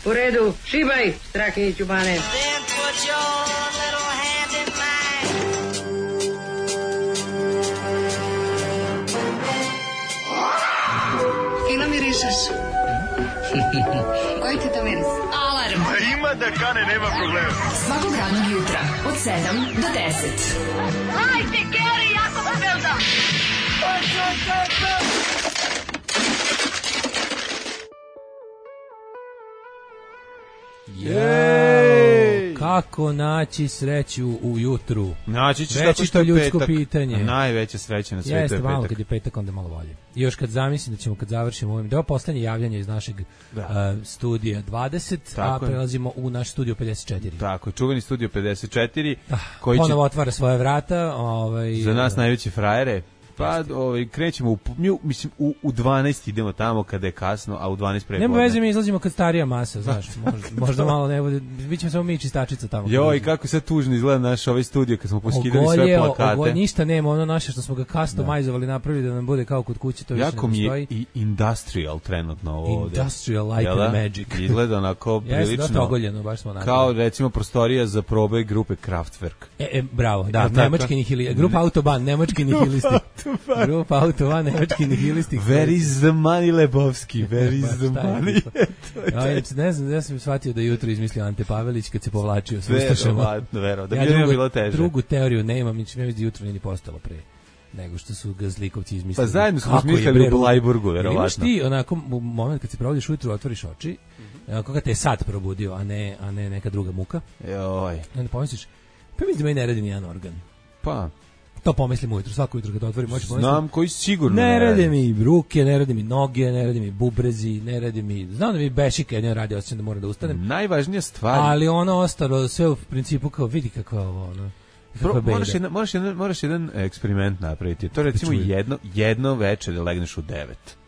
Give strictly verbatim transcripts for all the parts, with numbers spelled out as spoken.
U redu, šibaj, Strahinjiću Bane. Fino mirišeš. Koji ti to miris? Alarm. A ima da kane, nema problema. Svakog radnog jutra, od sedam do deset. Hajde, Geri, jako se velda. Jej! Kako naći sreću ujutru? Naći ćeš tako što je ljudsko petak. pitanje. Najveća sreća na svijetu je Jeste, petak. malo kad je petak, onda malo bolje. I još kad zamislim da ćemo, kad završimo ovim, da je ovo poslednje javljanje iz našeg uh, studija dvadeset, tako a prelazimo u naš studio pedeset četiri. Tako, čuveni studio pedeset četiri. Ah, koji ponovo će... otvara svoje vrata. Ovaj, za nas najveće frajere. Pa ovaj, krećemo, u, mi, mislim, u, u dvanaest idemo tamo kada je kasno, a u dvanaest prepodne. Nema veze, mi izlazimo kad starija masa, znaš, možda, možda malo ne bude, bit ćemo samo mi čistačica tamo. Joj, kako sad tužno izgleda naš ovaj studio kad smo poskidali sve plakate. Ogolje, ništa nema, ono naše što smo ga customizovali, napravili da nam bude kao kod kuće, to više ne postoji. Jako mi je i industrial trenutno ovo ovde. Industrial light and magic. Izgleda onako prilično. Jeste, dosta ogoljeno, baš smo napravili. Kao recimo prostorija za probe grupe Kraftwerk. E, e bravo, da, nemački nihilisti, grupa Autobahn, nemački nihilisti. Grupa Autobahn, nemački nihilisti. Where is the money, Lebovski? Where is the money? Ja, ne znam, ja sam shvatio da jutro izmislio Ante Pavelić kad se povlačio s Ustašama. Verovatno, verovatno. Da bi ljudima bilo teže. Drugu teoriju nemam, mi ćemo da jutro nije ni postalo pre nego što su ga zlikovci izmislili. Pa zajedno smo smišljali u Blajburgu, verovatno. Imaš ti onako moment kad se probodiš ujutru, otvoriš oči, koga te je sad probudio, a ne, a ne neka druga muka. Joj. Onda pomisliš, pa mi da meni ne radi ni jedan organ. Pa... To pomislim ujutro, svako jutro kad otvorim oči pomislim. Znam koji sigurno ne, ne rade mi ruke, ne rade mi noge, ne rade mi bubrezi, ne rade mi, znam da mi bešike ne radi, osjećam da moram da ustanem. Najvažnija stvar. Ali ono ostalo sve u principu kao vidi kakva ovo ono. Pro, moraš, jedan, moraš, jedan, moraš jedan eksperiment napraviti. To recimo jedno, jedno večer da legneš u devet.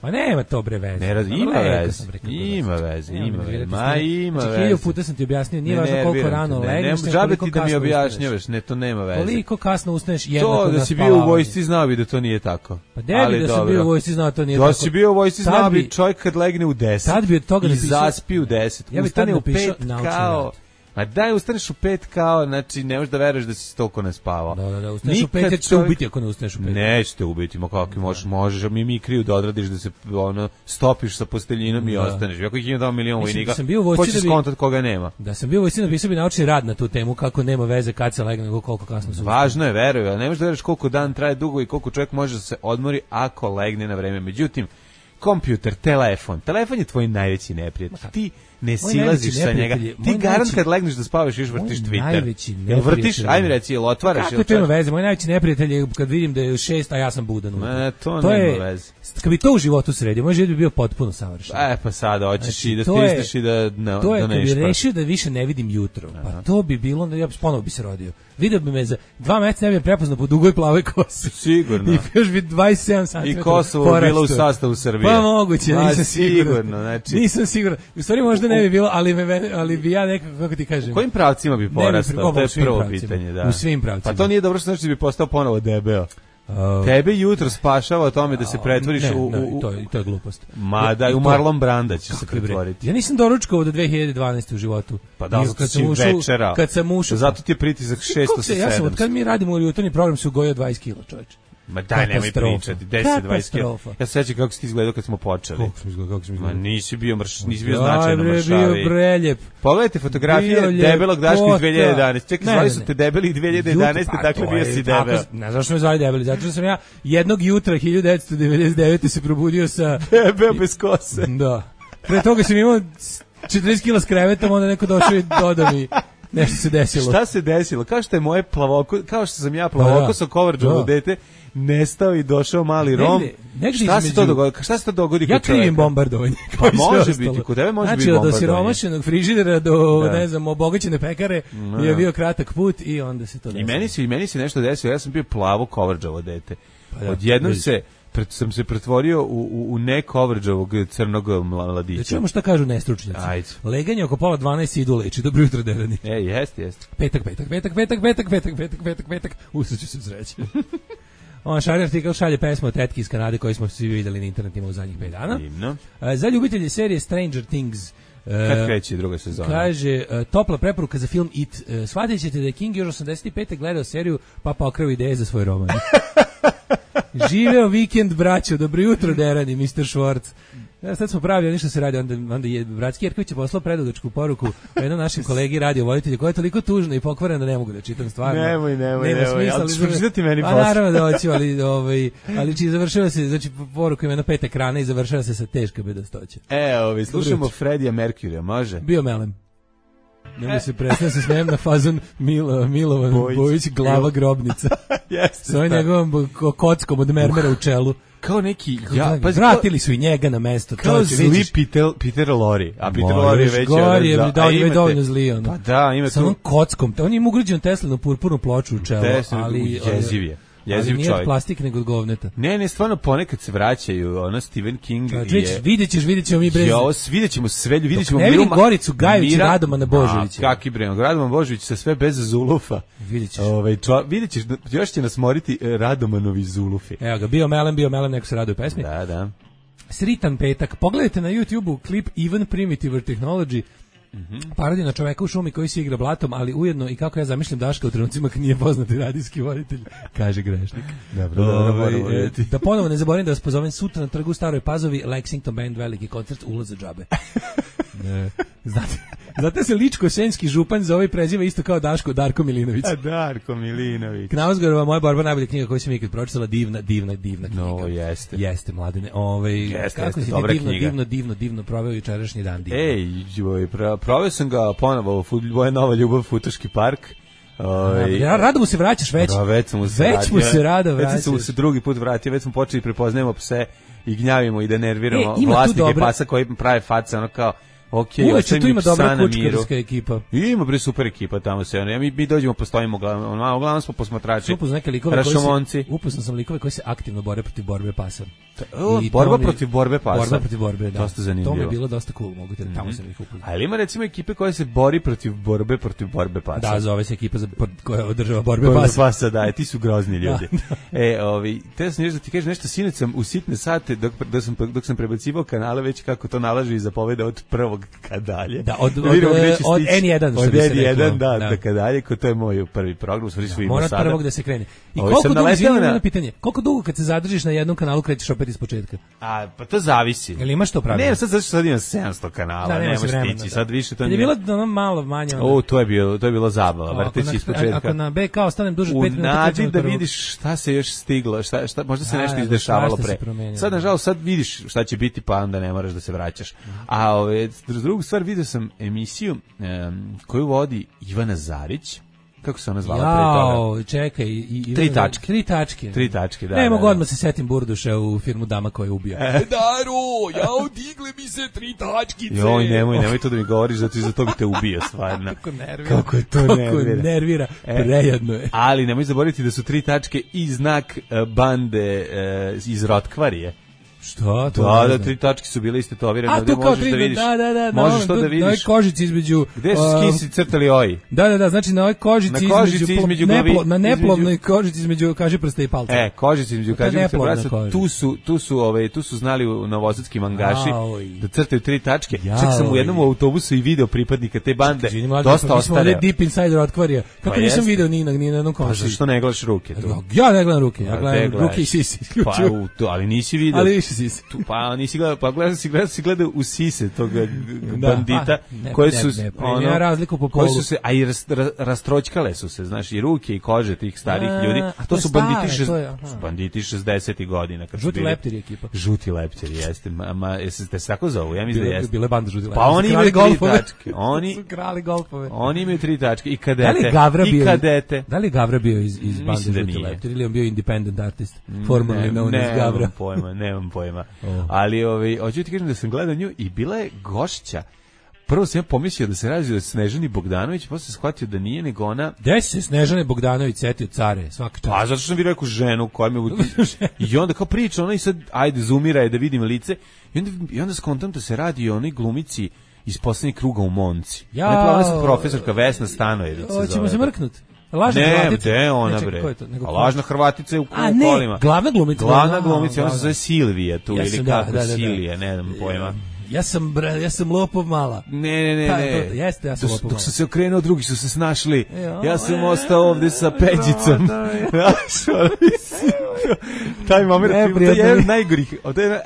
Pa nema to bre veze. Ne radi, ima veze. Ima veze, ima veze. Ma ima veze. Hilju puta sam ti objasnio, nije važno koliko rano legneš, ne džabe ti da mi objašnjavaš, ne, to nema veze. Koliko kasno ustaneš jednako to da si bio u vojsci znao bi da to nije tako. Pa debi da sam bio u vojsci znao to nije tako. Da si bio u vojsci znao bi čovjek kad legne u deset. Tad bi od toga i zaspi u deset. Ja bih ustane u pet kao a daj ustaneš u pet kao, znači ne možeš da veruješ da si toliko ne spavao. Da, da, da, ustaneš u pet, jer ćete ubiti ako ne ustaneš u pet. Nećete ubiti, ma kako možeš, možeš, mi mi kriju da odradiš da se ono, stopiš sa posteljinom da. I ostaneš. Ako ih ima dva miliona vojnika, hoćeš skontat koga nema. Da sam bio u vojsci, napisao bi naučni rad na tu temu, kako nema veze kad se legne, nego koliko kasno se važno je, veruj, ali ne možeš da veruješ koliko dan traje dugo i koliko čovjek može da se odmori ako legne na vreme. Međutim, kompjuter, telefon, telefon je tvoj najveći neprijatelj. Ti ne silaziš sa njega. Ti garant kad legneš da spavaš još vrtiš Twitter. Jel vrtiš? Ajme reci, jel otvaraš? Kako to ima veze? Moj najveći neprijatelj je kad vidim da je šest, a ja sam budan. Ne, to, to nema veze. Kad bi to u životu sredio, moj život bi bio potpuno savršen. E, pa sada hoćeš znači, i da stisneš i da ne to je, da kad bi rešio da više ne vidim jutro, pa to bi bilo, ja bi ponovo bi se rodio. Video bi me za dva meseca ne bi prepoznao po dugoj plavoj kosi. Sigurno. I još bi dvadeset sedam santimetara. I Kosovo bilo u sastavu Srbije. Pa moguće, Ma, nisam sigurno. Sigurno, znači. Nisam siguran. U stvari možda ne bi bilo, ali, me, ali bi ja nekako, kako ti kažem. U kojim pravcima bi porastao? To je prvo pravcima. pitanje. Da. U svim pravcima. Pa to nije dobro što znači da bi postao ponovo debeo. Uh, Tebe jutro spašava o tome da se pretvoriš ne, u, u, ne, to, je, to je glupost. Ma da, u Marlon Branda će se pretvoriti. Ja nisam doručkovao do dve hiljade dvanaeste u životu. Pa da, kad sam ušao, večera. Kad sam ušao. Zato ti je pritisak šesto sa sedamsto. Ja sam, od kad mi radimo u jutarnji program, se ugojio dvadeset kila, čovječe. Ma daj, nemoj pričati, deset do dvadeset kila. Ja se sećam kako si ti izgledao kad smo počeli. Kako sam izgledao, kako sam izgledao. Ma nisi bio mrš, nisi bio značajno mršavi. Bio preljep. Pogledajte fotografije debelog Daška iz dve hiljade jedanaeste. Čekaj, zvali su te debeli dve hiljade jedanaeste, dakle bio si debel. Ne znaš što me zvali debeli, zato što sam ja jednog jutra hiljadu devetsto devedeset devete se probudio sa... Debel bez kose. Da. Pre toga sam imao četrdeset kila s krevetom, onda neko došao i dodao mi... Nešto se desilo. Šta se desilo? Kao što je moje plavoko, kao što sam ja plavoko sa Coverđovo dete nestao i došao mali Rom. Negde, negde šta se to dogodi? Šta se to dogodi kod ja čovjeka? Ja krivim bombardovanje. Pa može biti, kod tebe može znači, biti bombardovanje. Znači, od osiromašenog frižidera do, da. ne znam, obogaćene pekare no. je bio kratak put i onda se to desilo. I meni se, i meni se nešto desilo, ja sam bio plavo Coverđovo dete. Pa da, odjednom se... Pred, sam se pretvorio u, u, u ne Coverđovog crnog mladića. Da čujemo šta kažu nestručnjaci. Ajde. Leganje oko pola dvanaest idu leči. Dobro jutro, Derani. E, jest, jest. Petak, petak, petak, petak, petak, petak, petak, petak, petak. Usreću se sreće. On šalje artikal, šalje pesmu od tetki iz Kanade koju smo svi vidjeli na internetima u zadnjih pet dana. Divno. Za ljubitelje serije Stranger Things Kad kreće druga sezona? Kaže, uh, topla preporuka za film It. Uh, shvatit ćete da je King još osamdeset pete gledao seriju, pa pokrao ideje za svoj roman. Živeo vikend, braćo, dobro jutro, Derani, mister Schwartz. Ja, sad smo pravi, ništa se radi, onda, onda je Bratski Jerković je poslao predugačku poruku jednom našim kolegi radiovoditelju koja je toliko tužna i pokvarena da ne mogu da čitam stvarno. Nemoj, nemoj, nema nemoj, smisla, ali ćeš pročitati meni posle. A naravno da hoću, ali, ovaj, ali či završava se, znači poruku ima na pet ekrana i završava se sa teška bedastoća. E, ovi, slušamo Freddija Mercuryja, može? Bio melem. Nemoj e. se prestane se smijem na fazon Milo, Milovan Bojić, Bojić glava grobnica. Jeste. S ovim njegovom kockom od mermera uh. u čelu. Kao neki ja pa vratili su i njega na mesto, kao zli Peter Peter Lorre, a Peter Lorre je već gori, je da je dovoljno zli on. Pa da, ima sa onom kockom, on ima ugrađenu Teslinu purpurnu ploču u čelo, ali jeziv je. Jeziv čovjek. Nije plastik nego od govneta. Ne, ne, stvarno ponekad se vraćaju, ono Stephen King je. Vidjet ćeš, vidjet ćemo mi brez. Jo, vidjet ćemo sve, vidjet ćemo ne vidim Goricu Gajević i Radomana Božovića. Kaki bre, Radoman Božović sa sve bez zulufa. Vidjet ćeš. Ovaj, vidjet ćeš, još će nas moriti Radomanovi zulufi. Evo ga, bio melem, bio melem, neko se raduje pesmi. Da, da. Sritan petak. Pogledajte na YouTubeu klip Even Primitive Technology. Mm-hmm. Parodija na čoveka u šumi koji se igra blatom, ali ujedno i kako ja zamišljam Daška u trenucima kad nije poznati radijski voditelj, kaže grešnik. Dobro, dobro, dobro. Da ponovo ne zaboravim da vas pozovem sutra na trgu u Staroj Pazovi, Lexington Band, veliki koncert, ulaz za džabe. Ne. Znate, znate se Ličko-senjski župan za ovaj preziva isto kao Daško, Darko Milinović. A Darko Milinović. Knausgorova, moja borba, najbolja knjiga koju sam ikad pročitala, divna, divna, divna knjiga. No, jeste. Jeste, mladene. Ovaj, jeste, kako jeste, si dobra divno, knjiga. divno, divno, divno proveo jučerašnji dan. Divno. Ej, joj, proveo sam ga ponovo, moja nova ljubav, Futoški park. Oj, ja rado mu se vraćaš već. Da, već mu se, već mu se rado vraćaš. Već mu se drugi put vratio, već smo počeli prepoznajemo pse i gnjavimo i da nerviramo e, vlasnike dobre... pasa koji prave face, ono kao okej, okay, uveče tu ima dobra kučkarska ekipa. Ima bre super ekipa tamo se. Ja mi mi dođemo postojimo uglavnom, uglavnom smo posmatrači. Upoznao neke likove koji se upoznao sam likove koji se aktivno bore protiv borbe pasa. O, borba mi, protiv borbe pasa. Borba protiv borbe, da. Dosta zanimljivo. To mi je bilo dosta cool, mogu te da tamo mm-hmm. sam ih upoznao. Ali ima recimo ekipe koja se bori protiv borbe protiv borbe pasa. Da, zove se ekipa za koja održava borbe borbe pasa. pasa, da, ti su grozni ljudi. Da, da. E, ovi, te sam nešto ti kažeš nešto sinoć sam u sitne sate dok dok sam dok sam prebacivao kanale već kako to nalaže i zapoveda od prvog ka dalje. Da, od, od, od, od en jedan što od bi se en jedan, da, da, da dalje, ko to je moj prvi program, sve što ima sada. Mora prvog da se krene. I koliko dugo, izvinite na pitanje, koliko dugo kad se zadržiš na jednom kanalu krećeš opet ispočetka? A, pa to zavisi. Jel imaš to pravilo? Ne, sad zato što sad imam sedamsto kanala, da, ne možeš stići, sad više to nije. Je bilo ono malo manje. Onda. O, to je bilo, to je bilo zabava, vrteći ispočetka. Ako na B K ostanem duže od pet minuta, nadi da vidiš šta se još stiglo, šta, šta, možda se nešto izdešavalo pre. Sad, nažalost, sad vidiš šta će biti, pa onda ne moraš da se vraćaš. A ove, drugu stvar, vidio sam emisiju um, koju vodi Ivana Zarić. Kako se ona zvala pre toga? Jao, čekaj. I, i, tri tačke. Tri tačke. Tri tačke, da. Ne da, mogu da. odmah se setim Burduša u firmu Dama koja je ubija. E. Daro, ja odigle mi se tri tačkice. Joj, nemoj, nemoj to da mi govoriš, zato iza toga te ubija stvarno. Kako nervira. Kako je to Kako nervira. nervira. E. Prejedno je. Ali nemoj zaboraviti da su tri tačke i znak bande uh, iz Rotkvarije. Što? To da, da, tri tačke su bile istetovirane, ovdje možeš tri, da vidiš. Da, da, da, možeš to da vidiš. Na ovoj kožici između... Gde su skisi crtali oji? Da, da, da, znači na ovoj kožici, na kožici između, između glavi, neplo, na neplodnoj između, kožici između kažiprsta i palca. E, kožici između kažiprsta i palca, tu su, tu su, ove, tu su znali u novosadski mangaši da crtaju tri tačke. Čak sam u jednom autobusu i video pripadnika te bande, čekaj, dosta ostare. Mi smo deep inside Rotkvarija. Kako pa nisam video ni na, ni na jednom koncertu? Pa zašto ne gledaš ruke tu? Ja ne gledam ruke, ja gledam ruke i sisi. Pa, ali nisi video. Ali više sisi. Pa nisi gledao, pa gledao si, gledao si gledao u sise tog bandita, da, koje su, ne, ne, ono, ja razliku po polu. Koje su se, a i rast, rastroćkale su se, znaš, i ruke i kože tih starih a, ljudi. To, to su stare, banditi, šest, je, banditi šezdesetih godina. Kad žuti leptiri ekipa. Žuti leptiri, jeste. Ma, ma jeste se tako zovu? Ja mislim da jeste. Bile bande žuti leptiri. Pa oni imaju tri tačke. Oni su krali golfove. Oni imaju tri tačke. I kadete. Da li I kadete. Da li Gavra bio iz, iz bande žuti leptiri ili on bio independent artist? Formerly known as Gavra. Nemam pojma, nemam pojma. Ali ovaj, hoću ti kažem da sam gledao nju i bila je gošća. Prvo sam ja pomislio da se radi o Snežani Bogdanović, posle sam shvatio da nije, nego ona... Gde se Snežane Bogdanović setio care, svaka čast? Pa, zato što sam vidio neku ženu koja me... I onda kao priča, ona i sad, ajde, zoomira je da vidim lice. I onda, i onda skontam da se radi o onoj glumici iz poslednjeg kruga u Monci. Ja, ne, ona je profesorka Vesna Stanojević. Hoćemo se mrknuti. Lažna ne, Hrvatica. Ne, ona bre. A lažna Hrvatica je u kolima. Glavna glumica. Glavna glumica, ona se zove Silvija tu, ili kako Silija, ne znam pojma. Ja sam, bra, ja sam lopov mala. Ne, ne, ne, Ta, ne. To, jeste, ja sam dok, lopov mala. dok su se okrenuo, drugi su se snašli. Jo, ja sam e, ostao ovde sa Peđicom. Taj moment, to je jedan od najgorih.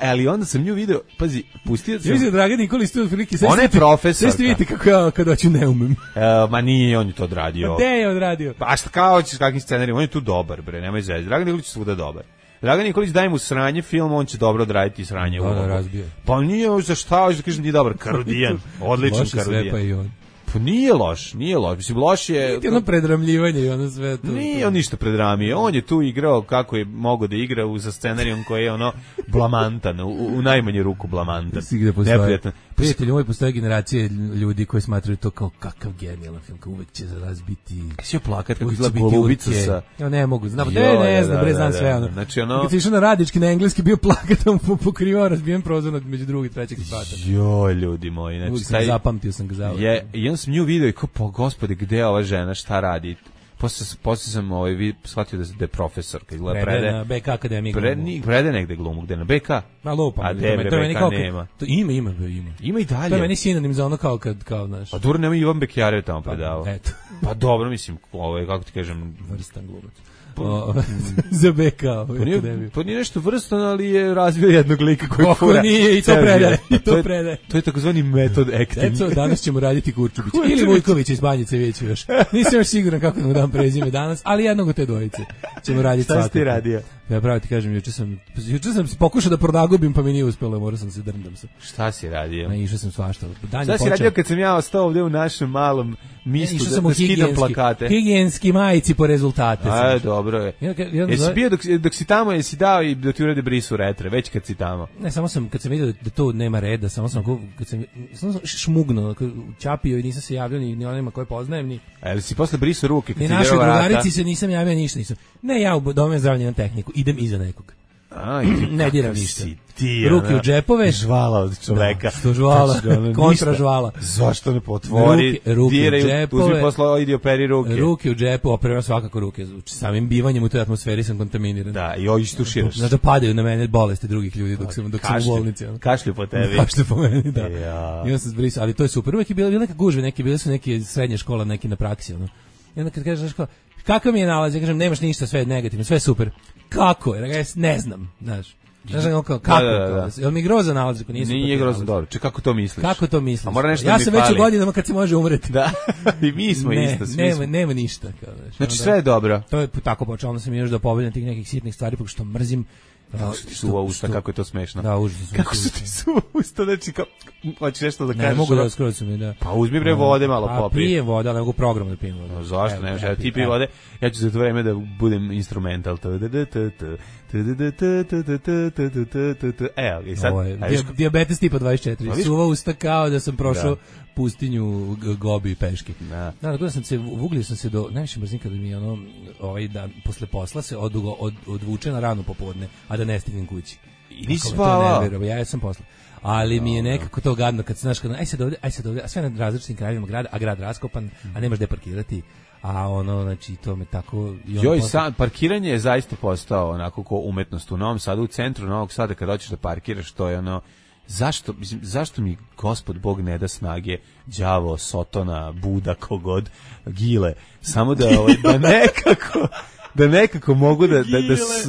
Ali onda sam nju video, pazi, pustio sam. Ja mislim da Dragan Nikolić tu otprilike. Ona je profesorka. Sve ste vidite kako ja kad hoću ne umem. E, ma nije, on je to odradio. Gde je odradio? Pa šta kao hoćeš kakvim scenarijom, on je tu dobar, bre, nemoj zezati. Dragan Nikolić je svuda dobar. Dragan Nikolić daj mu sranje film, on će dobro odraditi sranje. Da, da, razbio. Pa nije, za šta, hoćeš da kažem, nije dobar, Karudijan, odličan Loše Karudijan. sve pa i on. Pa nije loš, nije loš, mislim, loš je... Nije ono predramljivanje i ono sve to. Nije on ništa predramio, on je tu igrao kako je mogao da igra u, sa scenarijom koji je ono blamantan, u, u najmanju ruku blamantan. Neprijatan. Prijatelji, moj postoje generacije ljudi koji smatraju to kao kakav genijalan film, kao uvek će za nas biti... Svi plakat kako izgleda Golubica sa... Ja ne mogu, znam, ne, ne, ne znam, bre, znam sve ono. Znači ono... Kad si išao na Radički na engleski, bio plakatom pokrivao razbijen prozor među drugi, trećeg spata. Joj, ljudi moji, znači... Taj... Zapamtio sam ga zavljeno. Je, i on sam nju video i kao, po gospode, gde je ova žena, šta radi? Posle, posle sam ovaj, shvatio da, da je profesor, kad gleda prede. Prede na B K Akademiji prede, glumu. Prede negde glumu, gde na B K? Ma lupa. A debre, to B K kao, nema. To ima, ima, ima. Ima i dalje. To je meni sinonim za ono kao kad, kao, znaš. Pa dobro, nema Ivan Bekjarev tamo predavao. Pa, eto. Pa dobro, mislim, ovo je, kako ti kažem... Vrstan glumac. O, za B K pa nije, pa nije nešto vrstan, ali je razvio jednog lika koji Kako fura. Nije, i to predaje. I to, to, je, predaje. to je takozvani metod acting. Eto, danas ćemo raditi Kurčubić. Ili Vujković iz Banjice, vidjet još. Nisam još siguran kako da mu dam prezime danas, ali jednog od te dvojice ćemo raditi svakako. Šta si ti radio? Ja pravo ti kažem, juče sam, juče sam pokušao da pronagubim, pa mi nije uspelo, morao sam se drndam se. Šta si radio? Ne, išao sam svašta. Dan Šta si radio kad sam ja ostao ovdje u našem malom mistu da, da skidam plakate? Higijenski majici po rezultate. A, dobro je. Ja, ja, jesi bio dok, dok si tamo, jesi dao i da ti urede brisu retre, već kad si tamo? Ne, samo sam, kad sam vidio da to nema reda, samo sam, kad sam, samo sam šmugnuo, čapio i nisam se javljao ni, ni onima koje poznajem, ni... A jel si posle brisu ruke? Kad ni našoj drugarici se nisam javio, ništa nisam. Ne, ja u domu zdravlja na tehniku, idem iza nekog. A, ne diram ništa. Ti, ruke u džepove, žvala od čoveka. Da, što žvala, kontra žvala. Zašto ne potvori? Ruke, ruke diraju, u džepove. Uzmi posla, idi operi ruke. Ruke u džepu, operira svakako ruke. Samim bivanjem u toj atmosferi sam kontaminiran. Da, i ovi tuširaš. Znači da padaju na mene bolesti drugih ljudi dok sam, dok sam u bolnici. Kašlju po tebi. Kašlju po meni, da. Ja. I on se zbrisao, ali to je super. Uvijek je bila neka gužve, neke bile su neke srednje škola, neki na praksi. Ono. I onda kad kažeš, kao, kakav mi je nalaz? Ja kažem, nemaš ništa, sve je negativno, sve je super. Kako je? Ja ne znam, znaš. Znaš, kako, kako, da, da, da. Jel mi grozan nalaz? Nije grozan, dobro. Če kako to misliš? Kako to misliš? A mora nešto ja da sam mi već fali. u godinama kad se može umreti. Da, i mi smo ne, isto. Svi nema, smo. nema ništa. Kao, znaš, znači onda, sve je dobro. To je tako počelo, onda sam još da pobedam tih nekih sitnih stvari, porque što mrzim. Kako su ti suva usta, kako je to smešno. Da, užasno. Kako su ti suva usta, znači, kao, hoćeš nešto da kažeš? Ne mogu da skroz su mi, da. Pa uzmi bre vode malo popij. A pijem voda, ali mogu program da pijem vodu. No, zašto ne, ja ti pij vode, ja ću za to vreme da budem instrumental. Evo, i sad... Dijabetes tipa dvadeset četiri, suva usta kao da sam prošao pustinju Gobi peške. Da. Da, da sam se uvuglio sam se do najviše brzine kada mi ono ovaj dan posle posla se odugo od, odvuče na rano popodne, a da ne stignem kući. I nisi spavao. Ja sam posle. Ali mi je nekako to gadno kad znaš kad aj sad ovde, aj sad ovde, a sve na različitim krajevima grada, a grad raskopan, a nemaš gde parkirati. A ono, znači, to me tako... Joj, sad, parkiranje je zaista postao onako ko umetnost u Novom Sadu, u centru Novog Sada, kad hoćeš da parkiraš, to je ono... Zašto, mislim, zašto mi Gospod Bog ne da snage, đavo, Sotona, Buda, kogod, Gile, samo da, da nekako... da nekako mogu da da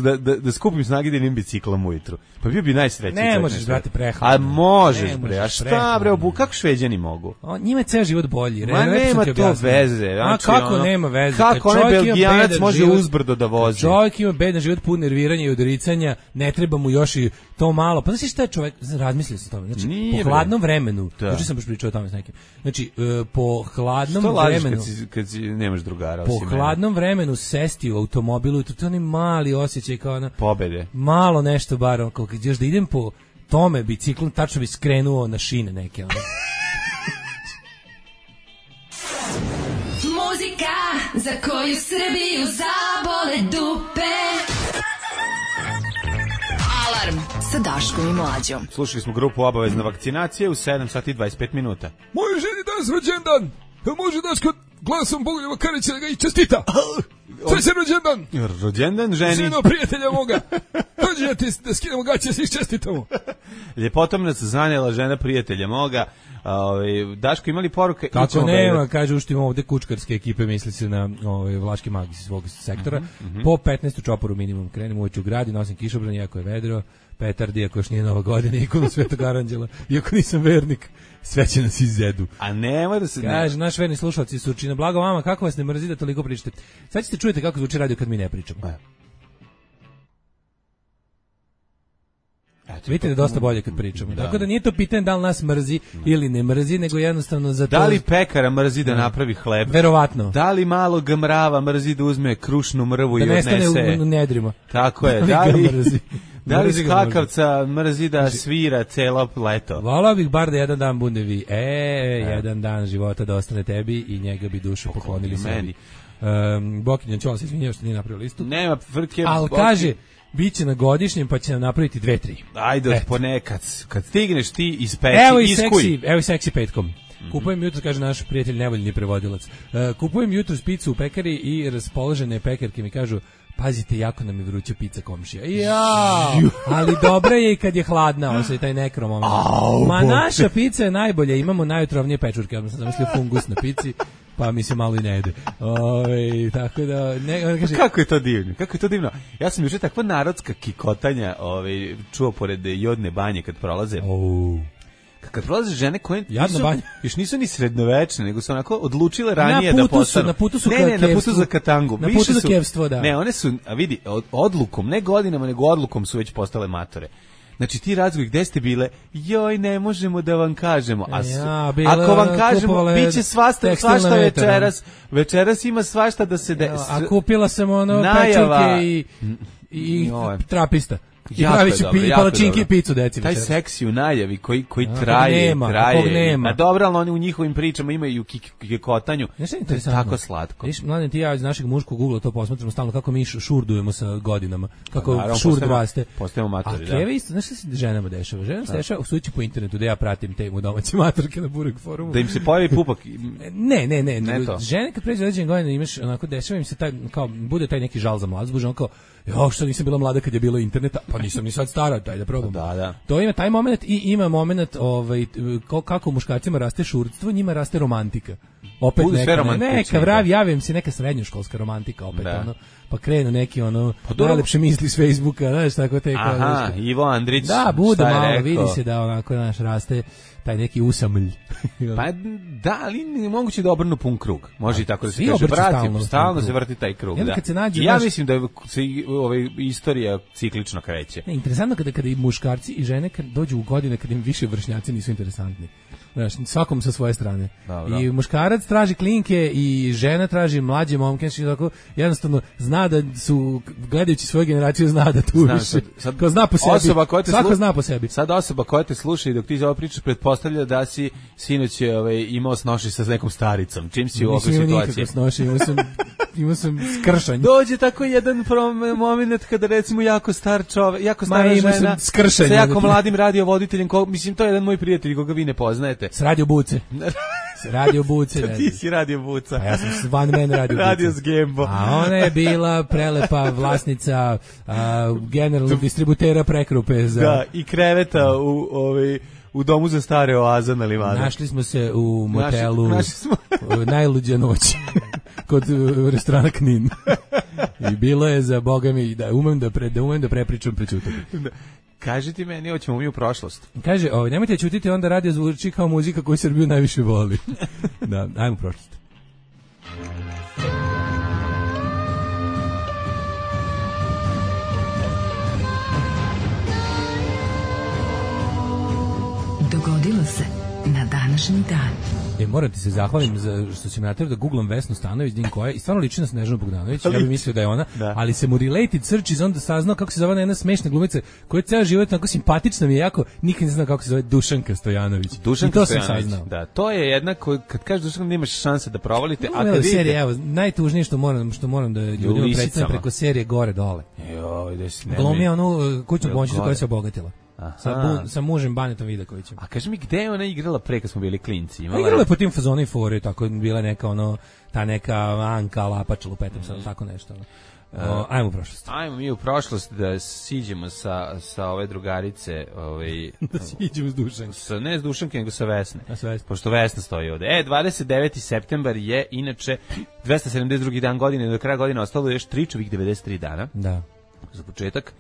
da da, da skupim snage da idem biciklom ujutru. Pa bio bi najsrećniji. Ne možeš brate prehranu. A možeš bre. A šta bre, obu kako Šveđani mogu? O, njima je ceo život bolji. Ma nema to veze. A kako nema veze? Kako onaj Belgijanac može uzbrdo da vozi? Čovjek ima bedan život pun nerviranja i odricanja, ne treba mu još i to malo. Pa znači šta je čovjek, razmislio sam o tome. Znači Nije, po hladnom vremenu, znači sam baš pričao o tome s nekim. Znači uh, po hladnom što vremenu, kad si, kad si nemaš drugara po hladnom mene. vremenu sesti u automobilu, to je onaj mali osjećaj kao ona pobede. Malo nešto bar, kao kad još da idem po tome biciklom, tačno bi skrenuo na šine neke. Ono. Muzika za koju Srbiju zabole dupe. Alarm sa Daškom i Mlađom. Slušali smo grupu Obavezna vakcinacija u sedam sati i dvadeset pet minuta. Moje ženi danas rođendan. Može Daško glasom Bogoljeva Karića da ga i čestita. To je se rođendan. Rođendan ženi. Sino prijatelja moga. Dođi da ti da skinemo gaće, svi čestitamo. Ljepotom nas zanjela žena prijatelja moga. Ovaj Daško, imali poruke? Kako nema, kaže uštimo ovde kučkarske ekipe, misli se na ovaj Vlaški mag iz svog sektora. Mm -hmm. Po petnaestu čoporu minimum krenemo ući u grad i nosim kišobran, iako je vedro, petardi, ako još nije Nova godina, ikonu Svetog Aranđela, iako nisam vernik, sve će nas izedu. A nema da se... Kaže, naš verni slušalci su Surčina, blago vama, kako vas ne mrzi da toliko pričate? Sad ćete čujete kako zvuči radio kad mi ne pričamo. A. Eto, vidite da je dosta bolje kad pričamo. Da. Tako da nije to pitanje da li nas mrzi ili ne mrzi, nego jednostavno za to... Da li pekara mrzi da napravi hleb? Verovatno. Da li malog mrava mrzi da uzme krušnu mrvu da i odnese? Da nestane u nedrima. Tako je. Da li, mrzi. Da li skakavca mrzi da svira celo leto? Volao bih bar da jedan dan bude vi. E, e, jedan dan života da ostane tebi i njega bi dušu poklonili sebi. Um, Bokinjan Ćola se izvinjava što nije napravio listu. Nema frke. Ali kaže... Biće na godišnjem, pa će nam napraviti dve, tri. Ajde, ponekad. Kad stigneš ti iz peci, evo i iskuj. Seksi, evo i seksi petkom. Mm-hmm. Kupujem jutro, kaže naš prijatelj nevoljni prevodilac. Uh, kupujem jutro picu u pekari i raspoložene pekarke mi kažu, pazite, jako nam je vruća pizza komšija. Ja, ali dobra je i kad je hladna, osjeti taj nekro moment. Au, Ma naša pizza je najbolja, imamo najotrovnije pečurke, ja sam zamislio fungus na pici. Pa mi se malo i ne jede. Ove, tako da, ne, kaže, kako je to divno, kako je to divno. Ja sam juče takva narodska kikotanja ove, čuo pored Jodne banje kad prolaze. Oh. Kad prolaze žene koje nisu, još nisu ni srednovečne, nego su onako odlučile ranije da postanu. Na putu su, ne, ne, na putu za katangu. Na putu za kevstvo, da. Ne, one su, a vidi, odlukom, ne godinama, nego odlukom su već postale matore. Znači ti razgovori, gde ste bile? Joj, ne možemo da vam kažemo. A ja, bila, ako vam kažemo, biće svašta, svašta večeras. Večeras ima svašta da se... De, ja, a kupila sam ono pečurke i, i, i trapista. I pravići pi, palačinke i picu deci. Taj seksi u najavi koji, koji ja, traje, nema, traje. Nema. A dobro, ali oni u njihovim pričama imaju kikotanju. To je tako slatko. Viš, mladen, ti ja iz našeg muškog ugla to posmatramo stalno kako mi šurdujemo sa godinama. Kako naravno, šurd raste. Postajemo matori, da. A Keve isto, znaš šta se ženama dešava? Ženama se dešava sući po internetu da ja pratim te mu domaće matorke na Burek forumu. Da im se pojavi pupak. ne, ne, ne. ne žene kad pređe određene godine imaš, onako, dešava im se taj, kao, bude taj neki žal za mlad, zbuže, onako, jo, što nisam bila mlada kad je bilo interneta, pa nisam ni sad stara, daj da probam. Da, da. To ima taj moment i ima moment ovaj, kako muškarcima raste šurdstvo, njima raste romantika. Opet Budu neka, romantični, neka vrav, javim se neka srednjoškolska romantika, opet da. Ono, pa krenu neki ono, pa najlepše misli s Facebooka, znaš, tako te. Aha, kao, Ivo Andrić, da, bude malo, vidi se da onako, znaš, raste taj neki usamlj. Pa da, ali ne moguće da obrnu pun krug. Može i tako da se kaže, vrati, stalno, stalno se vrti taj krug. Da. Kad se nađe, ja naš... mislim da se ovaj, istorija ciklično kreće. Ne, interesantno kada, kada i muškarci i žene kad dođu u godine kad im više vršnjaci nisu interesantni. Znaš, svakom sa svoje strane. Dobro. I muškarac traži klinke i žena traži mlađe momke, tako jednostavno zna da su, gledajući svoju generaciju, zna da tu Znam, više. Sad, sad, ko zna po sebi. Osoba koja te Svako slu... zna po sebi. Sad osoba koja te sluša i dok ti za ovo pričaš pretpostavlja da si sinoć ovaj, imao snoši sa nekom staricom. Čim si u ovoj situaciji? Nisam nikako snoši, imao sam, imao sam skršanj. Dođe tako jedan moment kada recimo jako star čovek, jako stara Ma, žena sa jako mladim radiovoditeljem, ko, mislim to je jedan moj prijatelj koga vi ne poznajete. S radio buce. Radio buce. Ti si radio buca. A ja sam one man radio buca. Radio s Gembo. A ona je bila prelepa vlasnica a, generalnog distributera prekrupe za... Da, i kreveta u ovaj u domu za stare oaza na Livadu. Našli smo se u motelu Našli, našli smo. Najluđa noć kod uh, restorana Knin. I bilo je za Boga mi da umem da, pre, da, umem da prepričam prećutak. Kaži ti meni, hoćemo mi u prošlost. Kaže, ovaj, nemojte ćutiti, onda radio zvuči kao muzika koju Srbiju najviše voli. Da, ajmo u prošlost. Dogodilo se na današnji dan. E, moram ti se zahvalim za što si me natjerao da googlam Vesnu Stanović, din koja je, i stvarno liči na Snežanu Bogdanović, ja bih mislio da je ona, da. Ali se mu related search iz onda saznao kako se zove jedna smešna glumica, koja je ceo život tako simpatična mi je jako, nikad ne znam kako se zove, Dušanka Stojanović. Dušanka I to Stojanović, sam saznao. Da, to je jedna koja, kad kažeš Dušanka nemaš šanse da provalite, no, a kad vidite... serije, evo, najtužnije što moram, što moram da ljudima predstavim preko serije gore dole. Joj, da si ne... Glumi onu kućnu pomoćnicu koja se obogatila. sa, bu, sa mužem Banetom Vidakovićem. A kaži mi, gde je ona igrala pre kad smo bili klinci? Imala igrala je po tim fazoni i fore, tako bila neka ono, ta neka Anka Lapač, lupetam sad, tako nešto. O, ajmo u prošlost. Ajmo mi u prošlost da siđemo sa, sa ove drugarice. Ovaj, da siđemo s Dušanke. Sa, ne s Dušanke, nego sa Vesne. A sa Vesne. Pošto Vesna stoji ovde. E, dvadeset deveti septembar je inače dvesta sedamdeset drugi dan godine, do kraja godine ostalo još tričovih devedeset tri dana. Da. Za početak.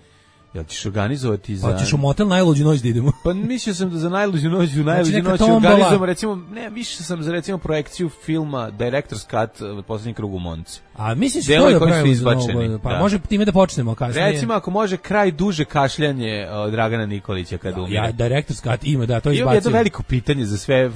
Jel ćeš organizovati za... Pa ćeš u motel najluđu noć da idemo. Pa mislio sam da za najluđu noć, u najluđu znači, noć organizujemo, recimo, ne, više sam za recimo projekciju filma Director's Cut, Poslednji krug u Monci. A misliš što da pravimo za novo, pa da. Može time da počnemo kasnije. Recimo ako može kraj duže kašljanje od Dragana Nikolića kad umire. Ja, Director's Cut ima, da, to izbacimo. Ima jedno veliko pitanje za sve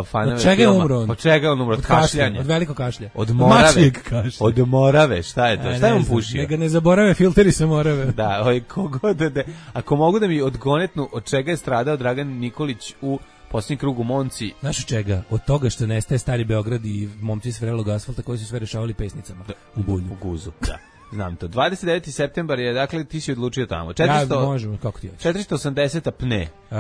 fanove. Od čega je umro on? Od čega je on umro? Od, od kašljanja. Od veliko kašlja. Od morave. Od morave, šta je to? A, šta je on pušio? Neka ne zaborave filteri sa morave. Da, ovaj, kogo da, da, ako mogu da mi odgonetnu od čega je stradao Dragan Nikolić u Posljednji krug u Monci. Znaš od čega? Od toga što nestaje Stari Beograd i momci s vrelog asfalta koji su sve rešavali pesnicama. Da, u bulju. U guzu, da. Znam to. dvadeset deveti septembar je, dakle, ti si odlučio tamo. četiristo, ja, možemo, kako ti hoćeš. četiristo osamdeseta pne. Uh,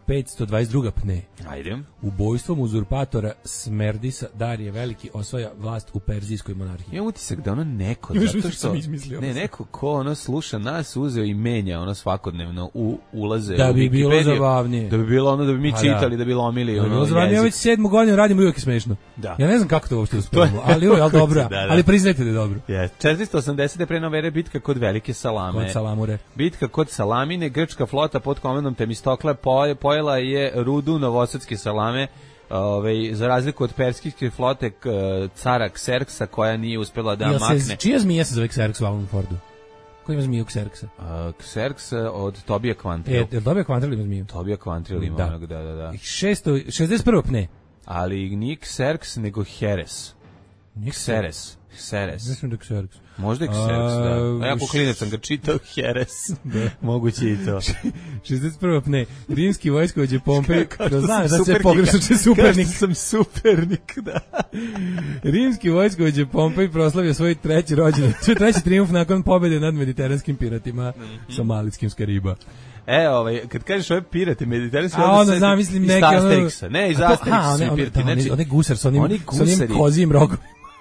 petsto dvadeset druga pne. Ajde. Ubojstvom uzurpatora Smerdisa Darije Veliki osvaja vlast u Perzijskoj monarhiji. Imam utisak da ono neko, zato što ne, neko ko ono sluša nas, uzeo i menja ono svakodnevno u ulaze da u bi bilo zabavnije. Da bi bilo ono, da bi mi čitali, da bi lomili da ono. Da bi bilo zabavnije, ja već sedmu godinu radim, uvijek je smešno. Da. Ja ne znam kako to uopšte uspemo, ali je al dobro. Da, da. Ali priznajte da je dobro. Yes. četiristo osamdeset pre nove ere bitka kod Velike Salame. Kod Salamure. Bitka kod Salamine, grčka flota pod komandom Temistokla poje, pojela je rudu novosadske Salame, ovaj, za razliku od perskijske flote k, cara Kserksa koja nije uspela da Jel makne. Se, čija zmija se zove Kserks u Alan Fordu? Ko ima zmiju Kserksa? Uh, Kserks od Tobija Kvantril. E, je Tobija Kvantril ima zmiju? Tobija Kvantril ima da. onog, da, da, da. šesto šezdeset prva pne. Ali nije Kserks, nego Heres. Kseres. Kseres. Mislim da Kserks. Možda je Kserks, da. A ja poklinec sam ga čitao Heres. Da. Moguće i to. šezdeset prva pne. Rimski vojskovođe Pompej. Da znam da se pogrešno če supernik. Kao sam supernik, da. Rimski vojskovođe Pompej proslavio svoj treći rođendan. Svoj treći trijumf nakon pobjede nad mediteranskim piratima somalitskim Skariba. E, ovaj, kad kažeš ove pirate mediteranske, a onda znam, mislim neke Asterixa. Ne, iz Asterixa pirati. Znači, one gusar sa onim, sa onim kozijim rogom.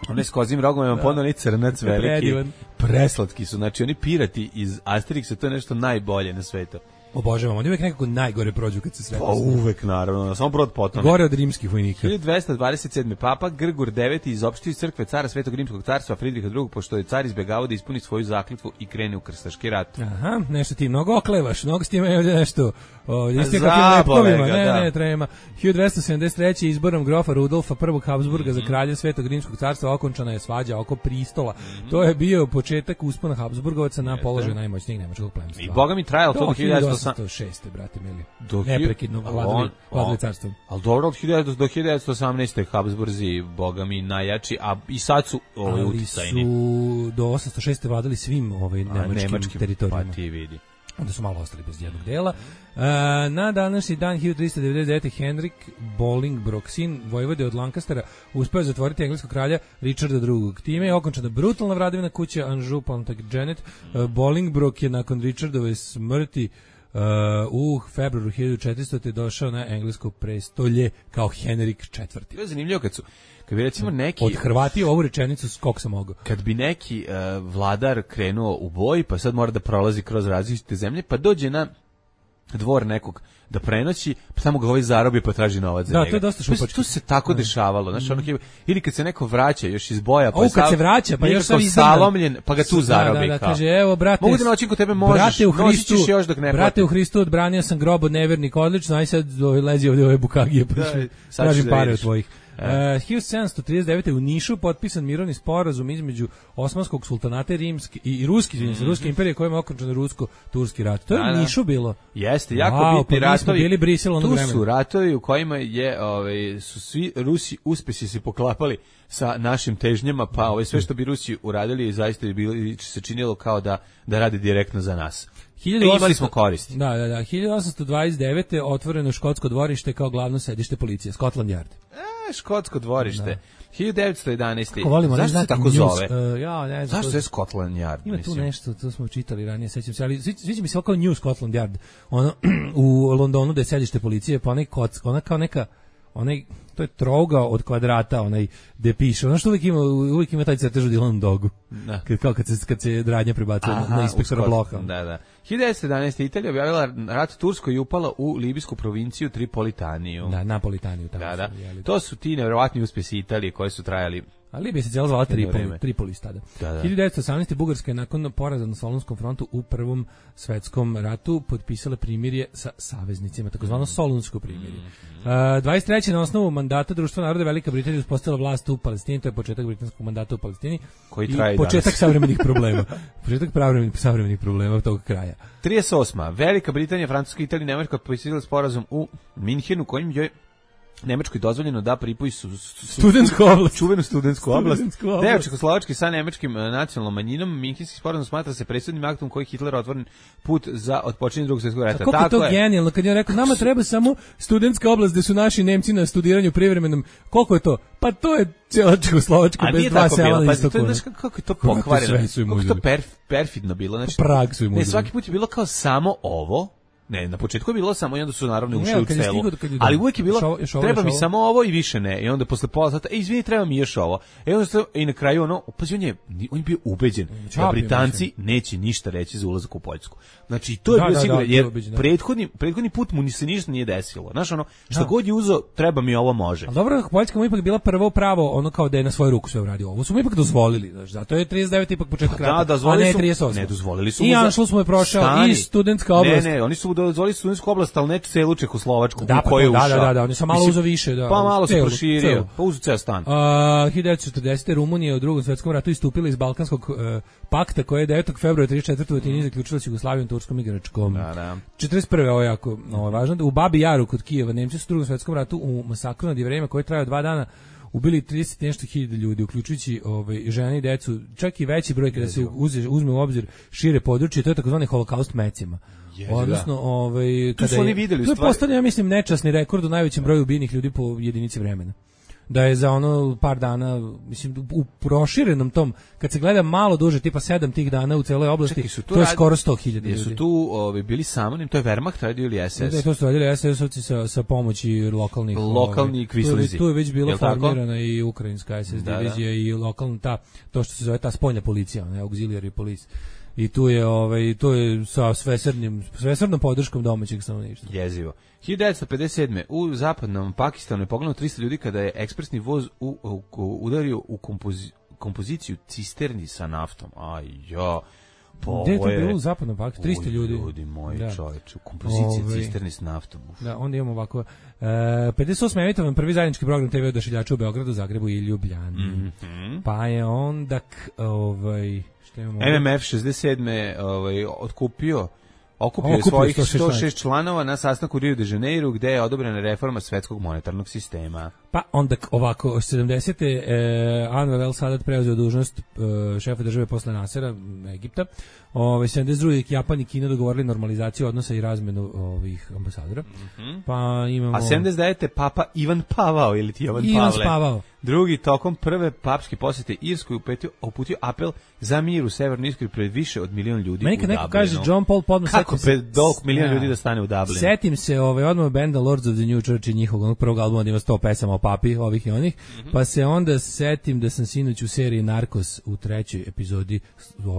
One s kozim rogom imam ponovno oni crnac veliki. Preslatki su, znači oni pirati iz Asterixa, to je nešto najbolje na svetu. Obožavam, oni uvek nekako najgore prođu kad se sve. Pa uvek, naravno, samo brod potom. Gore od rimskih vojnika. hiljadu dvesta dvadeset sedmi Papa Grgur deveti izopštio iz crkve cara Svetog rimskog carstva Fridriha drugog, pošto je car izbegavao da ispuni svoju zakletvu i krene u krstaški rat. Aha, nešto ti mnogo oklevaš, mnogo s time ovdje nešto. Ovdje ste kakvim lepkovima, ne, da. ne, trema. hiljadu dvesta sedamdeset treće izborom grofa Rudolfa prvog Habsburga mm -hmm. za kralja Svetog rimskog carstva okončana je svađa oko pristola. Mm -hmm. To je bio početak uspona Habsburgovaca na položaj najmoćnijeg nemačkog plemstva. I boga mi trajalo to do hiljadu osamsto šeste brate mili. Neprekidno vladali, vladali carstvom. Ali dobro, od hiljadu do hiljadu osamnaeste Habsburzi, boga mi, najjači, a i sad su ovaj uticajni. Ali su do osamsto šeste vladali svim ovaj nemačkim, nemačkim teritorijama. Pa ti vidi. Onda su malo ostali bez jednog dela. Uh, na današnji dan hiljadu trista devedeset devete Henrik Bolingbroke, sin vojvode od Lancastera, uspeo zatvoriti engleskog kralja Richarda drugog. Time je okončana brutalna vladavina kuće Anjou Plantagenet. Uh, Bolingbroke je nakon Richardove smrti Uh, u februaru hiljadu četiristote došao na englesko prestolje kao Henrik četvrti. To je zanimljivo kad su kad bi recimo neki od Hrvatija ovu rečenicu skok sam mogao. Kad bi neki uh, vladar krenuo u boj, pa sad mora da prolazi kroz različite zemlje, pa dođe na dvor nekog da prenoći, pa samo ga ovaj zarobi pa traži novac za da, njega. To je dosta šupački. To se tako da. dešavalo, znači ono mm. ili kad se neko vraća još iz boja, pa o, kad se vraća, pa još sam salomljen, pa ga tu zarobi. Da, da, da, kaže, evo, brate, mogu da noći kod tebe možeš, brate u Hristu, još dok ne brate u Hristu, odbranio sam grob od nevernika, odlično, aj sad lezi ovdje ove bukagije, pa tražim pare od tvojih. Uh, hiljadu sedamsto trideset devete u Nišu potpisan mirovni sporazum između Osmanskog sultanata rimski i, i ruski, mm -hmm. ruske imperije kojima je okončan rusko-turski rat. To je da, u Nišu bilo. Jeste, jako wow, bitni pa ratovi. Bili Brisel tu vremena. Su ratovi u kojima je, ovaj, su svi Rusi uspesi se poklapali sa našim težnjama, pa ovaj, sve što bi Rusi uradili zaista bi bilo, se činilo kao da, da rade direktno za nas. hiljadu osamsto, imali smo koristi. Da, da, da. hiljadu osamsto dvadeset devete otvoreno škotsko dvorište kao glavno sedište policije, Scotland Yard. A, škotsko dvorište. Da. hiljadu devetsto jedanaeste. Kako volimo, zašto se tako zove? Uh, ja, ne znam. Zašto to je Scotland Yard? Ima mislim? tu nešto, to smo čitali ranije, sećam se, ali sviđa mi se ovako New Scotland Yard. Ono, u Londonu da je sedište policije, pa onaj koc, ona kao neka, onaj, to je trougao od kvadrata, onaj gde piše, ono što uvijek ima, uvijek ima taj crtež u Dylan Dogu. Da. Kad, kao kad se, kad se radnja prebacuje na, na inspektora Bloha. Da, da. hiljadu devetsto jedanaeste. Italija objavila rat Turskoj i upala u libijsku provinciju Tripolitaniju. Da, Napolitaniju. Tamo da, da. Su, to su ti nevjerovatni uspjesi Italije koji su trajali. A Libija se cijela zvala Tripoli, Tripolis tada. Da, da. hiljadu devetsto osamnaeste. Bugarska je nakon poraza na Solunskom frontu u Prvom svetskom ratu potpisala primirje sa saveznicima, takozvano Solunsko primirje. Uh, dvadeset treće. na osnovu mandata Društva naroda Velika Britanija uspostavila vlast u Palestini, to je početak britanskog mandata u Palestini. Koji traje i početak danas. savremenih problema. Početak savremenih, savremenih problema tog kraja. trideset osma. Velika Britanija, Francuska, Italija i Nemačka potpisali sporazum u Minhenu kojim je Nemačkoj dozvoljeno da pripoji su, su, studentsku oblast, čuvenu studentsku oblast. Deo Čehoslovačke sa nemačkim nacionalnom manjinom, Minhenski sporazum smatra se presudnim aktom koji Hitler otvoren put za otpočinjenje Drugog svjetskog rata. Kako je to genijalno kad je rekao nama treba samo studentska oblast gde su naši Nemci na studiranju privremenom. Koliko je to? Pa to je cijela Čehoslovačka bez dva sela na istoku. Znaš kako je to pokvareno? Kako je to perf, perfidno bilo? Znači, Prag su im ne, svaki put je bilo kao samo ovo. Ne, na početku je bilo samo i onda su naravno ušli u celu. Ali uvijek je bilo, šo, šo, treba šo, mi šo. samo ovo i više ne. I onda posle pola sata, e, izvini, treba mi još ovo. E, onda se, i na kraju ono, pa on je, on je bio ubeđen da Britanci neće ništa reći za ulazak u Poljsku. Znači, to je da, bilo da, sigurno, da, jer ubeđen, prethodni, prethodni put mu ni se ništa nije desilo. Znaš, ono, što da. god je uzo, treba mi ovo može. Ali dobro, Poljska mu ipak bila prvo pravo, ono kao da je na svoju ruku sve uradio. Ovo su mu ipak dozvolili, znači, zato je trideset devete ipak početak rata, da, a ne trideset osam. Ne, dozvolili su I Anšlus mu je prošao i studentska oblast. Ne, ne, oni su dozvolili studentsku oblast, ali ne celu Čehoslovačku da, u koju je ušao. Da, da, da, oni su malo uzo više. Da, pa malo se proširio, celu. pa uzo ceo stan. Uh, hiljadu devetsto četrdesete. Rumunija u Drugom svetskom ratu istupila iz Balkanskog uh, pakta koji je devetog februara trideset četvrte. u Atini zaključila s Jugoslavijom, Turskom i Grčkom. Da, da. četrdeset prve. ovo je jako ovo je važno. U Babi Jaru kod Kijeva Nemci su u Drugom svetskom ratu u masakru nad Jevrejima koji trajao dva dana ubili trideset nešto hiljada ljudi, uključujući ovaj, žene i decu, čak i veći broj kada se uze, uzme u obzir šire područje, to je takozvani holokaust mecima. Ježi, odnosno, da. ovaj, kada su oni videli, to je postavljeno, ja mislim, nečasni rekord u najvećem broju ubijenih ljudi po jedinici vremena. Da je za ono par dana, mislim, u proširenom tom, kad se gleda malo duže, tipa sedam tih dana u celoj oblasti, Čekaj, to je rad... skoro sto hiljada ljudi. Jesu tu ovi, bili samo, to je Wehrmacht radio ili es es? Da, to su radili es es-ovci sa, sa pomoći lokalnih. Lokalni ovaj, kvislizi. Tu, tu je već bila formirana i ukrajinska es es da, divizija da. i lokalna ta, to što se zove ta spoljna policija, ne, auxiliary police. I tu je ovaj to je sa svesrdnim svesrdnom podrškom domaćeg stanovništva. Jezivo. hiljadu devetsto pedeset sedme. u zapadnom Pakistanu je poginulo trista ljudi kada je ekspresni voz u, u, u, udario u kompozi, kompoziciju cisterni sa naftom. Aj ja. Pa gde je to bilo u zapadnom Pakistanu? trista ljudi. Ljudi moji, da. Čoveče, u kompoziciji Ove, cisterni s naftom. Uf. Da, onda imamo ovako. E, pedeset osme emitovan prvi zajednički program te ve odašiljača u Beogradu, Zagrebu i Ljubljani. Mm-hmm. Pa je onda ovaj em em ef šezdeset sedme ovaj otkupio okupio je svojih sto šest članova na sastanku u Rio de Janeiro gde je odobrena reforma svetskog monetarnog sistema. Pa onda ovako sedamdesete. Eh, Anwar el Sadat preuzeo dužnost eh, šefa države posle Nasera Egipta. Ove sedamdeset druge. Japan i Kina dogovorili normalizaciju odnosa i razmenu ovih ambasadora. Mm-hmm. Pa imamo A sedamdeset devete. Papa Ivan Pavao ili ti Ivan Ivan Pavle. Pavao. Drugi tokom prve papske posete Irskoj uputio, uputio apel za mir u Severnoj Irskoj pred više od milion ljudi. Meni kad neko kaže John Paul podno kako pred dok milion ljudi da stane u Dublinu. Setim se ovaj odmah benda Lords of the New Church i njihovog onog prvog albuma da ima sto pesama o papi, ovih i onih. Mm-hmm. Pa se onda setim da sam sinoć u seriji Narcos u trećoj epizodi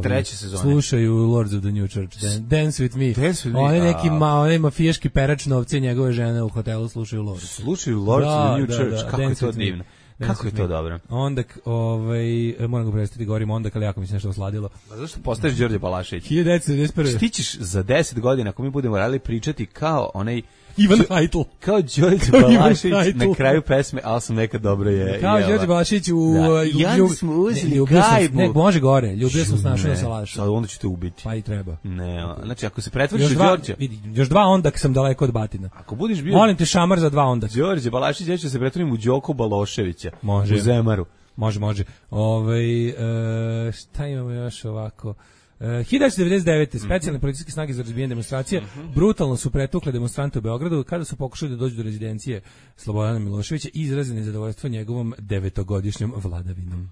treće sezone slušaju Lords of the New Church. Dan, Dance with me. Dance with me. Oni neki ma, oni mafijaški perač novce njegove žene u hotelu slušaju Lords. Slušaju Lords da, of the New da, Church. Da, kako je to divno. Kako je to dobro? Onda, ovaj, moram ga prestati, govorim onda, ali jako mi se nešto osladilo. A zašto postaješ Đorđe Balašević? hiljadu devetsto devedeset prve. Stićeš za deset godina, ako mi budemo radili pričati kao onaj Ivan Hajtl. Kao Đorđe Balašević na kraju pesme, ali sam nekad dobro je. Kao Đorđe Balašević u... Da. I onda smo uzeli gajbu. Ne, može gore, ljubio sam snašao na salašu. Sad onda ću te ubiti. Pa i treba. Ne, znači ako se pretvoriš u Đorđe... Još dva ondak sam daleko od batina. Ako budeš bio... Molim te šamar za dva ondak. Đorđe Balašević, ja ću se pretvorim u Đoko Baloševića. Može. U Zemaru. Može, može. Ove, e, šta imamo još ovako? Uh, hiljadu devetsto devedeset devete. specijalne policijske snage za razbijanje demonstracije uh-huh. brutalno su pretukle demonstrante u Beogradu kada su pokušali da dođu do rezidencije Slobodana Miloševića i izrazili nezadovoljstvo njegovom devetogodišnjom vladavinom.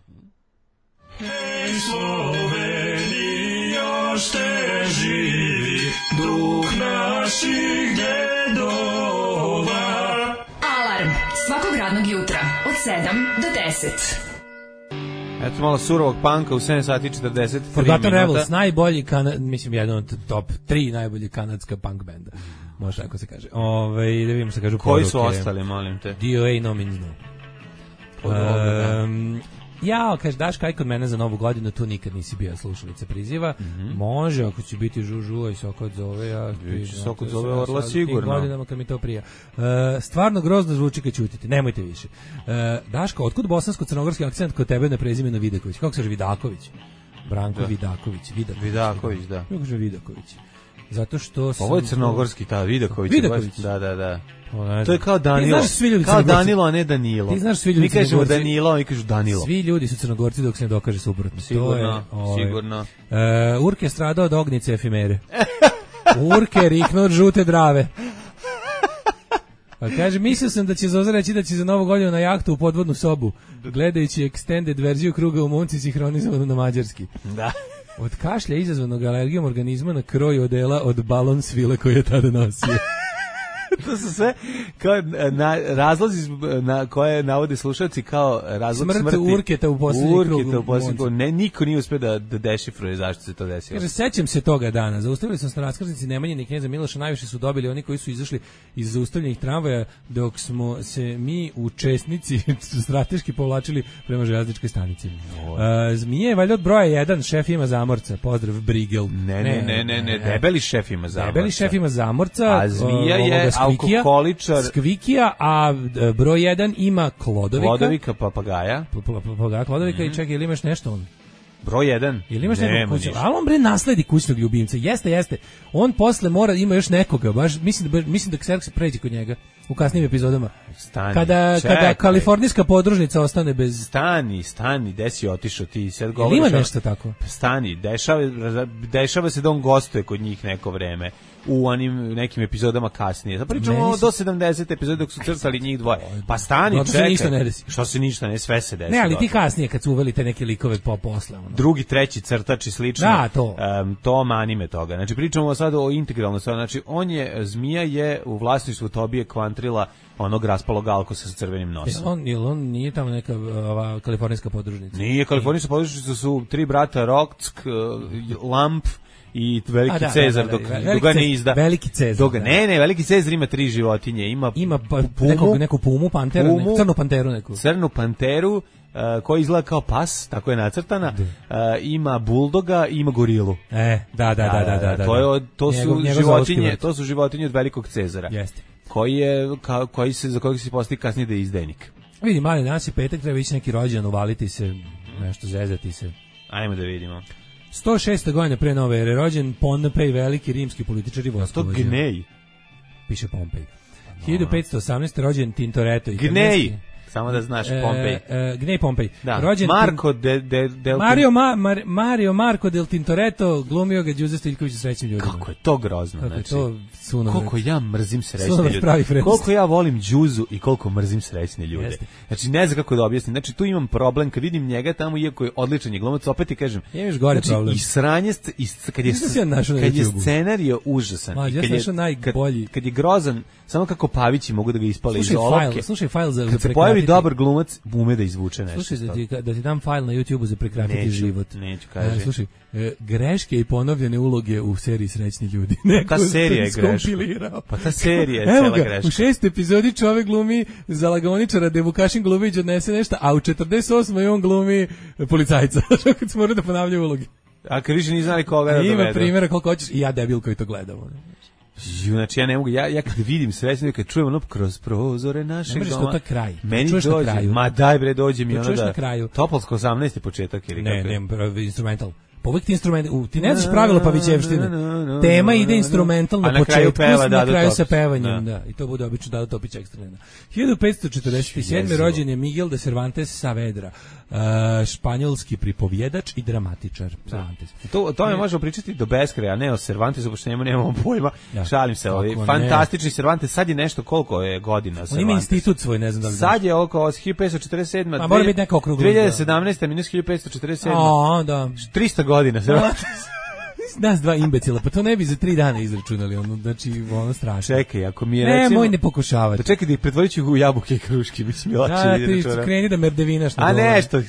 Hej Sloveni, još te živi duh naših dedova. Alarm svakog radnog jutra od sedam do deset. Eto malo surovog panka u sedam sati i četrdeset tri Forgotten minuta. Rebels, najbolji, kana, mislim, jedan od top tri najbolji kanadska punk benda. Može tako se kaže. Ove, da vidimo se kažu Koji poruke. su ostali, molim te? D O A no means no. Um, ja, kaže, daš kaj kod mene za novu godinu, tu nikad nisi bio slušalica priziva. Mm-hmm. Može, ako će biti žužu i Sokot zove, ja... Sokot zove Orla sigurno. Godinama kad mi to prija. Uh, stvarno grozno zvuči kad ćutite, nemojte više. Uh, Daško, otkud bosansko-crnogorski akcent kod tebe na prezimenu Vidaković? Kako se kaže Vidaković? Branko da. Vidaković. Vidaković, Vidaković, da. Kako kaže Vidaković? Zato što sam... Ovo je crnogorski, ta Vidaković. Vidaković? Da, da, da. O, to je kao Danilo. Kao Danilo, a ne Danilo. Ti znaš svi ljudi mi kažemo Danilo, a mi kažu Danilo. Svi ljudi su Crnogorci dok se ne dokaže suprotno. Sigurno, to je, ovaj, sigurno. Uh, Urke stradao od ognice efimere. Urke riknuo od žute drave. Pa kaže, mislio sam da će Zoza reći da će za novu godinu na jahtu u podvodnu sobu, gledajući extended verziju kruga u Monci sinhronizovanu na mađarski. Da. Od kašlja izazvanog alergijom organizma na kroj odela od balon svile koje je tada nosio. To su sve kao na, razlozi na koje navode slušalci kao razlog Smrt smrti. Urketa u posljednji krug. Urketa u posljednji krug. Ne, niko nije uspio da, da dešifruje zašto se to desilo. Kaže, sećam se toga dana. Zaustavili smo se na raskrsnici Nemanjine i knjeza Miloša. Najviše su dobili oni koji su izašli iz zaustavljenih tramvaja, dok smo se mi u Česnici strateški povlačili prema železničkoj stanici. Uh, Zmije je valjda od broja jedan, šef ima zamorca. Pozdrav, Brigel. Ne, ne, ne, ne, ne, debeli šef ima zamorca. Debeli šef ima zamorca. A Zmija je alkoholičar. Skvikija, a broj jedan ima Klodovika. Klodovika, papagaja. Papagaja, Klodovika mm-hmm. i čekaj, ili imaš nešto on? Broj jedan. Ili imaš nekog kućnog, ali on bre nasledi kućnog ljubimca. Jeste, jeste. On posle mora ima još nekoga, baš mislim da mislim da Xerxes pređe kod njega u kasnijim epizodama. Stani. Kada čekaj. Kada kalifornijska podružnica ostane bez stani, stani, gde si otišao ti sad govoriš? Ili ima nešto tako? Stani, dešava dešava se da on gostuje kod njih neko vreme u onim nekim epizodama kasnije. Da pričamo do sedamdeset epizoda dok su crtali njih dvoje. Pa stani, čekaj. Što se ništa ne desi. Što se ništa ne, sve se desi. Ne, ali ti kasnije kad su uveli te neke likove po posle. Ono. Drugi, treći crtač i slično. Da, to. Um, to manime toga. Znači pričamo sad o integralno. Znači on je, Zmija je u vlasništvu Tobije Kvantrila onog raspalog alkosa sa crvenim nosom. Je on, je on nije tamo neka ova, kalifornijska podružnica? Nije, kalifornijska podružnica su tri brata Rock, Lamp i veliki da, Cezar da, da, da, dok, dok ga ne izda. Veliki Cezar. Dok, ne, ne, veliki Cezar ima tri životinje. Ima, ima pa, pumu, neku, neku pumu, panteru, pumu, neku, crnu panteru neku. Crnu panteru, uh, koja izgleda kao pas, tako je nacrtana. Uh, ima buldoga i ima gorilu. E, da, da, da, da, da. da, da. To, je, to, su njegov, njegov životinje, to su životinje od velikog Cezara. Jeste. Koji je, ka, koji se, za kojeg se postoji kasnije da je izdajnik. Vidi, mali, danas je petak, treba ići neki rođendan, uvaliti se, nešto zezati se. Ajmo da vidimo. sto šeste godine pre nove ere rođen Pompej, veliki rimski političar i vojskovođa. To Gnej. Piše Pompej. hiljadu petsto osamnaeste rođen Tintoretto i Gnej. Samo da znaš, Pompej. E, e, Gnej Pompej. Da. Rođen Marko de, de, del Mario, Ma, Mar, Mario Marko del Tintoretto, glumio ga Đuze Stiljković u Srećnim ljudima. Kako je to grozno. Kako znači, to sunovrat. Koliko ja mrzim srećne ljude. Koliko ja volim Đuzu i koliko mrzim srećne ljude. Jeste. Znači, ne znam kako da objasnim. Znači, tu imam problem kad vidim njega tamo, iako je odličan je glumac, opet ti kažem. Imaš gore znači, problem. I sranje, i, kad je, kad je scenarij užasan. Ma, i kad, je, kad, kad je grozan, samo kako Pavići mogu da ga ispale iz olovke. Slušaj fajl za kad se pojavi dobar glumac, ume da izvuče nešto. Slušaj, da ti, da ti dam fajl na YouTubeu za prekratiti neću, život. Neću, kaže. E, slušaj, e, greške i ponovljene uloge u seriji Srećni ljudi. Neko ta serija je greška. Pa ta serija je cela greška. U šestoj epizodi čovek glumi za lagaoničara da Vukašin Glubić odnese nešto, a u četrdeset osmoj on glumi policajca. Kad smo morali da ponavljaju uloge. A kad više nije znali koga da dovedu. Ima primjera koliko hoćeš i ja debil koji to gledam. Znači ja ne mogu, ja, ja kad vidim Srećne, kad čujem ono kroz prozore našeg doma, doma, to kraj. meni dođe, ma daj bre, dođe mi ono da, na kraju. Topolsko osamnaesti početak ili ne, kako ne, ne, instrumental. Pa uvijek ti instrument, u, ti ne znaš pravilo Pavićevštine. Tema ide instrumentalno na početku, peva, na kraju sa pevanjem, da. I to bude obično Dado Topić ekstremna. hiljadu petsto četrdeset sedme rođen je Miguel de Cervantes Saavedra, uh, španjolski pripovjedač i dramatičar. Cervantes. To, o tome možemo pričati do beskraja, a ne o Cervantesu, pošto njemu nemamo pojma. Ja. Šalim se, ovaj fantastični Cervantes, sad je nešto koliko je godina Cervantes. On ima institut svoj, ne znam da li. Sad je oko hiljadu petsto četrdeset sedma. A mora biti neka okrugla. dve hiljade sedamnaeste minus hiljadu petsto četrdeset sedma. A, da. trista godina Cervantes. Nas dva imbecila, pa to ne bi za tri dana izračunali, ono, znači, ono strašno. Čekaj, ako mi je ne, recimo... moj ne pokušavati. Da čekaj da ih pretvorit ću u jabuke i kruške, mislim, je lakše da, vidjeti. Da, ti kreni da merdevinaš. A nešto,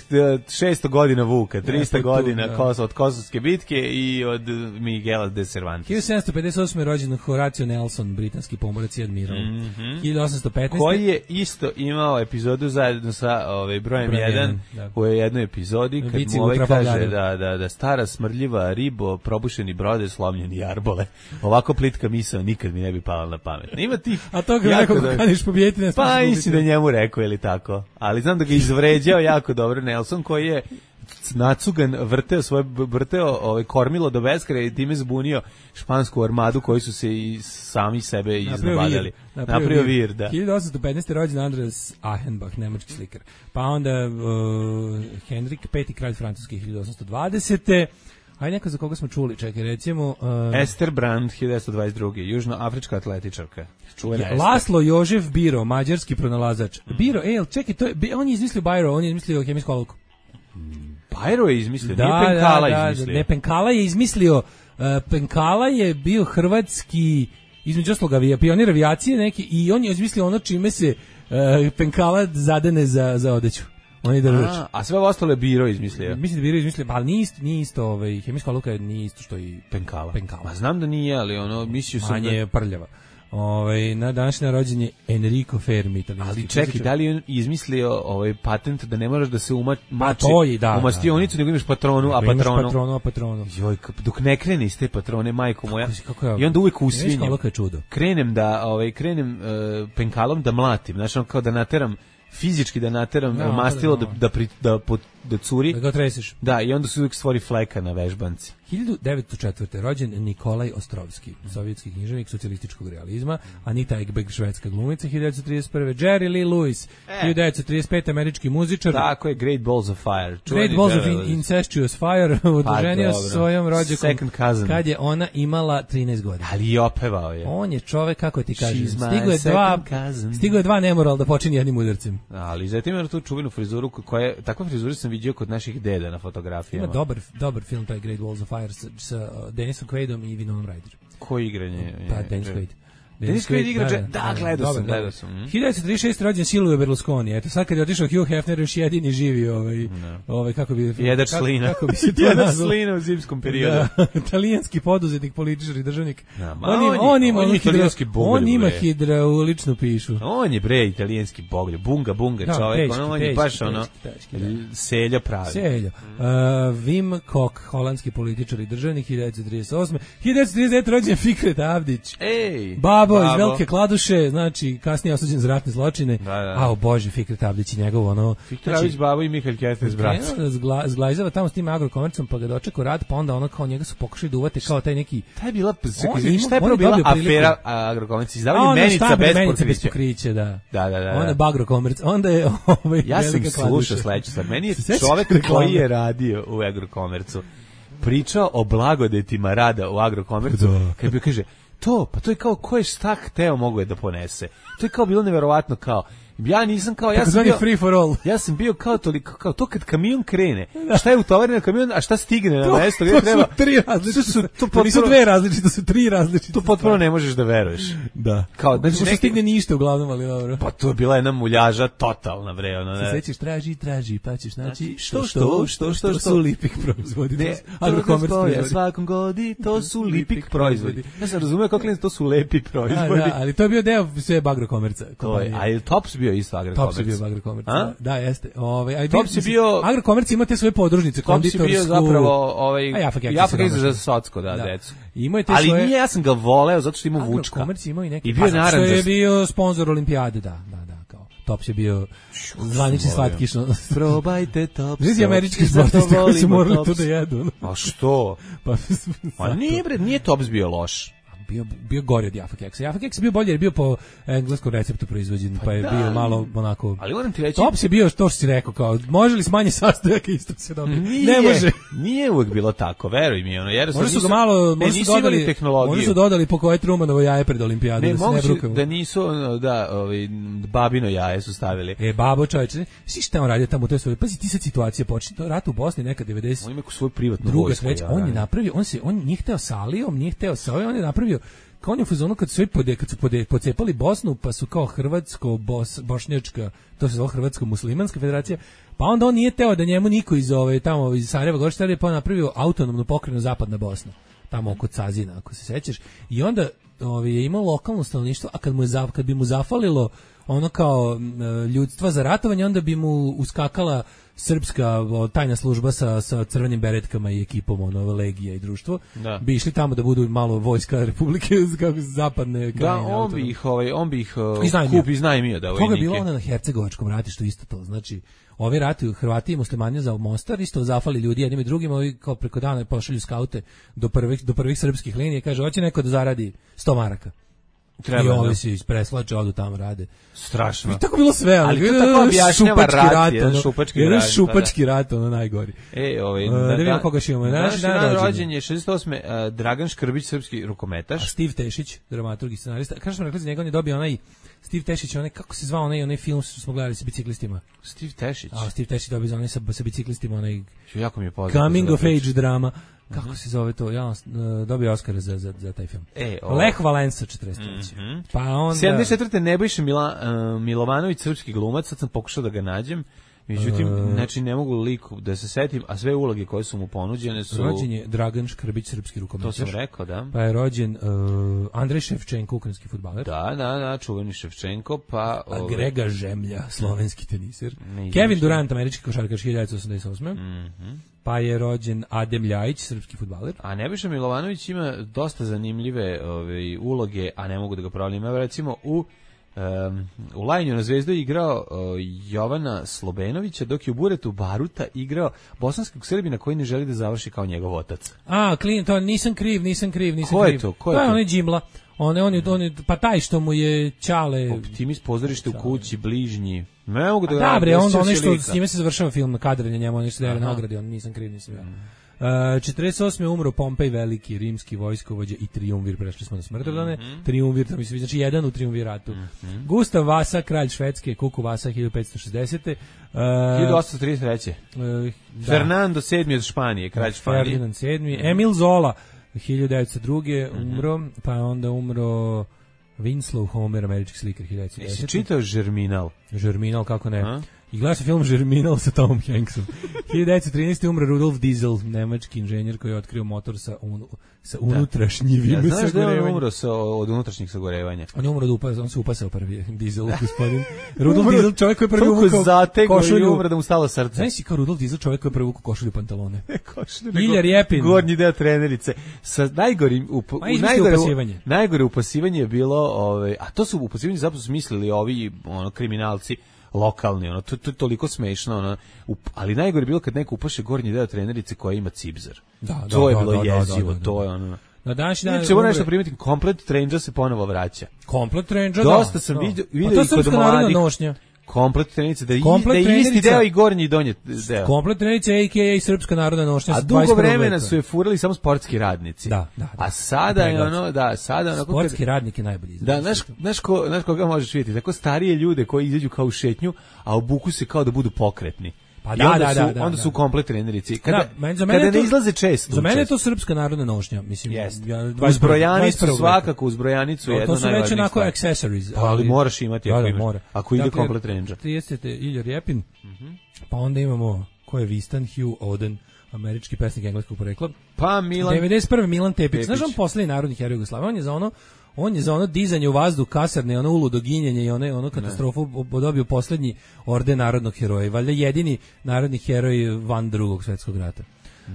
šesto godina Vuka, trista godina da. Kos, od Kosovske bitke i od Miguela de Cervantes. hiljadu sedamsto pedeset osme rođen Horatio Nelson, britanski pomorac i admiral. Mm -hmm. hiljadu osamsto petnaeste Koji je isto imao epizodu zajedno sa ovaj, brojem jedan u jednoj epizodi, kad mu ovaj kaže da, da, da stara smrdljiva ribo, probušeni brode, slomljeni jarbole. Ovako plitka misao nikad mi ne bi pala na pamet. Ima ti. A to ga nekako da... kaniš pobijeti ne pa mislim da njemu rekao ili tako. Ali znam da ga izvređao jako dobro Nelson koji je nacugan vrteo svoje vrteo ovaj kormilo do beskraja i time zbunio špansku armadu koji su se i sami sebe iznabadali. Napravio vir, da. hiljadu osamsto petnaeste rođen Andreas Achenbach, nemački slikar. Pa onda uh, Henrik peti kralj francuski hiljadu osamsto dvadesete Ajde neko za koga smo čuli, čekaj, recimo... Uh, Ester Brand, hiljadu devetsto dvadeset druge južnoafrička atletičarka. Čuvena Ester. Laslo Jožef Biro, mađarski pronalazač. Mm. Biro, ej, čekaj, to je, on je izmislio Biro, on je izmislio hemijsku olovku. Biro je izmislio, da, nije Penkala da, da, izmislio. Ne, Penkala je izmislio, uh, Penkala je bio hrvatski, između osloga, pionir avijacije neki, i on je izmislio ono čime se uh, Penkala zadene za, za odeću. On je držač. A, a sve ostalo je Biro izmislio. Mislim da Biro izmislio, ali nije isto, nije isto ovaj, hemijska olovka je nije isto što i Penkala. Penkala. Ma znam da nije, ali ono, mislio sam manje da... prljava. Ovaj na današnje rođenje Enrico Fermi, italijanski. Ali čekaj, da li je on izmislio ovaj patent da ne moraš da se uma, mači da, u mastionicu, da, da. nego imaš patronu, a patronu. patronu, a patronu. Joj, dok ne krene iz te patrone, majko moja. Kako, kako je, I onda uvek usvinjem. Čudo. Krenem da, ovaj, krenem uh, penkalom da mlatim, znači kao da nateram fizički da nateram no, mastilo da, da, da, da, da, da curi. Da ga tresiš. Da, i onda se uvijek stvori fleka na vežbanci. hiljadu devetsto četvrte rođen Nikolaj Ostrovski, sovjetski književnik socijalističkog realizma, Anita Ekberg, švedska glumica, hiljadu devetsto trideset prve Jerry Lee Lewis, e. hiljadu devetsto trideset pete američki muzičar. Tako je, Great Balls of Fire. Great Balls of in, Incestuous Fire, oduženio pa, svojom rođakom kad je ona imala trinaest godina. Ali i opevao je. On je čovek, kako ti kažeš, stigo je dva, stigo je dva nemoral da počini jednim udarcem. Ali zatim ima tu čuvenu frizuru koja je, takva frizura sam vidio kod naših deda na fotografijama. Ima dobar, dobar film, taj Great Balls of Fire sa, sa Denisom Quaidom i Winonom Ryder. Koji igranje? Pa, Dennis Quaid. Dennis Quaid igra, da, da, gledao sam, gledao sam. hiljadu devetsto trideset šeste rođen Silvio Berlusconi. Eto, sad kad je otišao Hugh Hefner, još jedini živi, ovaj, no. ovaj kako bi... Jedač slina. Kako bi se to Jedač slina u zimskom periodu. Da, italijanski poduzetnik, političar i državnik. No, on, on, on ima, on, italijanski boglju, on ima hidrauličnu pišu. On je, bre, italijanski boglju. Bunga, bunga, da, čovjek. Teški, on je baš ono, selja pravi. Selja. Uh, Wim Kok, holandski političar i državnik, hiljadu devetsto trideset osme hiljadu devetsto trideset devete rođen Fikret Avdić. Ej! Babo, Babo iz Velike Kladuše, znači kasnije osuđen za ratne zločine. Da, da. A o Bože, Fikret Avdić i njegov ono... Fikret Avdić, znači, Babo i Mihail Kertes, brat. Zgla, zglajzava tamo s tim agrokomercom, pa ga dočekao rad, pa onda ono kao njega su pokušali da uvate kao taj neki... Taj je bila, šta je prvo bila afera agrokomerci? Izdavanje menica bez pokrića. bez pokrića, da. Da, da, da. Onda bagrokomerc, onda je ovaj ja sam slušao sledeću stvar. Meni je čovek koji je radio u agrokomercu pričao o blagodetima rada u agrokomercu, kad bi kaže, to, pa to je kao ko je šta hteo mogo je da ponese. To je kao bilo neverovatno kao, ja nisam kao, ja sam bio, free for all. Ja sam bio kao toliko, kao to kad kamion krene, šta je utovareno na kamion, a šta stigne na mesto gdje treba. To su tri različite, su, to, to potpuno, nisu dve različite, to su tri različite. To potpuno ne možeš da veruješ. Da. Kao, znači, neki, stigne ništa uglavnom, ali dobro. Pa to je bila jedna muljaža totalna, bre, ono, ne. Se sećaš, traži, traži, pa ćeš naći, što, što, što, što, što, su lipik proizvodi. Ne, agrokomerc proizvodi. Svakom godi, to su lipik proizvodi. Ja sam razumio kako klinac, to su lepi proizvodi. Da, ali to je bio deo sve agrokomerca. To je, a je Tops bio isto agrokomerc. Bio agrokomerc. Da, jeste. Ovaj, aj Top si bio agrokomerc ima te svoje podružnice, konditorsku. Top si bio zapravo ovaj ja pa za socsko, da, decu. Ima te ali svoje. Ali nije, ja sam ga voleo zato što ima vučka. Agrokomerc ima i neki. I bio što je bio sponzor olimpijade, da, da, da, kao. Tops je bio zvanični slatkiš. Probajte Tops. Znači američki sportisti koji su morali to da jedu. A što? Pa, pa nije, bre, nije Tops bio loš. Bio, bio gori od Jaffa Keksa. Jaffa Keks je bio bolji jer je bio po engleskom receptu proizvođen, pa, pa je da, bio malo onako... Ali moram ti reći... Tops je bio to što si rekao, kao, može li smanji sastojaka isto se dobije? Ne može. Nije uvek bilo tako, veruj mi. Ono, jer možda su ga malo, možda su dodali, možda su dodali po koje Trumanovo jaje pred olimpijadu. Ne, da moguće ne da nisu, da, ovaj, babino jaje su stavili. E, babo čovječe, svi šta on radio tamo u toj svojoj, pazi ti sad situacija počne, to rat u Bosni neka devedeset. On ima svoju privatnu druga vojsku. Sreća, on je napravio, on se, on nije hteo sa Alijom, nije hteo sa ovim, on je napravio kao on je u fazonu kad su svi pode, kad su pode, pocepali Bosnu, pa su kao hrvatsko, bos, bošnjačka, to se zove hrvatsko-muslimanska federacija, pa onda on nije teo da njemu niko iz ove, tamo iz Sarajeva Gorštara je pa napravio autonomnu pokrajinu Zapadna Bosna, tamo oko Cazina, ako se sećaš, i onda ove, je imao lokalno stanovništvo, a kad, mu je, kad bi mu zafalilo ono kao ljudstva za ratovanje, onda bi mu uskakala srpska o, tajna služba sa, sa crvenim beretkama i ekipom ono, legija i društvo, da. Bi išli tamo da budu malo vojska Republike kako zapadne krajine. Da, on bi ih, ovaj, on bi ih uh, kup iznajmio da vojnike. Toga je bilo ono na Hercegovačkom ratištu isto to, znači ovi ratuju Hrvati i muslimani za Mostar, isto zafali ljudi jednim i drugim, ovi kao preko dana pošalju skaute do prvih, do prvih srpskih linija i kaže, hoće neko da zaradi sto maraka. Treba, i ovi se ispreslače, odu tamo rade. Strašno. I tako bilo sve, ali to tako objašnjava rat, rat, jedan ono, šupački jedan rat. šupački rat, ono najgori. E, ovaj, uh, da vidimo koga še imamo. Naš dan rođen je šezdeset osme Uh, Dragan Škrbić, srpski rukometaš. A Steve Tešić, dramaturg i scenarista. Kako smo rekli za njega, on je dobio onaj, Steve Tešić, onaj, kako se zvao onaj, onaj film što smo gledali sa biciklistima? Steve Tešić? A, Steve Tešić dobio za onaj sa, sa biciklistima, onaj jako mi je poznato. Coming of age drama. Kako se zove to? Ja uh, dobio Oskara za, za, za taj film. E, Lech Valensa četrdeset treće Mm-hmm. Pa onda sedamdeset četvrte Nebojša Mila, uh, Milovanović, srpski glumac, sad sam pokušao da ga nađem. Međutim, uh, znači ne mogu liku da se setim, a sve uloge koje su mu ponuđene su... Rođen je Dragan Škrbić, srpski rukometaš. To sam rekao, da. Pa je rođen uh, Andrej Ševčenko, ukrajinski fudbaler. Da, da, da, čuveni Ševčenko, pa... A ove... Grega Žemlja, slovenski teniser. Kevin Durant, američki košarkaš, hiljadu devetsto osamdeset osme Mm-hmm. Pa je rođen Adem Ljajić, srpski fudbaler. A Nebojša Milovanović ima dosta zanimljive ove, uloge, a ne mogu da ga pravim. Ima recimo u... Um, u Lajnju na Zvezdu je igrao uh, Jovana Slobenovića, dok je u Buretu Baruta igrao bosanskog Srbina koji ne želi da završi kao njegov otac. A, klin, to nisam kriv, nisam kriv, nisam Ko kriv. je to? Ko je to? To je onaj Džimla. On je, on je, on je, pa taj što mu je Ćale... Optimist, pozorište u kući, bližnji. Ne mogu da... A da, bre, on, on nešto, s njime se završava film na kadrenje, njemu on nešto daje nagradi, on nisam kriv, nisam ja. Uh, četrdeset osme umro Pompej Veliki, rimski vojskovođa i triumvir, prešli smo na smrtrodane. Mm-hmm. Triumvir, to mi se znači jedan u triumviratu. Mm-hmm. Gustav Vasa, kralj Švedske, Kuku Vasa, hiljadu petsto šezdesete Uh, hiljadu osamsto trideset treće Uh, da. Fernando sedmi od Španije, kralj Španije. Ferdinand sedmi Mm-hmm. Emil Zola, hiljadu devetsto druge umro, mm-hmm. pa onda umro Winslow Homer, američki slikar, hiljadu devetsto desete Jesi čitao Žerminal? Žerminal, kako ne? A? I gledao se film Žerminal sa Tomom Hanksom. hiljadu devetsto trinaeste umre Rudolf Diesel, nemački inženjer koji je otkrio motor sa, un, sa unutrašnjivim ja, znaš da je on umro sa, od unutrašnjih sagorevanja? On je umro da upa, on se upasao prvi Diesel, gospodin. Rudolf Diesel, čovjek koji je prvi uvukao košulju. I umro da mu stalo srce. Znaš si kao Rudolf Diesel, čovjek koji je prvi uvukao košulju pantalone. košulju, Ilja Rjepin. Gornji deo trenerice. Sa najgorim, up, Ma, u najgore, upasivanje. Najgore upasivanje je bilo, ove, a to su upasivanje zapravo smislili ovi ono, kriminalci, lokalni, ono, to, to je toliko smešno, ono, up, ali najgore je bilo kad neko upaše gornji deo trenerice koja ima cipzar. Da, to da, je bilo da, jezivo, da, da, da. to je ono... Na današnji dan... Če moram nešto primiti, komplet Trenđa se ponovo vraća. Komplet Trenđa, da. Dosta sam vidio, vidio i kod mladih. Nošnja. Komplet trenerice, da, komplet da je isti deo i gornji i donji deo. Komplet trenerice, a k a srpska narodna nošnja. A dugo vremena su je furali samo sportski radnici. Da, da, da. A sada je ono, da, sada ono... Sportski kad, radnik je najbolji izraz. Da, znaš, znaš, ko, znaš koga možeš vidjeti? Tako starije ljude koji izađu kao u šetnju, a obuku se kao da budu pokretni. Pa da, onda da, su, da, da, onda da. su komplet trenerici. Kada, da, men, za mene kada to, ne izlaze često. Za mene je to srpska narodna nošnja, mislim. Jeste. Ja, uzbrojanicu, svakako uzbrojanicu je jedno najvažnije. To su već onako accessories. Pa, ali moraš imati ako, da, imaš, mora. ako ide dakle, komplet trenđa. tridesete Ilja Rjepin, mm-hmm. pa onda imamo, ko je Vistan, Hugh Oden, američki pesnik engleskog porekla. Pa Milan... devedeset prve Milan Tepić. Tepić. Znaš on poslednji narodni heroj Jugoslavije? On je za ono On je za ono dizanje u vazduh, kasarne, ono uludo ginjenje i ono, ono katastrofu dobio poslednji orden narodnog heroja. Valjda jedini narodni heroj van drugog svetskog rata. Uh,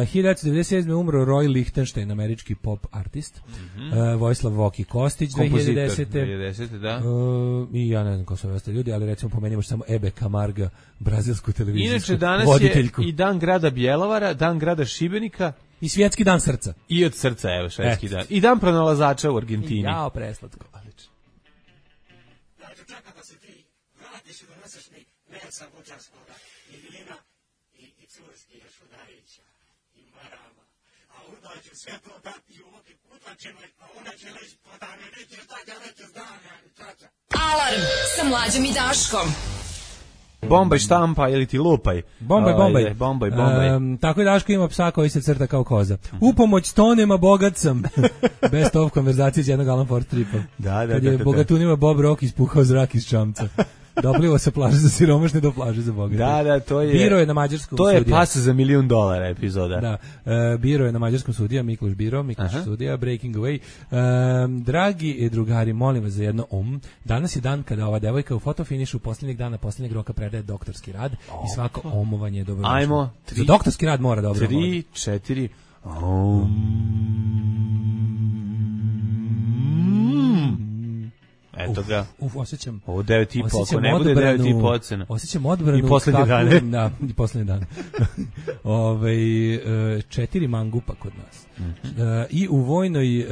hiljadu devetsto devedeset sedme umro Roy Lichtenstein, američki pop artist. Mm-hmm. uh, Vojislav Voki Kostić, dve hiljade desete. dve hiljade desete, da. Uh, I ja ne znam ko su ove ostali ljudi, ali recimo pomenimo samo Ebe Camarga, brazilsku televizijsku Inače, danas voditeljku. je i dan grada Bjelovara, dan grada Šibenika. I svjetski dan srca. I od srca, evo, švedski dan. I dan pronalazača u Argentini. I jao, preslatko. Odlično. Dakle, čeka da se ti vratiš i doneseš mi meca buđarskoga i vina i, i curski još udarića i marama. A onda ću sve to dati u oki kutačinoj, a onda će leći podane, nećeš da ga nećeš dane, ali čača. Alarm sa Mlađom i Daškom. Bombaj štampa ili ti lupaj. Bombaj, bombaj. Ajde, bombaj, bombaj. Um, tako je Daško ima psa koji se crta kao koza. U pomoć stonema bogat sam. Best of konverzacije iz jednog Alan Ford stripa. Da, da, Kad da, je da, bogatunima Bob Rock ispuhao zrak iz čamca. Doplivo sa plaže za siromašne do plaže za bogate. Da, da, to je... Biro je na mađarskom To je sudija. pas za milijun dolara epizoda. Da, uh, Biro je na mađarskom sudija, Mikloš Biro, Mikloš Aha. sudija, Breaking Away. Um, dragi drugari, molim vas za jedno um. Danas je dan kada ova devojka u fotofinišu posljednjeg dana, posljednjeg roka predaje doktorski rad oh. i svako omovanje je dobro. Ajmo, tri, za doktorski rad mora dobro. Tri, četiri... Um. Eto ga. Uf, osjećam. Ovo devet i po, ako osjećam ne bude odbranu- devet i po ocena. Osjećam odbranu. I poslednje kakvu- dane. Da, i poslednje dane. Ove, e, četiri mangupa kod nas. Mhm. E, I u vojnoj e,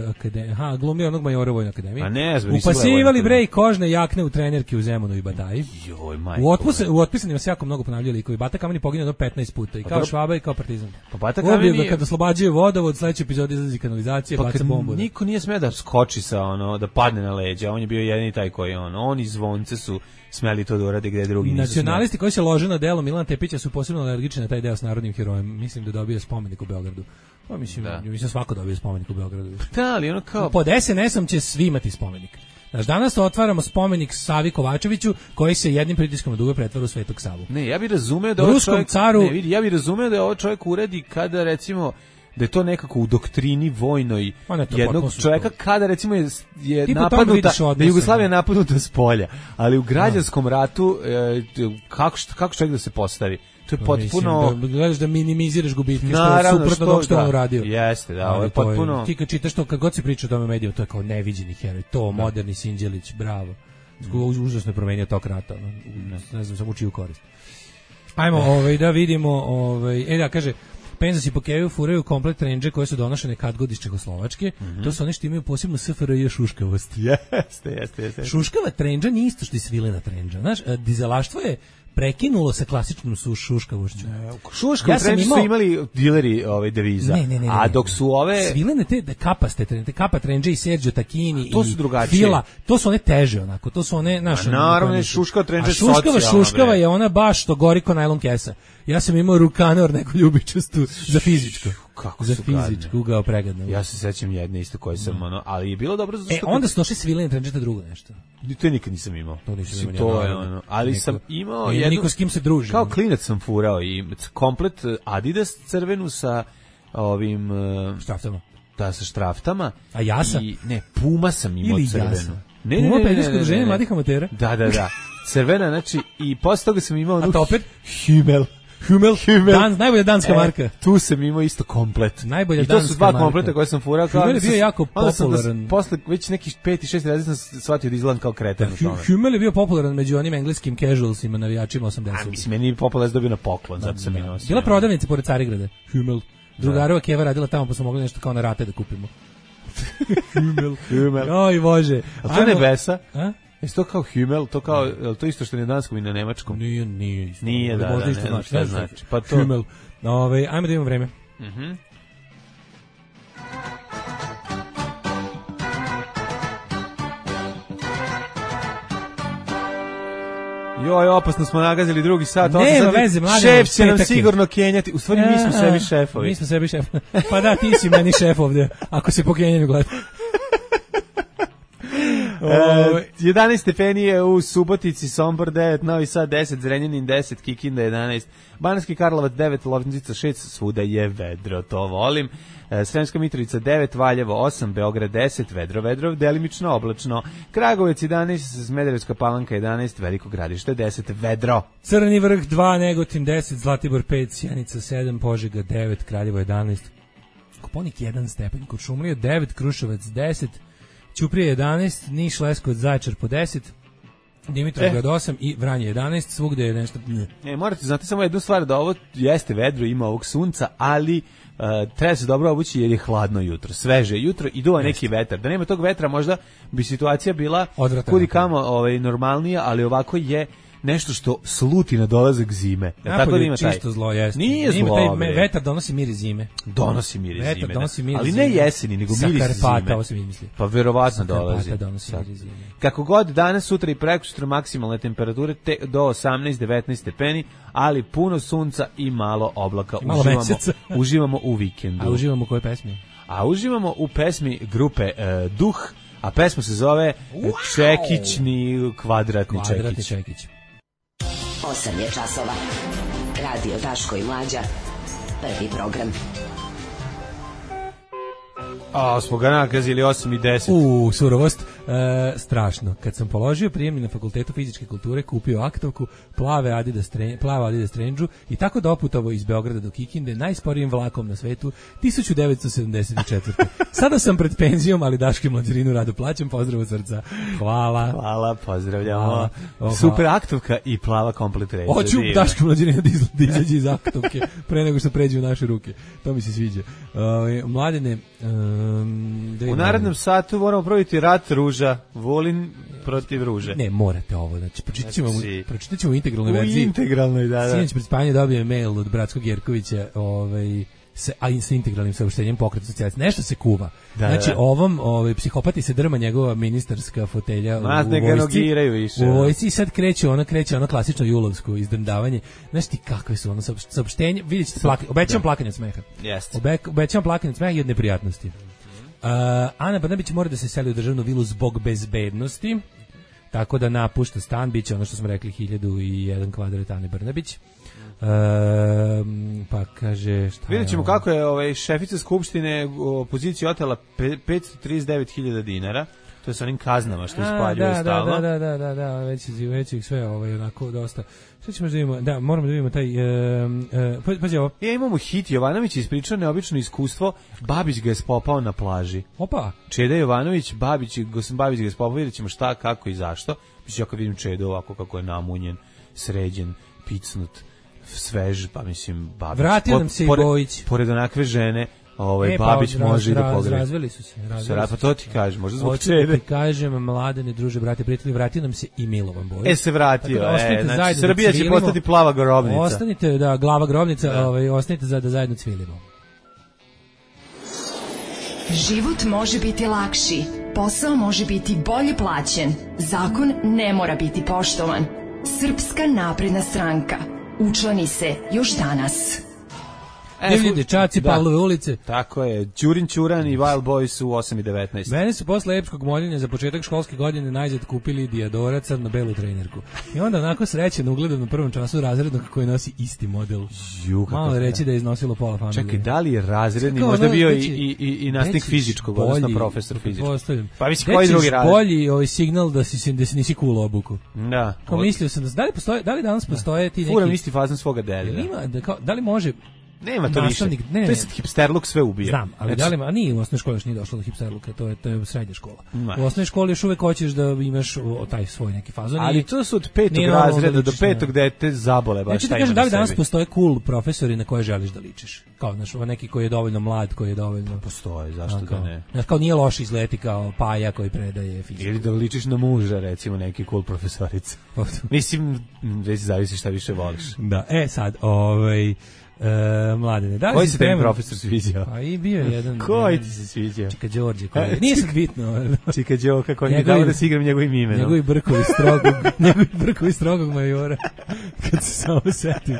akademiji, aha, glumio onog majora u vojnoj akademiji. A ne, zbog nisam Upasivali gledao bre i kožne jakne u trenerke u Zemunu i Bataji. Joj, majko. U, otpuse, u otpisanima se jako mnogo ponavljali likovi. Bata Kameni poginuo do petnaest puta. I kao dobro. Švaba i kao Partizan. Pa Bata Ubio Kameni- ga kada oslobađaju vodovod, sledeći epizod izlazi kanalizacije, Pa baca kad bombu. niko nije smeo da skoči sa ono, da padne na leđa, on je bio jedini taj koji on, on i zvonce su smeli to da urade gde drugi nisu smeli. Nacionalisti koji se lože na delo Milana Tepića su posebno alergični na taj deo s narodnim herojem. Mislim da dobio spomenik u Beogradu. Pa mislim, Da. mislim svako dobio spomenik u Beogradu. Da, ali ono kao... Pod es en esom će svi imati spomenik. Znaš, danas otvaramo spomenik Savi Kovačeviću koji se jednim pritiskom dube pretvara u Svetog Savu. Ne, ja bih razumeo da ovo Ruskom čovjek, caru- ne, vidi, ja bih razumeo da ovo čovjek uradi kada recimo da je to nekako u doktrini vojnoj Ma ne, to jednog potpuno su čovjeka to. kada recimo je, je Ti po tome napadnuta, vidiš da odnose, je Jugoslavija ne. napadnuta s polja, ali u građanskom ratu e, kako, što- kako čovjek da se postavi? To je potpuno... Mislim, da gledaš da minimiziraš gubitke, što je Naravno, suprotno što- od onog što je on da. uradio. Jeste, da, Ali ovo je to potpuno- Ti kad čitaš to, kad god se priča o tome u medijima, to je kao neviđeni heroj, to moderni Sinđelić, bravo. Mm. Užasno je promenio tok rata, ono, u- ne znam, samo u čiju korist. Ajmo ovaj, da vidimo, ovaj, e da, kaže, Penzas i Pokeju furaju komplet trendže koje su donošene kad god iz Čehoslovačke, Mhm. to su one što imaju posebno S F R J šuškavost. Jeste, jeste, jeste. Šuškava trendža nije isto što je svilena trendža. Znaš, a, dizelaštvo je prekinulo sa klasičnom su šuškavošću. Šuška Ja u sam trendu imao- su imali dileri ove deviza, Ne, ne, ne, ne, a ne. dok su ove... svilene te da kapaste trendže, kapa trendže i Sergio Tacchini To i su drugačije. Fila, to su one teže onako, to su one naše. A naravno, šuškava trendža je šuškava, socijalna, šuškava bre. je ona baš što gori ko najlon kesa. Ja sam imao rukanor neku ljubičastu za fizičko. Kako za su fizičko, gadne. ugao pregadno. Ja se sećam jedne isto koje sam, ono, ali je bilo dobro zato E, što... onda su došli svilene trendže to drugo nešto. To nikad nisam imao. To nisam Mislim, imao, to ja, je naravno. ono, ali Niko- sam imao nije jednu... niko s kim se druži. Kao klinac sam furao i komplet Adidas crvenu sa ovim... uh, Štraftama. Da, sa štraftama. A Jasa? I, ne, Puma sam imao Ili crvenu. Jasa. Ne, Puma ne, ne, pedersko ne, ne, udruženje ne. mladih amatera? Da, da, da. Crvena, znači, i posle toga sam imao... A onu Topper? Himmel. Humel, Himmel. Dan, najbolja danska E, marka. Tu sam imao isto komplet. Najbolja I to su danska dva marka. kompleta koje sam furao. kao Himmel je da sam- bio jako onda sam da s- popularan. Posle već nekih pet i šest razreda sam shvatio da izgledam kao kreten u tome. Humel je bio popularan među onim engleskim casualsima, navijačima A, osamdesetih. mislim, meni je Populac dobio na poklon, zato sam i nosio. Bila prodavnica pored Carigrada. Humel. Drugarova Keva radila tamo, pa smo mogli nešto kao na rate da kupimo. Humel. Himmel. Oj, Bože. A to je Ajmo- nebesa? A? Jesi to kao Himmel? To kao, je li to isto što je na danskom i na nemačkom? Nije, nije isto. Nije, da, Možda da, isto ne znam znači, šta ne znam. znači. Pa to- Humel. Ove, ajmo da imamo vreme. Mhm. Joj, opasno smo nagazili drugi sat. Nema osam sati. veze, mladen, Šef će nam petak je. sigurno kenjati. U stvari, mi smo A, sebi šefovi. Mi smo sebi šef. Pa da, ti si meni šef ovde, ako se po Kenjanju gleda. E, jedanaest stepeni je u Subotici, Sombor devet, Novi Sad deset, Zrenjanin deset, Kikinda jedanaest, Banatski Karlovac devet, Loznica šest, svuda je vedro, to volim. E, Sremska Mitrovica devet, Valjevo osam, Beograd deset, vedro, vedro, delimično oblačno, Kragujevac jedanaest, Smederevska Palanka jedanaest, Veliko Gradište deset, vedro. Crni Vrh dva, Negotin deset, Zlatibor pet, Sjenica sedam, Požega devet, Kraljevo jedanaest, Koponik jedan stepen, Kuršumlija devet, Kruševac deset, Ćuprije jedanaest, Niš, Leskovac, Zaječar po deset, Dimitrovgrad osam i Vranje jedanaest, svugde je nešto... Ne, morate znati samo jednu stvar, da ovo jeste vedro, ima ovog sunca, ali uh, treba se dobro obući jer je hladno jutro, sveže jutro i duva neki vetar. Da nema tog vetra možda bi situacija bila kudi kamo ovaj, normalnija, ali ovako je nešto što sluti na dolazak zime. Ja, tako da ima taj. Čisto zlo jeste. Nije zlo. Taj me, vetar donosi miris zime. Donosi miris vetar zime. Donosi miris ali ne jeseni, nego miris Karpata, zime. Karpata, ovo se mi misli. Pa verovatno dolazi. Karpata donosi miris zime. Kako god, danas, sutra i prekosutra maksimalne temperature te, do osamnaest devetnaest stepeni, ali puno sunca i malo oblaka. I malo uživamo, meseca. uživamo u vikendu. A uživamo u kojoj pesmi? A uživamo u pesmi grupe uh, Duh, a pesma se zove wow. Čekićni kvadratni, kvadratni čekić. čekić. osam je časova. Radio Daško i Mlađa. Prvi program. A, smo ga nakazili osam i deset. U, surovost, e, strašno. Kad sam položio prijemni na Fakultetu fizičke kulture, kupio aktovku, plave Adidas, tre, plave Adidas trendžu i tako doputovo iz Beograda do Kikinde, najsporijim vlakom na svetu, tisuću devetsto sedamdeset četvrte. Sada sam pred penzijom, ali Daško i Mlađarinu rado plaćam, pozdrav od srca. Hvala. Hvala, pozdravljamo. Hvala. O, super aktovka i plava komplet reža. Hoću Daško i Mlađarinu da, izla, da izađe iz aktovke pre nego što pređe u naše ruke. To mi se sviđa. Uh, mladine, Um, u narednom satu moramo probiti rat ruža, Vulin protiv ruže. Ne, morate ovo, znači pročitat ćemo, znači, pročitat ćemo u integralnoj u verziji. U integralnoj, da, da. Sinoć pred spavanje dobio mail od Bratskog Jerkovića, ovaj, sa, a i sa integralnim saopštenjem Pokreta socijalista. Nešto se kuva. Da, znači, da. ovom ovaj, psihopati se drma njegova ministarska fotelja Mas, u, u vojsci. Više, u vojsci i sad kreće ono, kreće ono klasično julovsko izdrndavanje. Znaš ti kakve su ono saopštenje? Vidjet ćete, plaka, obećam plakanje od smeha. Jeste. Obe, obećam plakanje od smeha i od neprijatnosti. Uh, Ana Brnabić mora da se seli u državnu vilu zbog bezbednosti, tako da napušta stan, bit će ono što smo rekli hiljadu i jedan kvadrat Ane Brnabić. Uh, pa kaže šta vidjet ćemo kako je ovaj, šefica skupštine opoziciji otela petsto trideset devet hiljada dinara. To je sa onim kaznama što ispaljuju stalno. Da, da, da, da, da, već, već ih sve ovaj, onako dosta. Šta ćemo da vidimo? Da, moramo da vidimo taj... Uh, uh, pazi ovo. Ja imamo hit, Jovanović ispričao neobično iskustvo, Babić ga je spopao na plaži. Opa! Čeda Jovanović, Babić, Gosim Babić ga je spopao, vidjet ćemo šta, kako i zašto. Mislim, ja kad vidim Čedu ovako kako je namunjen, sređen, picnut, svež, pa mislim, Babić. Vratio nam se i Bojić. Pored onakve žene, ovaj e, Babić pa, može raz, i da pogreši. Razveli su se. Razveli pa su to ti kažem, možda zbog Hoću Čede. da ti kažem, mladene, druže, brate, prijatelji, vratio nam se i Milovan Bojić. E, se vratio, da e, znači Srbija će postati plava grobnica. Ostanite, da, glava grobnica, da. Ovaj, ostanite za da zajedno cvilimo. Život može biti lakši, posao može biti bolje plaćen, zakon ne mora biti poštovan. Srpska napredna stranka. Učlani se još danas. Divlji dečaci, da. Pavlove ulice. Tako je, Ćurin Ćuran i Wild Boys u osam i devetnaest. Mene su posle epskog moljenja za početak školske godine najzad kupili Diadora crno-belu trenerku. I onda onako srećeno ugledam na prvom času razrednog koji nosi isti model. Ju, malo reći da je iznosilo pola familije. Čekaj, da li je razredni, Čekaj, možda ono, bio veći, i, i, i nastavnik fizičkog, odnosno profesor fizičkog. Pa mislim, koji drugi razred? Bolji ovaj signal da si, da si nisi cool obuku. Da. Kao mislio sam, da li, postoje, da li danas postoje ti neki... Furam isti fazan svoga delja. Ima, da, kao, da li može... Nema to više. Ne, ne, to je sad hipsterluk sve ubija. Znam, ali znači, da li, a nije u osnovnoj školi još nije došlo do hipsterluka, to je, to je srednja škola. Ne. U osnovnoj školi još uvek hoćeš da imaš o, taj svoj neki fazon. Ali to su od petog razreda do petog dete zabole. Baš ja ti kažem, da li danas postoje cool profesori na koje želiš da ličiš? Kao, znaš, neki koji je dovoljno mlad, koji je dovoljno... Postoje, zašto a, kao, da ne? Znaš, kao nije loš izleti kao Paja koji predaje fiziku. Ili da ličiš na muža, recimo, neki cool profesorica. Mislim, već zavisi šta više voliš. Da, e sad, ovaj... E, mladene, da li koji se tebi profesor sviđao? Pa i bio je jedan. Koji ti se sviđao? Čika Đorđe, koji je. Nije sad bitno. Čika Đoka, koji mi dao da si igram njegovim imenom. Njegovi brkovi strogog, njegovi brkovi strogog majora. kad se samo setim.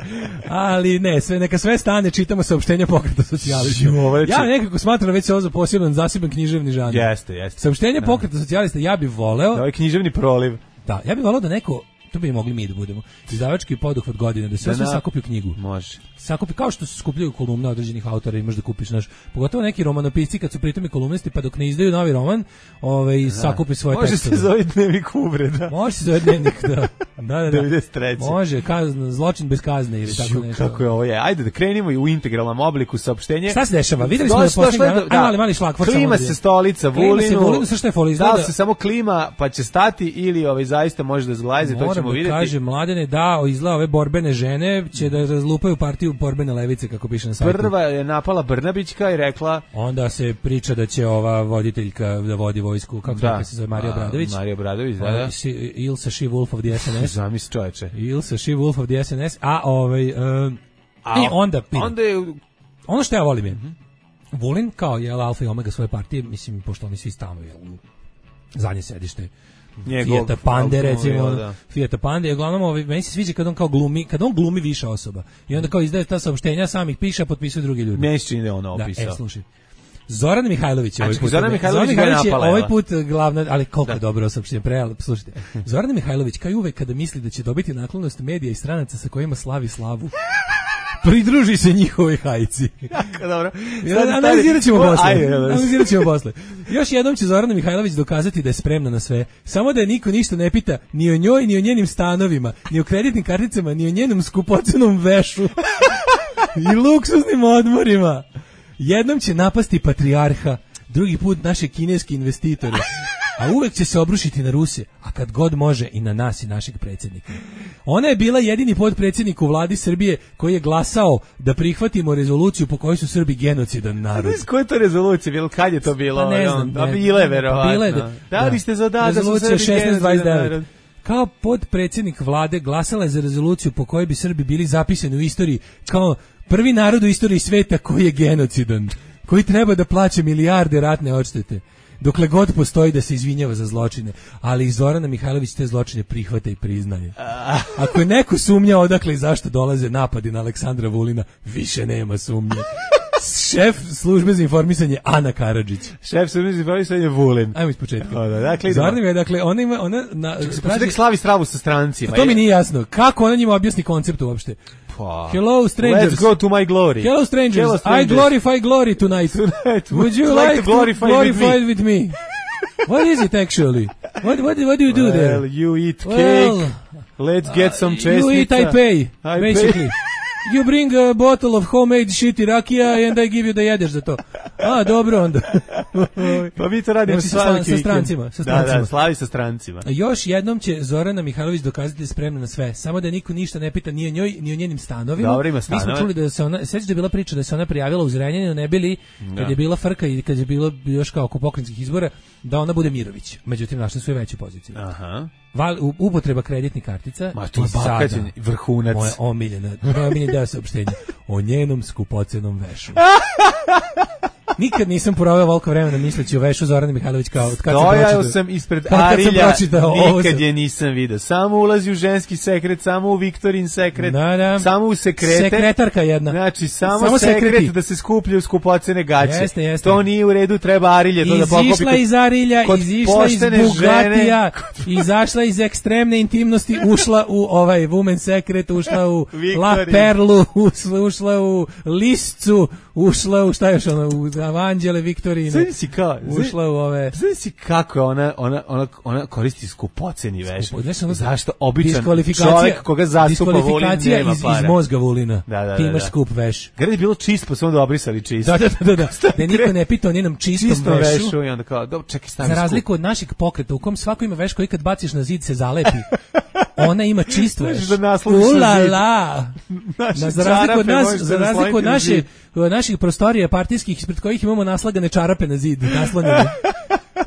Ali ne, sve, neka sve stane, čitamo saopštenja Pokreta socijalista. Ja nekako smatram već se ovo za poseban, zaseban književni žanr. Jeste, jeste. Saopštenje Pokreta socijalista, ja bih voleo... Da, ovaj književni proliv. Da, ja bih voleo da neko, to bi mogli mi da budemo, izdavački poduhvat godine, da sve da sve sakupi u knjigu. Može. Sakupi, kao što se skupljaju kolumne određenih autora i možda kupiš, naš, pogotovo neki romanopisci kad su pritom i kolumnisti, pa dok ne izdaju novi roman, ovaj, sakupi svoje može tekstove. Može se zove dnevnik uvreda. Može se zove dnevnik, da. Da, da, da. devedeset treće Može, kazna, zločin bez kazne ili tako nešto. Kako je ovo je. Ajde da krenemo i u integralnom obliku saopštenje. Šta se dešava? Videli smo da posljednje, da, mali, mali šlagvort. Klima se stolica Vulinu. Klima se Vulinu, sa što je fol izgleda. Da li se samo klima pa će stati ili ovaj zaista može da zglajze, to ćemo vidjeti. Kaže Mladene, da, izgleda ove borbene žene će da razlupaju partiju borbene levice, kako piše na sajtu. Prva je napala Brnabićka i rekla... Onda se priča da će ova voditeljka da vodi vojsku, kako da, se zove, Marija Obradović. Marija Obradović, da, da. Ilsa She Wolf of the S N S. Zamisli čoveče. Ilsa She Wolf of the S N S. A ovaj... Um, a, I onda... Onda je... Ono što ja volim je... Mm-hmm. Vulin, kao je alfa i omega svoje partije, mislim, pošto oni svi stanovi u zadnje sedište Fijata Pande, recimo, da. Fijata Pande, uglavnom, ovaj, meni se sviđa kad on kao glumi, kad on glumi više osoba. I onda kao izdaje ta saopštenja, sam ih piše, a potpisuju drugi ljudi. Meni se čini da je on opisao. Da, e, slušaj. Zoran Mihajlović je ovaj put. Zoran Mihajlović, Zoran Mihajlović je napala, ovaj put glavna, ali koliko da. dobro saopštenje, pre, slušajte. Zoran Mihajlović, kao i uvek kada misli da će dobiti naklonost medija i stranaca sa kojima slavi slavu, pridruži se njihovoj hajci. Jako dobro. Analizirat ćemo posle. Analizirat ćemo posle. Još jednom će Zorana Mihajlović dokazati da je spremna na sve. Samo da je niko ništa ne pita ni o njoj, ni o njenim stanovima, ni o kreditnim karticama, ni o njenom skupocenom vešu i luksuznim odmorima. Jednom će napasti patrijarha, drugi put naše kineske investitore, a uvek će se obrušiti na Ruse, a kad god može i na nas i našeg predsjednika. Ona je bila jedini potpredsjednik u vladi Srbije koji je glasao da prihvatimo rezoluciju po kojoj su Srbi genocidan narod. A koja je to rezolucija bilo? Kad je to bilo? Pa ne znam. Da bile, verovatno. Bile, da, da li ste za da, da su Srbi genocidan narod? Kao podpredsjednik vlade glasala je za rezoluciju po kojoj bi Srbi bili zapisani u istoriji kao prvi narod u istoriji sveta koji je genocidan, koji treba da plaća milijarde ratne odštete. Dokle god postoji da se izvinjava za zločine, ali i Zorana Mihajlović te zločine prihvata i priznaje. Ako je neko sumnja odakle i zašto dolaze napadi na Aleksandra Vulina, više nema sumnje. Šef službe za informisanje Ana Karadžić. Šef službe za informisanje Vulin. Ajmo iz početka. O, da, dakle, Zorana je, dakle, ona ima... Ona na, traži, slavi stravu sa strancima. To mi nije jasno. Kako ona njima objasni koncept uopšte? Pa, hello strangers. Let's go to my glory. Hello strangers. Hello strangers. I glorify glory tonight. tonight. Would you like, like to glorify, glorify with, me? with me? What is it actually? What what what do you do well, there? Well, you eat cake. Well, let's get some chestnut. You eat, I pay. I basically. Pay. You bring a bottle of homemade shitty rakija and I give you da jedeš za to. A, dobro onda. Pa mi to radimo znači, sa, sa strancima. Sa strancima. Da, da, slavi sa strancima. Još jednom će Zorana Mihajlović dokazati da je spremna na sve. Samo da niko ništa ne pita ni o njoj, ni o njenim stanovima. Dobro, ima stanove. Mi smo čuli da se ona, sećaš da je bila priča da se ona prijavila u Zrenjaninu, ne bili, kad da. je bila frka i kad je bilo još kao oko pokrajinskih izbora, da ona bude Mirović. Međutim, našla su je veću poziciju. Aha. Val, upotreba kreditnih kartica. Ma to je vrhunac. Moja omiljena, moja omiljena deo saopštenja o njenom skupocenom vešu. Nikad nisam proveo veliko vremena misleći o vešu Zorane Mihajlović kao od kad sam pročitao. sam ispred Arilja, nikad je nisam vidio. Samo ulazi u ženski sekret, samo u Viktorin sekret, da, da. samo u sekrete. Sekretarka jedna. Znači, samo, samo sekret sekreti. Da se skupljaju skupocene gaće. Jeste, jeste. To nije u redu, treba Arilje to da pokopi. Izišla iz Arilja, izišla iz Bugatija, izašla iz ekstremne intimnosti, ušla u ovaj Women sekret, ušla u La Perlu, ušla u Liscu, ušla u šta još ono, u Avanđele Viktorine. Sve si kao, ušla u ove. Sve si kako ona ona ona ona koristi skupoceni veš. Skupo, zašto običan čovjek koga zastupa Vulin nema iz, para. iz mozga Vulina. Da, da, ti imaš da. skup veš. Grad je bilo čist, pa su onda obrisali čist. Da, da, da, da. Da niko ne pita o njenom čistom, čistom vešu. vešu i onda kao, dobro, čekaj, stavi za razliku skup. od našeg pokreta u kom svako ima veš koji kad baciš na zid se zalepi. Ona ima čist veš. Da Ula la. Na za razliku od nas, za razliku od naše naših prostorija partijskih ispred kojih imamo naslagane čarape na zid, naslonjene.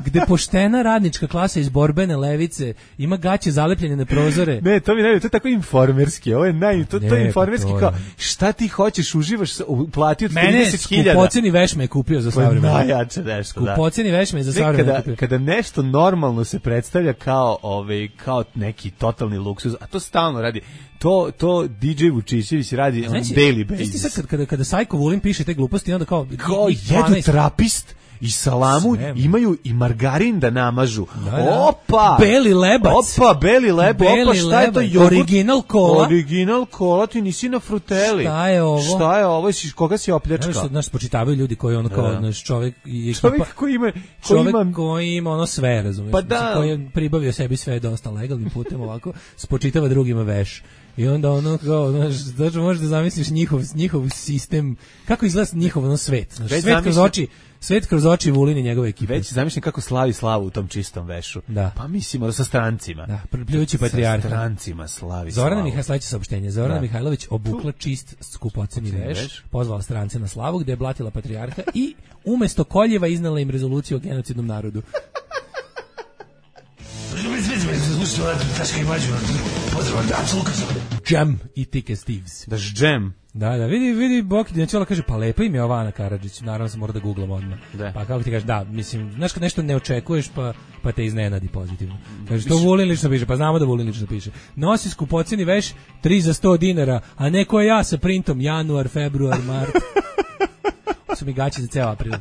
gde poštena radnička klasa iz borbene levice ima gaće zalepljene na prozore. Ne, to mi ne, to je tako informerski. Ovo je naj to, to je informerski kao šta ti hoćeš, uživaš, uplatio od trideset hiljada. Skupoceni veš me je kupio za savremeno. Najjače nešto, da. Skupoceni veš me je za savremeno kada, kada nešto normalno se predstavlja kao ovaj kao neki totalni luksuz, a to stalno radi. To to D J Vučićević radi on daily basis. Isti sad kad kada kada Sajko Vulin piše te gluposti, onda kao kao jedu trapist i salamu, sve, imaju i margarin da namažu. Da, da. Opa! Beli lebac. Opa, beli lebac. Opa, šta je to? Jogurt? Original kola. Original kola, ti nisi na fruteli. Šta je ovo? Šta je ovo? Koga si opljačkao? Znaš, znaš, spočitavaju ljudi koji ono kao, da. naš čovjek i čovjek koji ima, koji čovjek ima... koji ima ono sve, razumiješ? Pa da. Koji je pribavio sebi sve dosta legalnim putem ovako, spočitava drugima veš. I onda ono kao, znaš, znači možeš da zamisliš njihov, njihov sistem, kako izgleda njihov ono svet. Znaš, svet zamislim, kroz oči, svet kroz oči Vulin i njegove ekipe. Već zamišljam kako slavi slavu u tom čistom vešu. Da. Pa mislimo da sa strancima. Da, pljujući patrijarha. Sa strancima slavi Zorana slavu. Mihajlović, sledeće saopštenje. Zorana da. Mihajlović obukla čist skupoceni veš, veš, pozvala strance na slavu gde je blatila patrijarha i umesto koljeva iznala im rezoluciju o genocidnom narodu. Džem i Tike Steves. Daš džem. Da, da, vidi, vidi, Boki Dinčela kaže, pa lepa im je ova Ana Karadžić, naravno sam mora da googlam odmah. Da. Pa kako ti kažeš, da, mislim, znaš kad nešto ne očekuješ, pa, pa te iznenadi pozitivno. Kaže, to Vulin lično piše, pa znamo da Vulin lično piše. Nosi skupoceni veš, tri za sto dinara, a neko je ja sa printom, januar, februar, mart. Su mi gaći za ceo april.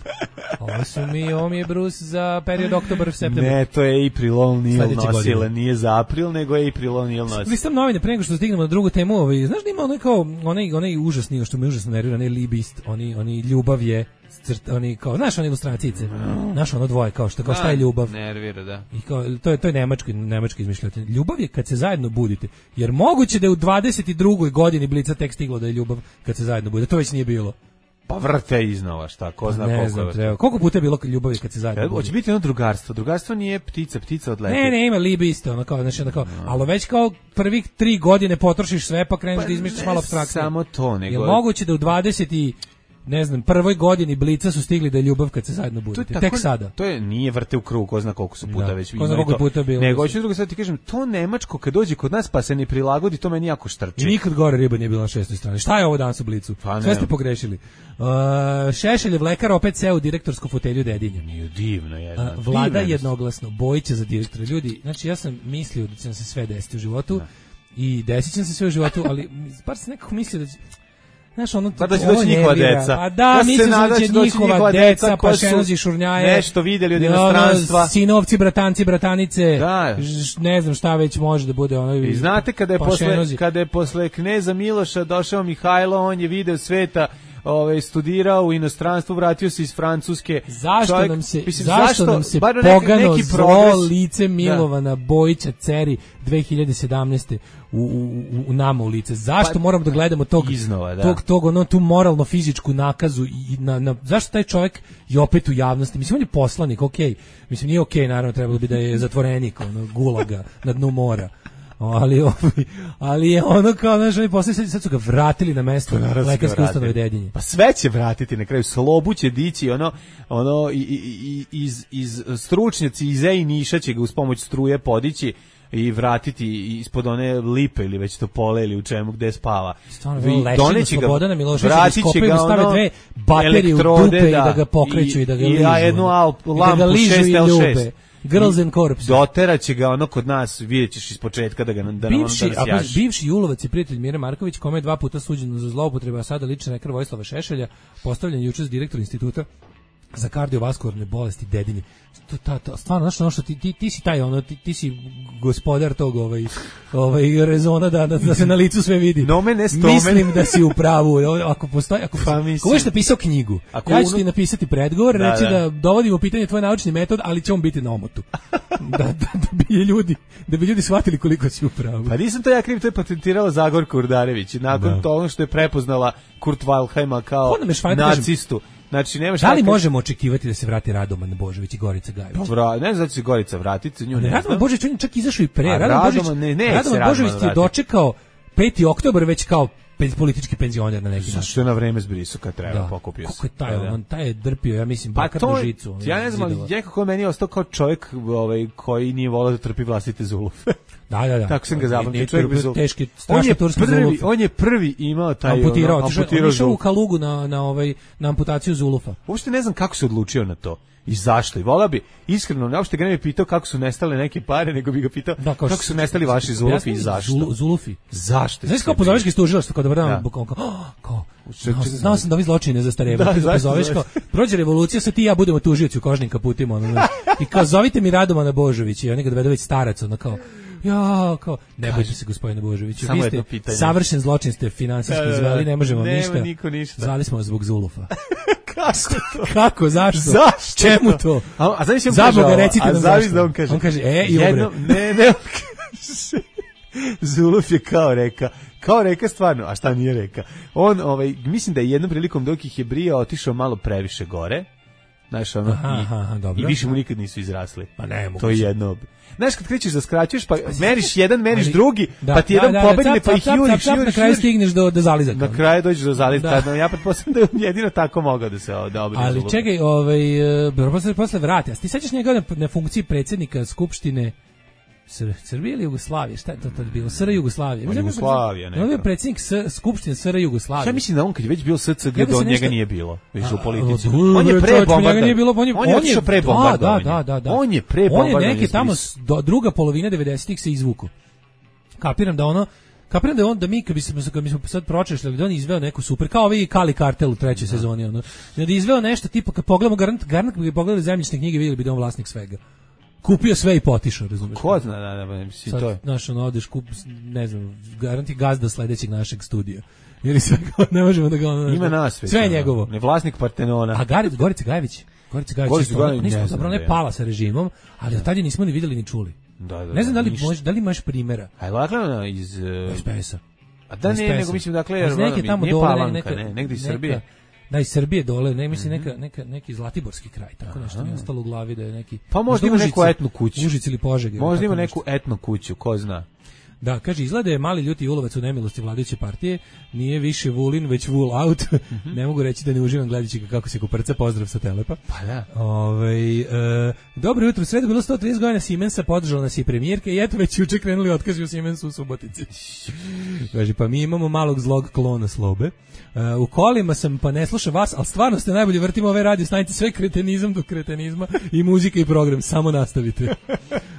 Ovo su mi, ovo mi je Bruce za period oktobar, septembar. Ne, to je April O'Neil nosila, nije za april, nego je April O'Neil nosila. Listam novine, pre nego što stignemo na drugu temu, ovaj, znaš da ima onaj kao, onaj, onaj užasni, što me užasno nervira, onaj libist, oni, oni ljubav je, crt, oni kao, znaš one ilustracijice, znaš ono dvoje, kao što, kao šta je ljubav. Nervira, da. I kao, to je, to je nemački, nemački izmišljatelj. Ljubav je kad se zajedno budite, jer moguće da je u dvadeset drugoj godini Blica tek stiglo da je ljubav kad se zajedno bude, to već nije bilo. Pa vrte iznova, šta, ko zna ne koliko znam, je. Treba. Koliko puta je bilo ljubavi kad se zajedno ja, hoće biti ono drugarstvo. Drugarstvo nije ptica, ptica odleti. Ne, ne, ima libe isto, ono kao, znači, ono kao, no. Ali već kao prvih tri godine potrošiš sve, pa kreneš pa da izmišljaš malo apstrakcije. Samo to, nego... Je moguće da u dvadeset i ne znam, prvoj godini Blica su stigli da je ljubav kad se zajedno budete. Tako, tek sada. To je nije vrte u krug, ko zna koliko su puta da, već ko zna koliko puta bilo. Nego hoću drugo sad ti kažem, to nemačko kad dođe kod nas pa se ne prilagodi, to meni jako štrči. I nikad gore riba nije bila na šestoj strani. Šta je ovo danas u Blicu? Pa sve ste pogrešili. Uh, Šešeljev lekar opet seo u direktorsku fotelju Dedinja. Nije divno jedna. Uh, vlada jednoglasno, Bojića za direktora. Ljudi, znači ja sam mislio da će nam se sve desiti u životu. Da. I desit će se sve u životu, ali bar se nekako mislio da će... Znaš, ono, pa da će doći njihova deca. Pa da, ja mislim da će njihova, njihova deca, deca pa šenozi šurnjaje. Nešto vidjeli od inostranstva. Ono, sinovci, bratanci, bratanice. Da. Ž, ne znam šta već može da bude. Ono, i znate kada je, posle, kada je posle kneza Miloša došao Mihajlo, on je video sveta, ovaj studirao u inostranstvu, vratio se iz Francuske. Zašto čovjek, nam se mislim, zašto, zašto nam se neki, pogano neki zlo lice Milovana da. Bojića Ceri dve hiljade sedamnaeste u, u, u nama u lice? Zašto pa, moramo da gledamo tog iznova, da. tog tog ono tu moralno fizičku nakazu i na, na zašto taj čovjek je opet u javnosti? Mislim on je poslanik, okej. Okay. Mislim nije okej, okay, naravno trebalo bi da je zatvorenik, ono gulaga na dnu mora. Ali, ali je ono kao, znaš, oni posle sad su ga vratili na mesto lekarske ustanove Dedinje. Pa sve će vratiti na kraju, slobu će dići, ono, ono, i, i, iz, iz stručnjaci iz E I Niša će ga uz pomoć struje podići i vratiti ispod one lipe ili već to pole ili u čemu gde spava. Stvarno, doneći ga, Slobodana Miloševića, iskopaju da stave dve baterije u dupe da, i da ga pokreću i, i da ga ližu. I ja jednu lampu šest L šest. Girls and Corps. Dotera će ga ono kod nas, vidjet ćeš iz početka da ga da bivši, nam da bivši Julovac i prijatelj Mire Marković, kome je dva puta suđeno za zloupotrebu, a sada lični lekar Vojislava Šešelja, postavljen juče za direktor instituta za kardiovaskularne bolesti Dedinje. To, ta, ta, stvarno, znaš, ono što ti, ti, ti si taj, ono, ti, ti si gospodar tog ovaj, ovaj rezona da, da, da se na licu sve vidi. Nomen est Mislim da si u pravu. Ako postoji, ako, pa, ako budeš napisao knjigu, ako ja ću ti napisati predgovor, da, reći da. da dovodim u pitanje tvoj naučni metod, ali će on biti na omotu. da, da, da, bi ljudi, da bi ljudi shvatili koliko si u pravu. Pa nisam to ja kriv, to je patentirala Zagorka Urdarević. Nakon da. toga što je prepoznala Kurt Wildheima kao nacistu. Znači, nemaš da li tako... možemo očekivati da se vrati Radoman Božović i Gorica Gajević? Dobro, ne znam da će se Gorica vratiti, nju ne. Radoman Božović on je čak izašao i pre. A Radoman Božović, ne, ne, Radoman Božović je dočekao peti oktobar već kao politički penzioner na neki način. Zašto je na vreme zbrisao kad treba, da. Pokupio se. Kako je taj, da, da. on taj je drpio, ja mislim, pa bakar to, na žicu. Ja ne znam, ali nekako meni je ostao kao čovjek ovaj, koji nije volao da trpi vlastite zulufe. Da, da, da. Tako sam ga zapamtio. Čovjek bez zulufe. Teški, strašno turski zulufe. On je prvi imao taj... Amputirao, ono, amputirao on išao u Kalugu na, na, ovaj, na amputaciju zulufa. Uopšte ne znam kako se odlučio na to. I zašto? I volao bi, iskreno, ne uopšte ga ne bi pitao kako su nestale neke pare, nego bi ga pitao da, kako, kako su nestali vaši zulufi i zašto. Zulu, zulufi. Zašto? Znaš kao pozoveš ga iz tužilaštva, kao dobar dan, kao, kao, znao sam da vi zločine zastarevaju. Da, pozoveš kao, prođe revolucija, sad ti i ja budemo tužioci u kožnim kaputima. Ono, i kao, zovite mi Radomana Božovića, i oni ga dovedu već starac, ono kao, ja, kao, ne bojte se gospodine Božoviću, vi ste savršen zločin, ste finansijski izveli, ne možemo ništa. ništa. Zvali smo vas zbog zulufa. Kako to? Kako, zašto? Zašto? Čemu to? A, a znaš, za Boga, recite nam zašto. Da on kaže, on kaže, e, i jedno, ne, ne, on kaže, zuluf je kao reka, kao reka stvarno, a šta nije reka? On, ovaj, mislim da je jednom prilikom dok ih je brijao, otišao malo previše gore, znaš, ono, aha, i, aha, dobro. I više mu nikad nisu izrasli. Pa ne, to je jedno. Znaš, kad krećeš da skraćuješ, pa meriš jedan, meriš ali, drugi, da, pa ti da, jedan da, pobegne, pa ih juriš, juriš, na kraju stigneš do, do zalizaka. Na kraju dođeš do zalizaka, ja pretpostavljam da je jedino tako mogao da se da obrije. Ali zulup. Čekaj, ovaj, posle, posle vrati, a ti sećaš njega na, na funkciji predsjednika Skupštine Sr Srbije ili Jugoslavije, šta je to tad bilo? S R Jugoslavije. Jugoslavija, ne. On je predsjednik Skupštine S R Jugoslavije. Ja mislim da on kad je već bio S C G, do njega nije bilo, više u politici. On je pre bombardovanja. On je otišao pre bombardovanja. Da, da, da. On je pre bombardovanja. On je neke tamo druga polovina devedesetih se izvuku. Kapiram da ono Kapiram da on da mi kad bi se kad bismo sad pročešljali da on izveo neku super kao ovi Kali Kartel u trećoj sezoni ono. Da je izveo nešto tipa kad pogledamo garant garant kad bi pogledali zemljišne knjige videli bi da on vlasnik svega. Kupio sve i potišao, razumiješ? Ko zna, da, da, mislim, sad, to je. Znaš, ono, odeš, kup, ne znam, garanti gazda sledećeg našeg studija. Ili sve, ne možemo da ga ono... Ima nasveć. Sve je njegovo. Ne vlasnik Partenona. A Gari, Gorica Gajević? Gorica Gajević, Gorica Gajević, nismo, ne zapravo ne pala sa režimom, ali od tad je nismo ni videli ni čuli. Da, da, ne znam da li, ništa. mož, da li imaš primjera. A je lagano iz... Uh... S P S-a. A da ne, nego mislim, dakle, jer neke tamo nije dole, Palanka, neka, ne, negdje iz neka, Srbije. Da, iz Srbije dole, ne mislim mm-hmm. neka, neka, neki Zlatiborski kraj, tako nešto mi je ostalo u glavi da je neki... Pa možda ima Užici, neku etnu kuću. Užici ili Požege. Možda ima neku etnu kuću, ko zna. Da, kaže, izgleda je mali ljuti ulovac u nemilosti vladajuće partije, nije više Vulin, već Vul out. Mm-hmm. Ne mogu reći da ne uživam gledajući ga kako se kuprca, pozdrav sa Telepa. Pa da. Ove, e, dobro jutro, sredo bilo sto trideset godina Siemensa, podržala nas i premijerka i eto već juče krenuli otkazi u Siemensu u Subotici. Kaže, pa mi imamo malog zlog klona Slobe. E, u kolima sam, pa ne slušam vas, ali stvarno ste najbolji, vrtimo ove radio stanice, sve kretenizam do kretenizma i muzika i program, samo nastavite.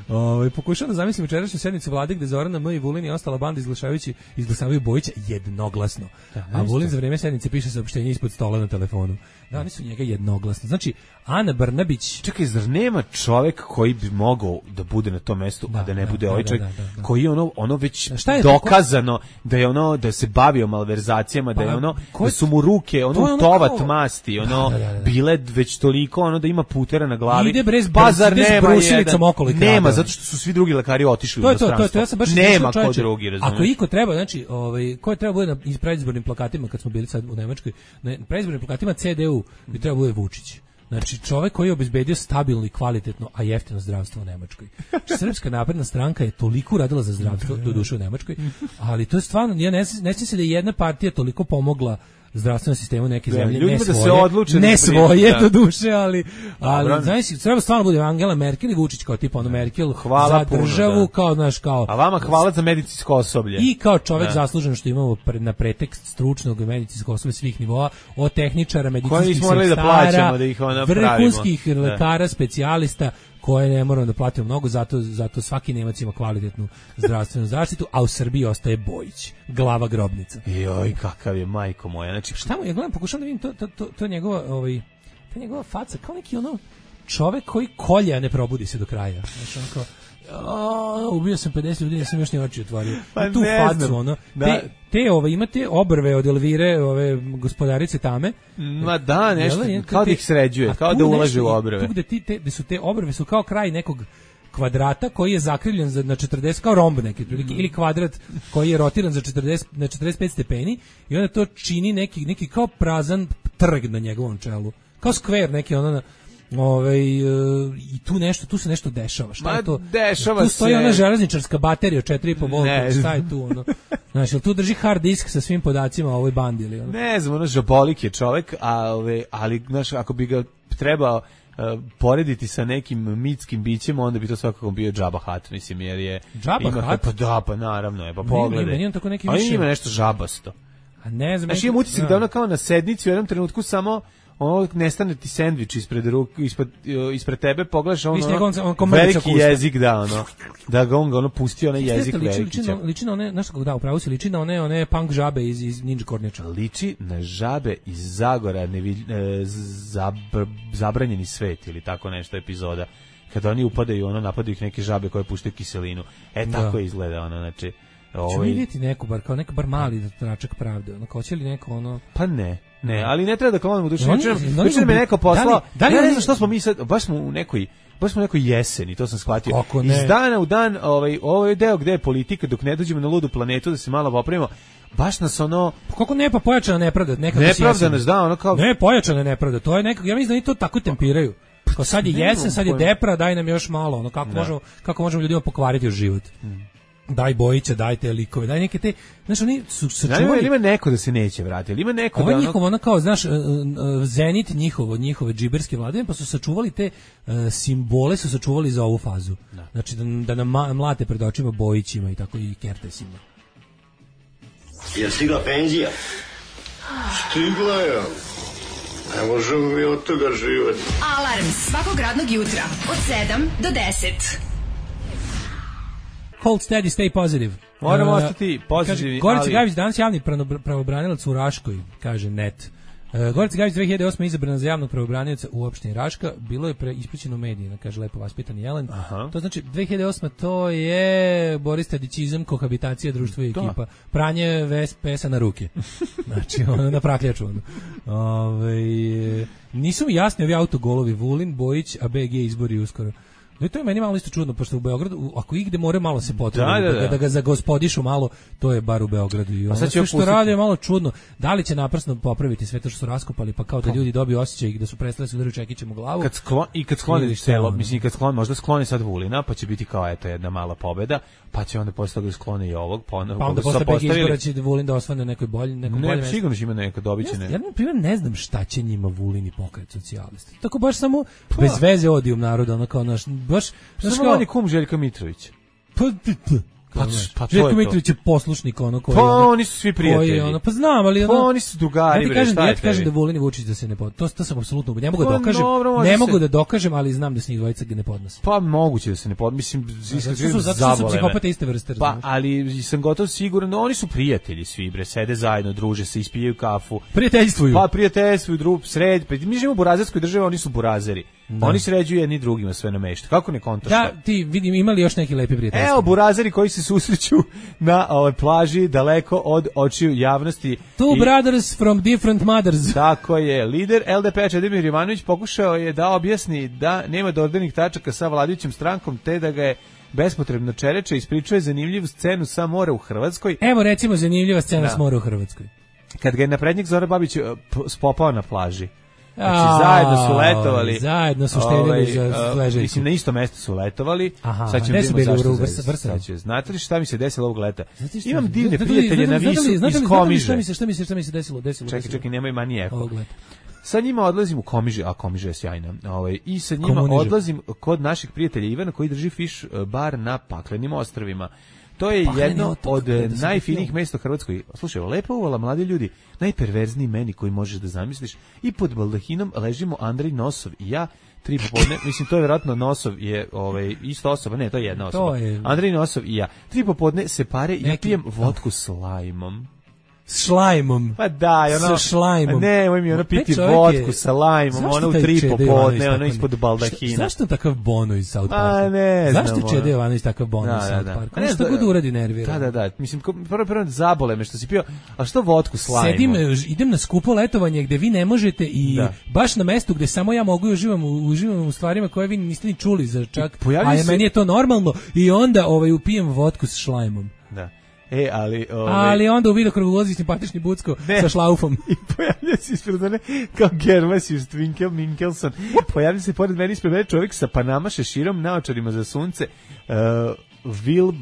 Ove, pokušam da zamislim večerašnju sednicu vlade gde Zorana M i Vulin i ostala banda izglasavajući izglasavaju Bojića jednoglasno. Da, a Vulin za vreme sednice piše saopštenje ispod stola na telefonu. Da, oni su njega jednoglasno. Znači, Ana Brnabić... Čekaj, zar nema čovek koji bi mogao da bude na tom mestu, da, a da ne da, bude da, ovaj čovjek, da, da, da. koji je ono, ono već je dokazano to? Da je ono, da se bavio malverzacijama, pa, da je ono, ko, da su mu ruke, ono, ono tovat kao... masti, ono, da, da, da, da. bile već toliko, ono, da ima putera na glavi. Ide brez, bazar ide nema jedan, okolo nema, zato što su svi drugi lekari otišli to u inostranstvo. To, to, to, ja sam baš nema ko drugi, razumiješ. Ako iko treba, znači, ovaj, ko je treba bude na predizbornim plakatima, kad smo bili sad u Nemačkoj, na predizbornim plakatima C D U bi treba bude Vučić. Znači, čovjek koji je obezbedio stabilno i kvalitetno, a jeftino zdravstvo u Nemačkoj. Srpska napredna stranka je toliko uradila za zdravstvo, do duše u Nemačkoj, ali to je stvarno, ja ne, ne sjećam se da je jedna partija toliko pomogla zdravstvenom sistemu neke zemlje, ne svoje, se odluče ne svoje do duše, ali, ali znači, treba stvarno bude Angela Merkel i Vučić kao tipa ono Merkel hvala za državu, puno, da. kao, znaš, kao... A vama hvala za medicinsko osoblje. I kao čovjek da. Zaslužen što imamo pre, na pretekst stručnog medicinskog osoblja svih nivoa, od tehničara, medicinskih sestara, da plaćamo, da ih ona vrhunskih pravimo. lekara, specijalista, koje ne moramo da platimo mnogo, zato, zato svaki Nemac ima kvalitetnu zdravstvenu zaštitu, a u Srbiji ostaje Bojić, glava grobnica. Joj, kakav je, majko moja. Znači, šta mu, ja gledam, pokušam da vidim to, to, to, to njegova, ovaj, to njegova faca, kao neki ono čovek koji kolje, a ne probudi se do kraja. Znači, on kao, o, ubio sam pedeset ljudi, nisam još ni oči otvorio. Pa tu facu, ono, da. te, te ove, imate obrve od Elvire, ove gospodarice Tame. Ma da, nešto, je, kao da ih sređuje, kao da ulaže u obrve. Tu gde, ti, te, gde su te obrve su kao kraj nekog kvadrata koji je zakrivljen za, na četrdeset, kao romb neki, mm. ili kvadrat koji je rotiran za četrdeset, na četrdeset pet stepeni i onda to čini neki, neki kao prazan trg na njegovom čelu. Kao skver neki, ono na... Ove, i tu nešto, tu se nešto dešava. Šta Ma, je to? Dešava tu stoji se. Ona železničarska baterija od četiri i po volta. Šta je tu ono? Znaš, jel tu drži hard disk sa svim podacima o ovoj bandi ili ono? Ne znam, ono žabolik je čovek, ali, ali znaš, ako bi ga trebao uh, porediti sa nekim mitskim bićem, onda bi to svakako bio Jabba Hutt, mislim, jer je... Jabba ima, Hutt? Pa da, pa naravno je, pa pogledaj. Meni on tako neki više... više... A ima nešto žabasto. A ne znam... Znaš, imam utisak da ono kao na sednici u jednom trenutku samo... ono nestane ti sendvič ispred ruke, ispred, ispred tebe, pogledaš ono, ono, ono veliki jezik, da, ono, da ga on ga ono pustio, onaj jezik veliki. Liči, liči, liči na one, znaš kako da, upravo se liči na one, one punk žabe iz, iz Ninja Kornjača. Liči na žabe iz Zagora, nevi, e, zabr, zabranjeni svet ili tako nešto epizoda, kada oni upadaju, ono, napadaju ih neke žabe koje puštaju kiselinu. E, tako da. Izgleda, ono, znači... Ću vidjeti neku bar, kao neko bar mali tračak pravde, ono, hoće li neko ono... Pa ne, ne, ali ne treba da klonimo u dušu. Juče me neko poslao, da li, ja ne znam što smo mi sad, baš smo u nekoj, baš smo u nekoj jeseni, to sam shvatio. Iz dana u dan, ovaj, ovaj deo gde je politika, dok ne dođemo na ludu planetu, da se malo popravimo, baš nas ono... Kako ne, pa pojačana nepravda, nekako nepravda nas da, ono kao... Ne, pojačana nepravda, to je nekako, ja mislim da oni to tako tempiraju. Kao sad je jesen, sad je depra, daj nam još malo, ono, kako možemo, kako možemo ljudima pokvariti život. Daj Bojića, daj te likove, daj neke te, znaš, oni su sačuvali... Ima neko da se neće vratiti, ima neko ovo da... Ovo njihovo, ono kao, znaš, zenit njihovo, njihove džiberske vladine, pa su sačuvali te uh, simbole, su sačuvali za ovu fazu. Da. Znači, da, da nam mlate pred očima Bojićima i tako i Kertesima. Je stigla penzija? Stigla je. Ne možemo mi od toga živati. Alarm svakog radnog jutra od sedam do deset. Hold steady, stay positive. Moramo uh, ostati pozitivni. Gorica ali... Gavić danas javni pravobranilac u Raškoj, kaže net. Uh, Gorica Gavić dve hiljade osme izabrana za javnog pravobranioca u opštini Raška, bilo je pre ispričano u medijima, kaže lepo vaspitani Jelen. Aha. To znači dve hiljade osme to je Boris Tadićizam, kohabitacija, društvo i ekipa, pranje ves pesa na ruke. Znači ono na prakljaču ono. Ove, nisu mi jasni ovi autogolovi Vulin, Bojić, a B G izbori uskoro. No to je meni malo isto čudno, pošto u Beogradu, ako igde more malo se potrebi, da, da, da. da ga zagospodišu malo, to je bar u Beogradu. I ono sve što pustiti. Radi je malo čudno. Da li će naprasno popraviti sve to što su raskopali, pa kao da ljudi dobiju osjećaj da su prestali se udariti čekićem u glavu. Kad sklon, I kad skloni selo, mislim, kad skloni, možda skloni sad Vulina, pa će biti kao eto jedna mala pobeda, pa će onda posle toga sklone i ovog, pa onda, pa onda posle B G izbora će Vulin da osvane nekoj bolji, nekoj bolje. Ne, sigurno će ima neka dobiće. Ja, ja na primjer ne znam šta će njima Vulin i Pokret socijalista. Tako baš samo pa. Bez veze odijum naroda, ono kao naš, baš samo on je kum Željka Mitrovića. Pa, pa, pa Željko Mitrović je poslušnik ono koji... Pa oni su svi prijatelji. Ono, pa znam, ali... Ono, pa oni su drugari, ja bre, kažem, šta je ja ti kažem da Vulin i Vučić da se ne pod... To, to sam apsolutno... Ne mogu da dokažem, dobro, ne mogu se... da dokažem, ali znam da se njih dvojica ne podnose. Pa moguće da se ne podnose. Mislim, iskreno zato su psihopate iste vrste. Pa, ali sam gotov siguran, oni su prijatelji svi, bre, sede zajedno, druže se, ispijaju kafu. Prijateljstvuju. Pa, prijateljstvuju, drug, sred... Mi živimo u burazerskoj državi, oni su burazeri. Da. Oni sređuju jedni drugima sve na mešta. Kako ne kontaš? Da, ti vidim, imali još neki lepi prijateljstva. Evo, burazeri koji se susreću na ovoj plaži daleko od očiju javnosti. Two I, brothers from different mothers. Tako je. Lider L D P Čedomir Jovanović pokušao je da objasni da nema dodirnih tačaka sa vladajućom strankom, te da ga je bespotrebno čereče, ispričao je zanimljivu scenu sa mora u Hrvatskoj. Evo recimo zanimljiva scena da. S mora u Hrvatskoj. Kad ga je naprednjak Zoran Babić spopao na plaži. Znači, zajedno su letovali. Zajedno su štedili za leželjku. Mislim, na isto mesto su letovali. Aha, sad ćemo vidjeti zašto se. Znate li šta mi se desilo ovog leta? Imam divne prijatelje na Visu iz Komiže. Šta mi se, šta mi se, šta mi se desilo? desilo čekaj, čekaj, nemoj mani eho. Sa njima odlazim u Komiže, a Komiže je sjajna. Ovaj, I sa njima Komuniže. Odlazim kod naših prijatelja Ivana koji drži fiš bar na Paklenim ostrvima. To je Pakleni jedno otok, od najfinijih mesta u Hrvatskoj. Slušaj, lepo uvala, mladi ljudi, najperverzniji meni koji možeš da zamisliš. I pod baldahinom ležimo Andrej Nosov i ja, tri popodne, mislim, to je vjerojatno Nosov je ovaj, isto osoba, ne, to je jedna osoba. Je... Andrej Nosov i ja. Tri popodne se pare i Neki... pijem vodku s lajmom. S šlajmom. Pa da, ono, sa šlajmom. Ne, moj mi ono piti vodku sa lajmom, ono u tri popodne, ono ispod baldahina. Zašto takav Bono iz South Parka? A ne znam. Zašto Čede Jovanović takav Bono iz South Parka? Nešto god uradi nervira. Da, da, da. Mislim, prvo prvo zabole me što si pio, a što vodku s lajmom? Sedim, idem na skupo letovanje gde vi ne možete i da. Baš na mestu gde samo ja mogu i uživam, uživam u stvarima koje vi niste ni čuli za čak, a je, se... meni je to normalno i onda ovaj, upijem vodku s šlajmom. Da. E, ali... Ove... Ali onda u vidokrugu ulazi simpatični Bucko ne. Sa šlaufom. I pojavlja se ispred mene kao Gervasius Twinkel Minkelson. Pojavlja se pored mene ispred mene čovjek sa Panama šeširom, naočarima za sunce. Uh, Will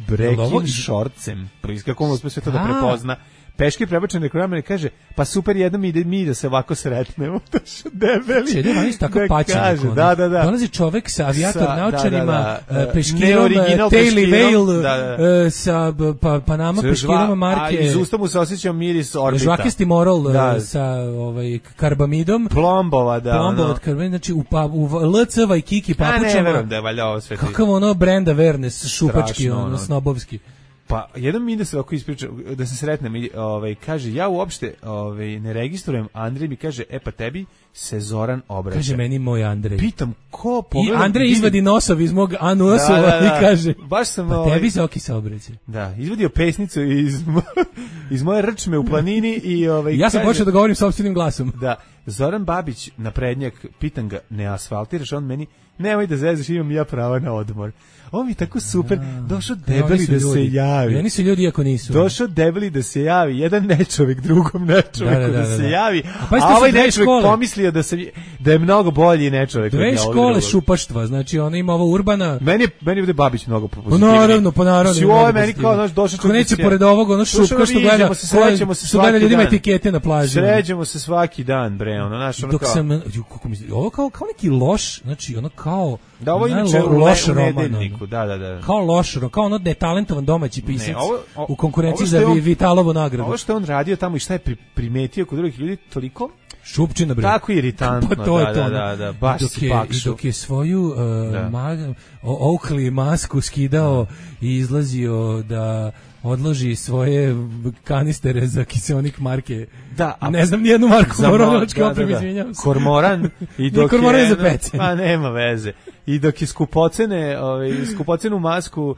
breaking shortsem. Kako on uspio sve to da prepozna. Peški prebačen reklama i kaže, pa super, jednom ide mi da se ovako sretnemo. Dašo debeli. Čede, oni su tako da pačeni. Kaže, da, da, da. Dolazi čovek sa avijator Sa- naočarima, da, da, da. peškirom, Neoriginal Taily peškirom, Veil, da, da. e, sa pa, Panama Sa peškirama žva- marke. A iz usta mu se osjećao miris orbita. Žvakesti moral Da. e, sa ovaj, karbamidom. Plombova, da. Plombova ono. od karbamida, znači u, pa, u L C Vajkiki A ne, papučama. verujem da je valjda ovo sve ti. Kakav ono Brenda Vernes, šupački, Strašno, ono, ono. snobovski. Pa jedan mi ide se ovako ispriča, da se sretnem, i, ovaj, kaže, ja uopšte ovaj, ne registrujem, Andrej mi kaže, e pa tebi se Zoran obraća. Kaže meni moj Andrej. Pitam, ko I pogledam, Andrej vidim- izvadi nosov iz mog anusova Da, da, da. i kaže, Baš sam, pa ovaj- tebi se oki se obraća. Da, izvadio pesnicu iz, mo- iz moje rčme u planini i ovaj, Ja sam kaže- počeo da govorim sopstvenim glasom. Da, Zoran Babić, naprednjak, pitam ga, ne asfaltiraš, on meni, nemoj da zezaš, imam ja prava na odmor. On mi tako super, došao E, oni debeli su da se ljudi. javi. I oni su ljudi iako nisu. Došao debeli da se javi, jedan nečovjek drugom nečoveku Da, da, da, da, da, se da. javi, A pa isto a su ovaj dve nečovjek škole. pomislio da, se, da je mnogo bolji nečovjek. od Dve ovog škole drugog. šupaštva, znači ona ima ovo Urbana. Meni je, meni je ovde Babić mnogo Pa pozitivniji. naravno, pa naravno. Si ovo je meni kao, znaš, došao Ko neće čovjek- pored ovog, ono Došao, šupka što viđemo gleda, se, srećemo se što gleda svaki ljudima dan. etikete na plaži. Sređemo se svaki dan, bre, ono, znaš, ono Dok kao... sam, ju, kako mi, ovo kao, kao neki loš, znači ono kao, Da, ovo ne, inače lo- u, loš le, u roman, nedeljniku, ono. da, da, da. Kao loš, ono, kao ono netalentovan domaći pisac Ne, ovo- o- u konkurenciji ovo što za je on- Vi- Vitalovu nagradu. Ovo što je on radio tamo i šta je pri, primetio kod drugih ljudi, toliko Šupčina, bre. tako iritantno, Pa to je da, to, da, ono. da, da, baš I dok si je, I pakšu. dok je svoju uh, Da. ma, o, Oakley masku skidao i izlazio da odloži svoje kanistere za kiseonik marke. Da, a- ne znam nijednu marku Za mo- moroničke da, da, opreme, da. izvinjavam se. Kormoran i Nije dok kormoran je za pecen. Pa nema veze. I dok je skupocene, ovaj skupocenu masku uh,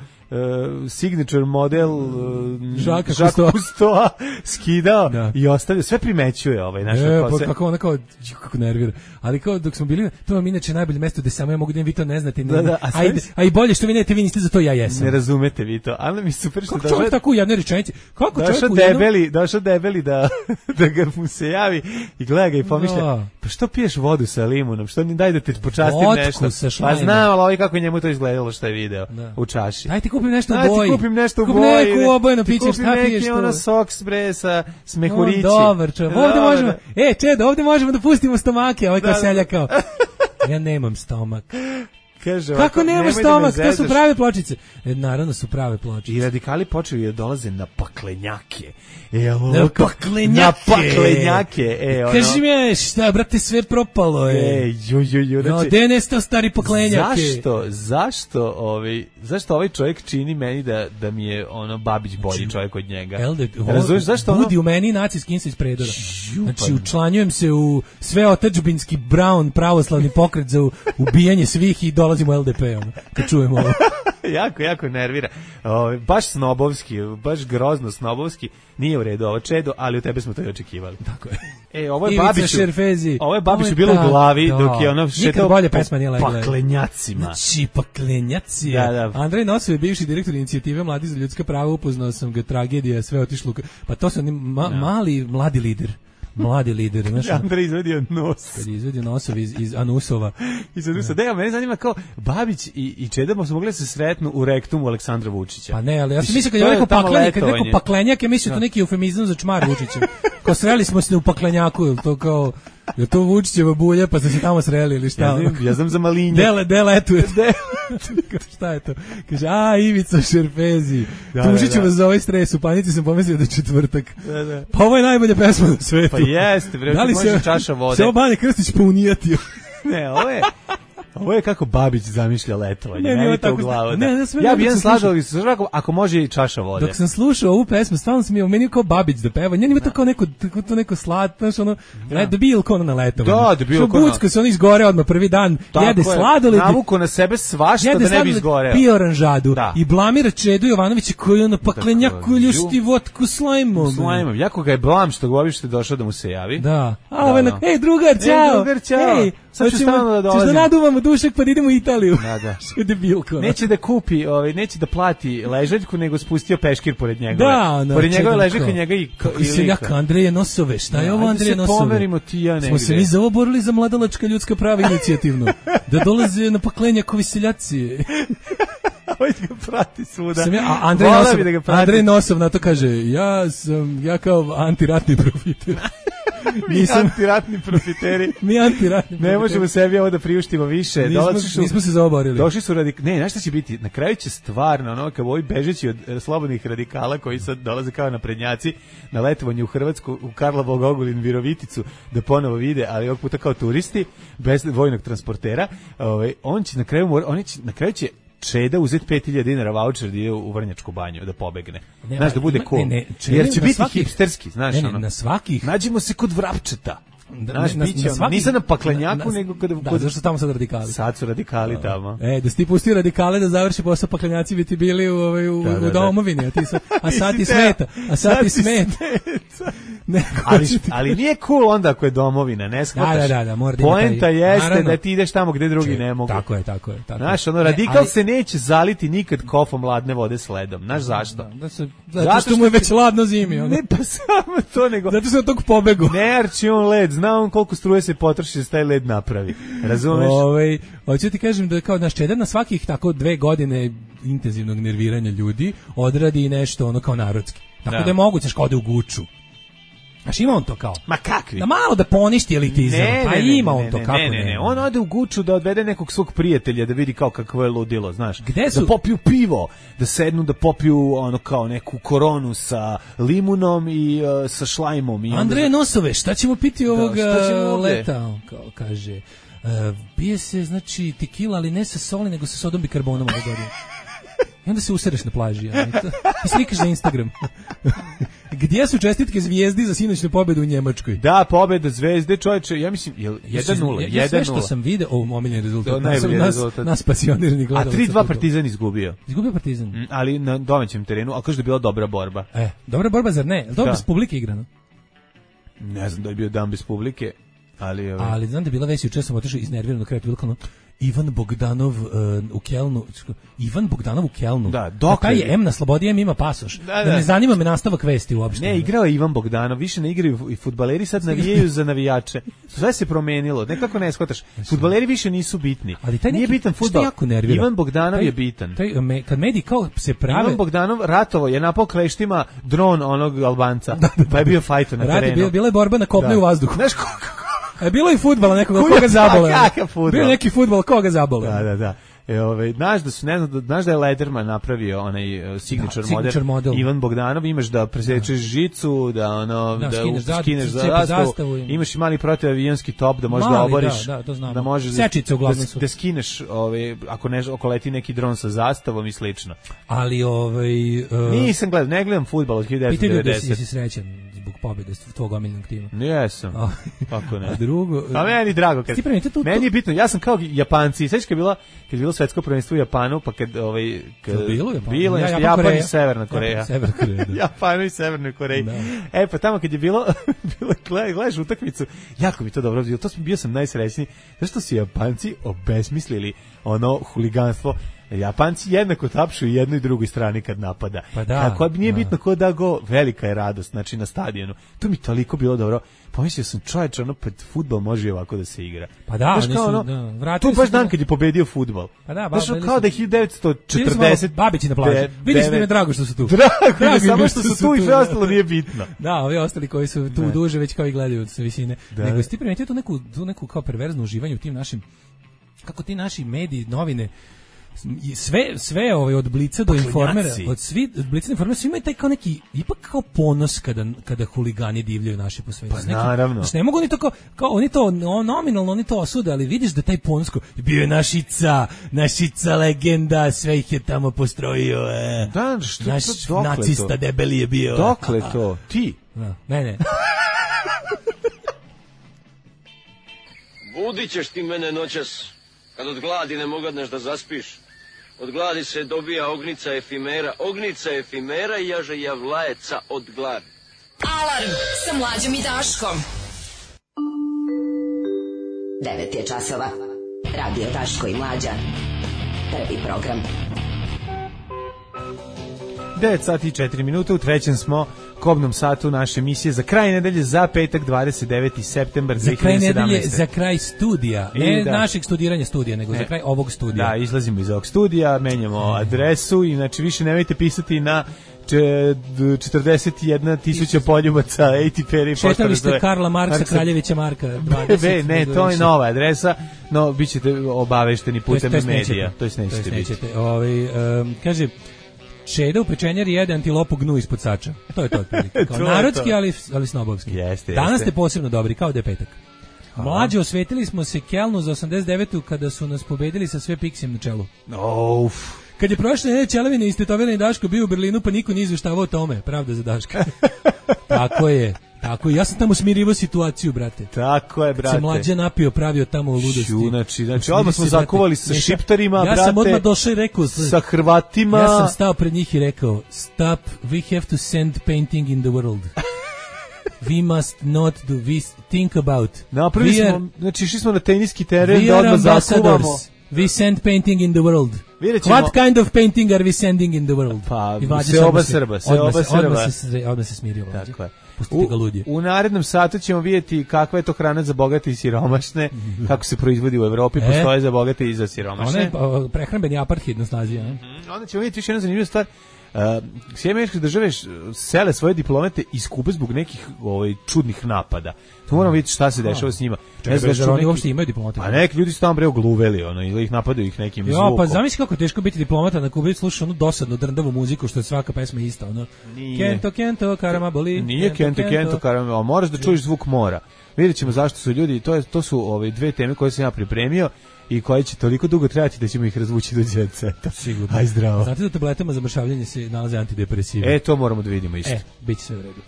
signature model uh, Žaka Žaka Kustoa. Kustoa skidao Da. i ostavio, sve primećuje ovaj naš E, kao pa se- kako ona kao, ju, kako nervira. Ali kao dok smo bili, to vam inače najbolje mesto gde samo ja mogu da vi to ne znate. Ne, Da, da, a a, sve- i, a i bolje što vi ne, vi niste za to, ja jesam. ne razumete vi to, ali mi je super što Kako čovjek tako u jednoj rečenici? Kako došao čovjek u jednom... debeli, došao debeli da, da ga mu se javi i gleda ga i pomišlja, Da. pa što piješ vodu sa limunom, što ni daj da te počastim Vodku nešto. sa Pa šlajmom. znam, ali ovaj kako je njemu to izgledalo što je video Da. u čaši. Daj ti kupim nešto u Daj boji. ti kupim nešto u Kupi boji. neku obojeno ti piće, kupim šta neki piješ tu? ono soks bre sa On smehurići. dobar čovjek. Ovde Da, možemo, da. e, Čedo, ovde možemo da pustimo stomake, ovaj kao Da, da. selja kao. Ja nemam stomak. Kaže, Kako ovako, nemaš nemoj da me stomak? To su zezaš. prave pločice. E, naravno su prave pločice. I radikali počeli da dolaze na paklenjake. E, ovo, Na kao- paklenjake. Na paklenjake. E, ono. Kaži mi, šta, brate, sve propalo je. E, ju, ju, ju. No, Znači, gde je nestao stari poklenjake? Zašto, zašto, ovaj, zašto ovaj čovjek čini meni da, da mi je ono Babić bolji čovjek od njega? Jel da, Razumiješ, zašto ono? budi u meni nacijski insa iz predora. Ju, Znači, pa- učlanjujem se u sve otadžbinski Brown pravoslavni pokret za ubijanje svih i dolazim u L D P, ono, kad čujem ovo. jako, jako nervira. Ovaj, baš snobovski, baš grozno snobovski. Nije u redu ovo Čedo, ali od tebe smo to i očekivali. Tako je. E, ovo je Ivica Babiću. Šerfezi. Ovo je Babiću Ovo bilo ta- u glavi da. dok je ono Nikad šetao bolje po pesma nije legla. paklenjacima. Znači, paklenjaci. Da, da. Andrej Nosov je bivši direktor inicijative Mladi za ljudska prava, upoznao sam ga, tragedija, sve otišlo. u- Pa to su oni ma, mali, mladi lider. Mladi lider, znaš. Andrej izvedio nos. Kad je izvedio Nosov iz, iz Anusova. I sad Rusa, da, mene zanima kao Babić i, i Čeda su mogli da se sretnu u rektumu Aleksandra Vučića. Pa ne, ali ja sam Mislim, mislio kad to je je rekao tamo paklenjak, kad je rekao letovanje. paklenjak, ja mislio to neki eufemizam za čmar Vučića. Kao sreli smo se u paklenjaku, ili to kao, je to Vučićeva bulja, pa ste se tamo sreli ili šta? Ja znam, ja znam za malinje. Dele, dele, etuje. Šta je to? Kaže, a, Ivica Šerfezi. Da, Tužit ću da, da. vas za ovaj stres. U panici sam pomislio da je četvrtak. Da, da. Pa ovo je najbolja pesma na svetu. Pa jeste, bre, Da li može se, čaša vode. se ovo Bane Krstić pounijatio? Ne, ovo je... Ovo je kako Babić zamišlja letovanje. Ne, Ne, nije meni to u tako- glavu. ne, da. ne, sve ja dok bi jedan sam slažao i ako, ako može i čaša vode. Dok sam slušao ovu pesmu, stvarno sam je meni kao Babić da peva. Njeni ima to kao neko, tako to neko slat, znaš, ono, da. da bil kao na letovanju. Da, da bil Što kao na- bucka se on izgore odmah prvi dan, Tako jede je, sladoled. navuko na sebe svašta Jede da ne bi sladoled, izgoreo. pije oranžadu Da. i blamira Čedu Jovanovića koji je ono paklenjaku Dakle, ljušti vodku slajmom. Slajmom. Jako ga je blam što ga uopšte došao da mu se javi. Da. A Da, ovaj, da. na- ej drugar, ćao. Ej, drugar, ćao. Ej, Sad ću hoćemo- stalno da ćeš dolazim. da naduvamo dušak pa da idemo u Italiju. Da, da. Što je debilko. ono. Neće da kupi, ovaj, neće da plati ležaljku, nego spustio peškir pored njegove. Da, ono, pored njegove Čedan ležaljke, kao, njega i kako i seljak lika. Andreje Nosove, šta je Da, ovo ajde Andreje se Nosove? pomerimo ti i ja Smo se negde. mi za ovo borili za mladalačka ljudska prava inicijativno. Da dolaze na paklenjakovi seljaci. Vojt ga prati svuda. Sam ja, a Andrej Nosov, da Andrej Nosov na to kaže, ja sam, ja kao antiratni profiter. Mi nisam, antiratni profiteri. Mi antiratni profiteri. Ne možemo sebi ovo da priuštimo više. Nismo, su, nismo se zaoborili. Došli su radik... Ne, znaš šta će biti? Na kraju će stvarno, ono, kao ovi bežeći od slobodnih radikala koji sad dolaze kao naprednjaci na letovanje u Hrvatsku, u Karlovog Ogulin, Viroviticu, da ponovo vide, ali ovog puta kao turisti, bez vojnog transportera. Ovaj, on će na kraju, mora, on će, na kraju će Čeda uzeti pet hiljada dinara voucher da ide u Vrnjačku banju, da pobegne. Ne, znaš, da bude cool. Ne, ne, jer će biti svaki, hipsterski, znaš, ne, ne, ono. Na svakih. Nađimo se kod Vrapčeta. Da, znaš, na, biće, na svakih, nisam na Paklenjaku, na, nego kod... Da, kod... zašto tamo sad radikali? Sad su radikali tamo. E, da si ti pustio radikale da završi posao, Paklenjaci bi ti bili u, u, u, da, da, u domovini, a, ti su, a sad ti smeta. A sad ti smeta. ali, ali nije cool onda ako je domovina, ne shvataš. Da, da, da, mora da poenta taj, jeste naravno, da ti ideš tamo gde drugi če, ne mogu. Tako je, tako je. Tako znaš, ono, radikal ne, ali, se neće zaliti nikad kofom ladne vode s ledom. Znaš zašto? Da, da se, zato, zato što mu je već ladno zimi. Ono. Ne, pa samo to nego... Zato se od tog pobegu. Ne arči on led, zna on koliko struje se potroši da se taj led napravi. Razumeš? Ovaj, hoću ti kažem da kao naš Čeder na svakih tako dve godine intenzivnog nerviranja ljudi odradi nešto ono kao narodski. Tako da, da je moguće škode u Guču. Znaš, ima on to kao? Ma kakvi? Da malo da poništi elitizam, ne, pa ne, ne, ima on ne, to, ne, kako ne, ne, ne, on ode u Guču da odvede nekog svog prijatelja da vidi kao kakvo je ludilo, znaš. Gde su? Da popiju pivo, da sednu da popiju ono kao neku koronu sa limunom i uh, sa šlajmom. I Andreje onda... Nosove, šta ćemo piti ovog da, leta? On kao kaže, uh, pije se, znači, tekila, ali ne sa soli, nego sa sodom bikarbonom ove godine. I onda se usereš na plaži. Ja, i, to, i slikaš na Instagram. Gdje su čestitke Zvijezdi za sinoćnu pobedu u Njemačkoj? Da, pobeda Zvezde, čovječe, ja mislim, je jedan nula. Ja, ja sve što sam video, o, omiljeni rezultat. Nas, rezultat. nas pasionirani gledalaca. A tri dva Partizan izgubio. Izgubio Partizan. Mm, ali na domaćem terenu, a kaže da je bila dobra borba. E, dobra borba, zar ne? Dobro, bez publike igrano. Ne znam da je bio dan bez publike. Ali, ovaj... ali znam da je bila već juče sam otišao iznerviran do kraja, bilo kao Ivan Bogdanov uh, u Kelnu. Ivan Bogdanov u Kelnu. Da, dok taj je M na slobodi, M ima pasoš. Da, da. da ne zanima me nastavak vesti uopšte. Ne, igrao je Ivan Bogdanov, više ne igraju i fudbaleri sad navijaju za navijače. Sve se promenilo, nekako ne shvataš. Fudbaleri više nisu bitni. Ali taj neki, nije bitan fudbal. Ivan Bogdanov taj, je bitan. Taj, me, kad mediji kao se prave... Ivan Bogdanov ratovo je napao kleštima dron onog Albanca. Da, da, da. Pa je bio fajto na terenu. Bila, bila je borba na kopnu i u vazduhu. Znaš kako? A bilo je fudbala nekoga koga zabole. Bio je neki fudbal koga zabole. Da, da, da. E, ovaj, znaš da su, ne znam, znaš da je Lederman napravio onaj uh, signature, da, signature model, model. Ivan Bogdanov, imaš da presečeš da. žicu, da ono, da, da skineš, da, skineš za zastavu, imaš i mali protivavijanski top da možeš mali, da oboriš, da, da, to znamo. da možeš Sečice uglavnom da, da skineš, ovaj, ako ne, ako leti neki dron sa zastavom i slično. Ali, ovaj... Uh, nisam gledao, ne gledam fudbal od hiljadu devetsto devedeset. Pitaju da si srećan zbog pobjede tvog omiljenog tima. Jesam, kako ne. A drugo... A meni drago, kad, meni je bitno, ja sam kao Japanci, sveći kad je bilo, kad je bilo svetsko prvenstvo u Japanu, pa kad ovaj kad to bilo Japan, bilo ja, Japan, Japan, Japan i Severna Koreja. Japan, Severna Koreja. Da. Japan i Severna Koreja. Da. E pa tamo kad je bilo bilo gledaš utakmicu, jako mi to dobro bilo. To sam bio sam najsrećniji zašto su Japanci obesmislili ono huliganstvo. Japanci jednako tapšu i jednoj i drugoj strani kad napada. Pa da, kako nije da. bitno ko da go, velika je radost, znači na stadionu. To mi toliko bilo dobro. Pomislio sam, čovječe, ono pred fudbal može i ovako da se igra. Pa da, znaš, kao ono, da, to baš dan kad je pobedio fudbal. Pa da, znaš, kao da je hiljadu devetsto četrdeset babići na plaži. Vidiš da mi je drago što su tu. Drago, drago samo što su tu i sve ostalo nije bitno. Da, ovi ostali koji su tu duže već kao i gledaju sa visine. Nego si ti primetio tu neku, tu neku kao perverzno uživanje u tim našim, kako ti naši mediji, novine, sve sve ovaj od Blica do Informera, od svi od Blica do Informera, svi imaju taj kao neki ipak kao ponos kada kada huligani divljaju naši po svetu. Pa naravno. Znači, ne mogu oni to kao, kao oni to no, nominalno oni to osude, ali vidiš da taj ponos ko, bio je našica, našica legenda, sve ih je tamo postrojio. E. Da, što naš to, nacista to? debeli je bio. Dokle to? Ti? Da, ne, ne. Budit ćeš ti mene noćas, kad od gladi ne mogadneš da zaspiš. Od gladi se dobija ognica efimera, ognica efimera i jaže javlajeca od gladi. Alarm sa Mlađom i Daškom. Devet je časova. Radio Daško i Mlađa. Prvi program. devet sati i četiri minute, u trećem smo kobnom satu naše emisije za kraj nedelje, za petak dvadeset deveti septembar za kraj dve hiljade sedamnaeste. nedelje, za kraj studija, ne da. našeg studiranja studija, nego ne. za kraj ovog studija. Da, izlazimo iz ovog studija, menjamo adresu, inače više nemojte pisati na četrdeset jedna tisuća poljubaca A T P R. Šetali ste Karla Marksa, Kraljevića Marka dvadeset. Ne, to je nova adresa, no bit ćete obavešteni putem medija. To jest nećete biti. Ovaj, um, kaže, Čeda u pečenjari jede antilopu gnu ispod sača. To je to otprilike. Kao narodski, ali, ali snobovski. Jeste, Danas jeste. ste posebno dobri, kao da je petak. Mlađe, osvetili smo se Kelnu za osamdeset devetu kada su nas pobedili sa sve Pixijem na čelu. Uf. Kad je prošle nedelje Čelavine istetovirani Daško bio u Berlinu, pa niko nije izveštavao o tome. Pravda za Daška. Tako je. Tako je. Ja sam tamo smirivao situaciju, brate. Tako je, brate. Se Mlađe napio, pravio tamo u ludosti. Znači, znači odmah smo zakovali sa šiptarima, ja brate. Ja sam odmah došao i rekao. Sa Hrvatima. Ja sam stao pred njih i rekao, stop, we have to send painting in the world. We must not do, we think about. Napravili smo, are, znači išli smo na teniski teren da odmah zakuvamo. We send painting in the world. What kind of painting are we sending in the world? Pa, se oba Srba, se oba Srba. Odmah se, odmah se smirio. Tako je. Pustite ga ludje. U narednom satu ćemo vidjeti kakva je to hrana za bogate i siromašne, kako se proizvodi u Evropi, e? postoje za bogate i za siromašne. Ona je prehrambeni apartheid na snazi. Ne? Mm-hmm. Onda ćemo vidjeti još jednu zanimljivu stvar. Uh, Sjedinjene Američke Države sele svoje diplomate iz Kube zbog nekih ovaj, čudnih napada. To moramo vidjeti šta se dešava s njima. Čekaj, ne znam, oni uopšte imaju diplomate. Pa neki ljudi su tamo bre ogluveli, ono, ili ih napadaju ih nekim jo, zvukom. Pa zamisli kako je teško biti diplomata na Kubi, slušaš onu dosadnu drndavu muziku, što je svaka pesma ista. Ono. Kento, kento, karama boli. Nije kento, kento, kento karama, ali moraš da čuješ zvuk mora. Vidjet ćemo zašto su ljudi, to, je, to su ove dve teme koje sam ja pripremio i koje će toliko dugo trajati da ćemo ih razvući do jet seta. Sigurno. Aj zdravo. Znate da tabletama za mršavljenje se nalaze antidepresivi? E, to moramo da vidimo isto. E, bit će sve u redu.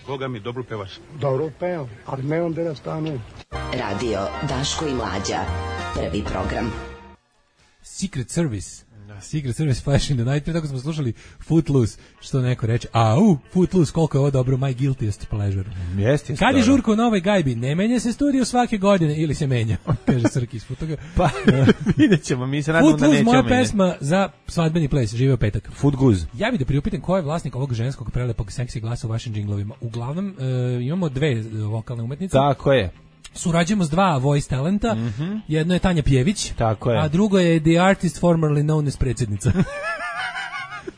Boga mi, dobro pevaš. Dobro pevam, ali ne onda da stanu. Radio Daško i Mlađa. Prvi program. Secret Service. Secret Service Flash in the Night. Prije tako smo slušali Footloose, što neko reče, au, Footloose, koliko je ovo dobro, my guiltiest pleasure. Jest, jest. Kad je žurko u novoj gajbi, ne menja se studio svake godine, ili se menja, kaže Srki ispod toga. Pa, vidjet ćemo, mi se nadamo da nećemo Footloose, moja menja. pesma za svadbeni ples, živeo petak. Footgoose. Ja bih da priupitam ko je vlasnik ovog ženskog prelepog seksi glasa u vašim džinglovima. Uglavnom, e, imamo dve vokalne umetnice. Tako je. Surađujemo s dva voice talenta, mm-hmm. jedno je Tanja Pjević, tako je. A drugo je The Artist Formerly Known as predsjednica.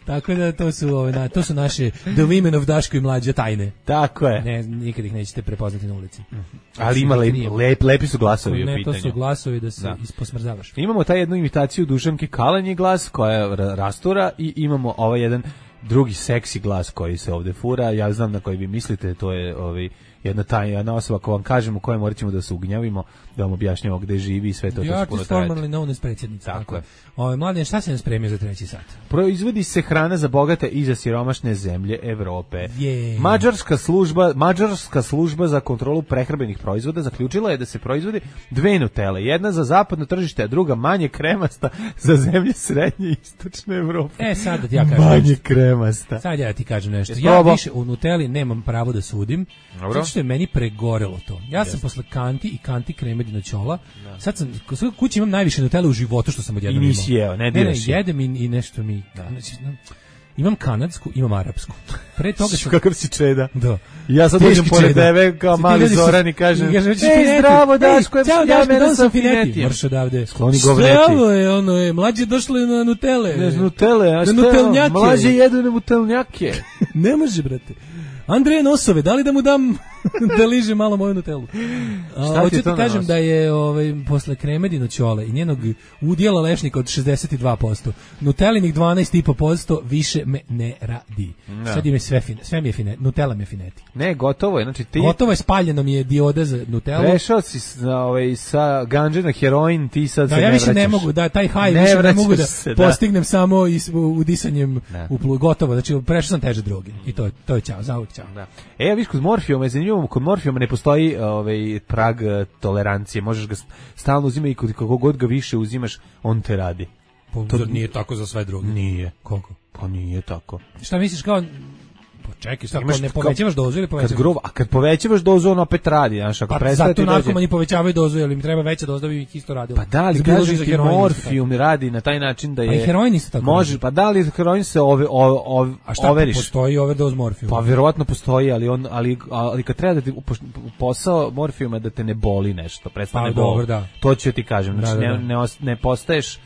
Tako da to su, ove, to su naše The Women of Daško i Mlađa tajne. Tako je. Ne, nikad ih nećete prepoznati na ulici. Mm-hmm. Ali ima lep, lep, lepi su glasovi ne, u pitanju. Ne, to su glasovi da se da. Isposmrzavaš. Imamo taj jednu imitaciju Dušanke Kalanji glas koja je rastura i imamo ovaj jedan drugi seksi glas koji se ovde fura. Ja znam na koji vi mislite, to je ovaj jedna tajna osoba, ako vam kažemo koje morat ćemo da se ugnjavimo, da vam objašnjamo gde živi i sve to. The Artist Formerly Known as predsjednica. Tako je. Ove, Mladen, šta se nam spremio za treći sat? Proizvodi se hrana za bogate i za siromašne zemlje Evrope. Yeah. Mađarska služba, Mađarska služba za kontrolu prehrambenih proizvoda zaključila je da se proizvodi dve Nutelle, jedna za zapadno tržište, a druga manje kremasta za zemlje srednje i istočne Evrope. E, sad da ti ja kažem manje nešto. kremasta. Sad ja ti kažem nešto. Ja više u Nutelli nemam pravo da sudim. Dobro. Što je meni pregorelo to. Ja sam yes. posle kanti i kanti kreme dinoćola. Da. Sad sam kući imam najviše Nutelle u životu što sam odjednom imao. I nisi jeo, ne diraš. Ne, ne, jedem i, i nešto mi. Da. Imam kanadsku, imam arapsku. Pre toga sam kakav si čeda. Da. Ja sad dođem pored tebe kao mali Zoran i kažem: "Ej, zdravo Daško, ja mene sam fineti." Marš odavde. Skloni govneti. Zdravo je, ono je, mlađe došli na Nutelle. Ne, Nutelle, a šta? Mlađe jedu na Nutelnjake. Ne može, brate. Andreje nosove, da li da mu dam da liže malo moju Nutellu? Hoću ti kažem da je ovaj, posle kreme dinoćole i njenog udjela lešnika od šezdeset dva posto, Nutellinih dvanaest i po posto više me ne radi. Da. Sad je sve, fine, sve mi je fine, Nutella mi je fineti. Ne, gotovo je. Znači, ti... Gotovo je, spaljeno mi je dioda za Nutellu. Prešao si sa, ovaj, sa ganđe na heroin, ti sad da, se ja ne vraćaš. Ja više ne mogu, da, taj high ne više ne mogu da se, postignem da. samo is, udisanjem u plu, gotovo. Znači, prešao sam teže droge i to, to je ćao, zauvijek ćao. Da. E, ja viš, kod morfijuma je zanimljivo, kod morfijuma ne postoji ovaj, prag tolerancije, možeš ga stalno uzimati i kod kako god ga više uzimaš, on te radi. Pa, to nije tako za sve droge. Nije. Koliko? Pa nije tako. Šta misliš kao... Čekaj, šta, ako ne povećavaš dozu ili povećavaš? Kad grubo, a kad povećavaš dozu, on opet radi, znaš, ako pa, prestaje ti dođe. Zato narkomani dođe... povećavaju dozu, jer im treba veća doza da bi ih isto radilo. Pa da li, kažem ti, morfijum radi na taj način da je... Pa i heroin isto tako. Može, pa da li heroin se ove, ove, ove, a šta, overiš? Postoji overdose morfijuma? Pa verovatno postoji, ali, on, ali, ali kad treba da ti posao morfijuma da te ne boli nešto, prestane pa, bol. Dobro, da. To ću ti kažem, znači da, da, da. Ne, ne, ne postaješ...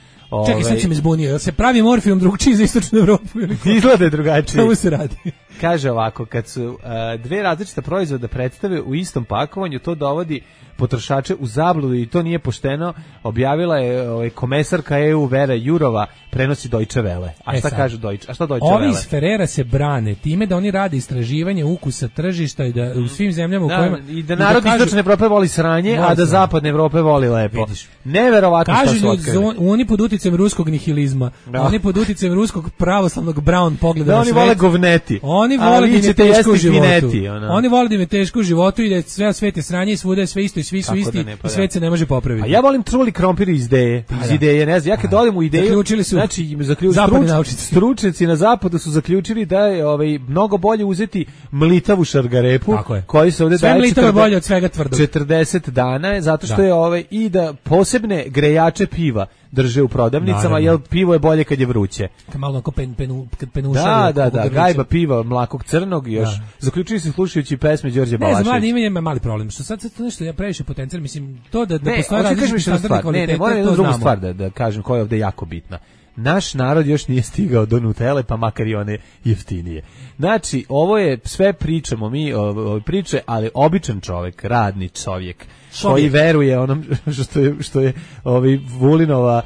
Čekaj, sad će me zbunio, jel se pravi morfijum drugčiji za istočnu Evropu? Izgleda je drugačiji. Čemu se radi? Kaže ovako, kad su uh, dve različita proizvoda predstave u istom pakovanju, to dovodi potrošače u zabludu i to nije pošteno, objavila je ovaj, komesarka E U Vera Jurova, prenosi Deutsche Welle. A šta e kaže Deutsche? A šta Deutsche Welle? Ovi iz Ferrera se brane time da oni rade istraživanje ukusa tržišta i da u svim zemljama u da, kojima... I da narod da istočne Evrope voli sranje, a da zapadne Evrope voli lepo. Vidiš. Neverovatno šta su otkrili. Oni pod uticajem ruskog nihilizma, da. Oni pod uticajem ruskog pravoslavnog brown pogleda da na oni svet. Vole govneti. Oni vole da im je teško u životu. Fineti, oni vole da im je teško u životu i da sve svet je sranje i svuda je sve isto i svi su isti i svet se ne može popraviti. A ja volim truli krompir iz ideje, iz ideje, ne znam, ja kad odem u ideju, zaključili su, znači zaključili stručnjaci na zapadu su zaključili da je ovaj mnogo bolje uzeti mlitavu šargarepu, koji se ovde daje sve bolje od svega tvrdog. četrdeset dana, zato što da. je ovaj i da posebne grejače piva drže u prodavnicama, jer pivo je bolje kad je vruće. Kad malo ako pen, penu, kad penuša. Da, da, da, gajba piva, mlakog crnog još. Da. Zaključili se slušajući pesme Đorđe Balaševića. Ne znam, ima ima mali problem. Što sad sad nešto ja previše potencijal, mislim, to da da ne, postoji različiti standardi kvaliteta. Ne, ne, moram jednu drugu stvar da, da kažem koja je ovde jako bitna. Naš narod još nije stigao do Nutele, pa makar i one jeftinije. Znači, ovo je, sve pričamo mi, o, priče, ali običan čovjek, radni čovjek, Šovjek. koji veruje onom što je, što je ovi Vulinova,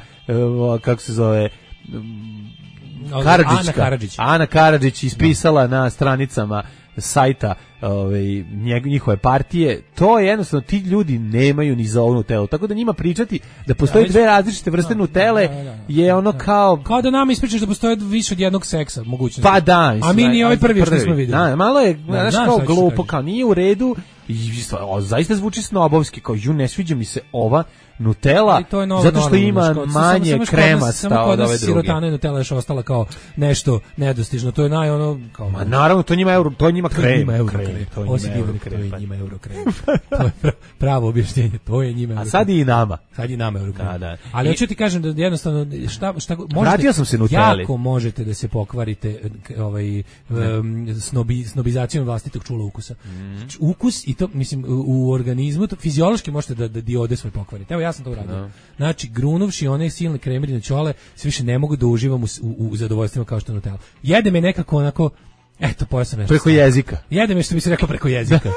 kako se zove, Karadžićka, Ana Karadžić. Ana Karadžić ispisala no. na stranicama sajta ovaj njihove partije, to je jednostavno ti ljudi nemaju ni za ovu Nutellu, tako da njima pričati da postoje da, dve različite vrste da, Nutelle da, da, da, je ono da. kao kao da nama ispričaš da postoje više od jednog seksa mogućnosti. Pa da, mislim, a mi ni ovaj prvi što smo videli. Da, malo je, da, znaš, kao glupo, kao nije u redu i o, zaista zvuči snobovski, kao ju ne sviđa mi se ova Nutella, zato što ima manje samo, kremasta od ove druge. Sirotana i Nutella još ostala kao nešto nedostižno. To je naj ono kao ma naravno to njima euro, to je njima krem. To je njima euro krem. To je njima euro krem. To je pravo objašnjenje. To je njima euro. A sad i nama. Sad i nama euro krem. Da, da. Ali hoću ti kažem da jednostavno šta šta možete. Vratio sam se Nutelli. Jako možete da se pokvarite ovaj snobi snobizacijom vlastitog čula ukusa. Ukus i to mislim u organizmu to fiziološki možete da da diode svoj pokvarite. Evo ja sam to uradio. No. Znači, grunuvši one silne kremirine ćole, sve više ne mogu da uživam u, u, u zadovoljstvima kao što Nutella. Jede me nekako onako, eto, pojao sam nešto. Preko jezika. Jede me što bi se rekao preko jezika.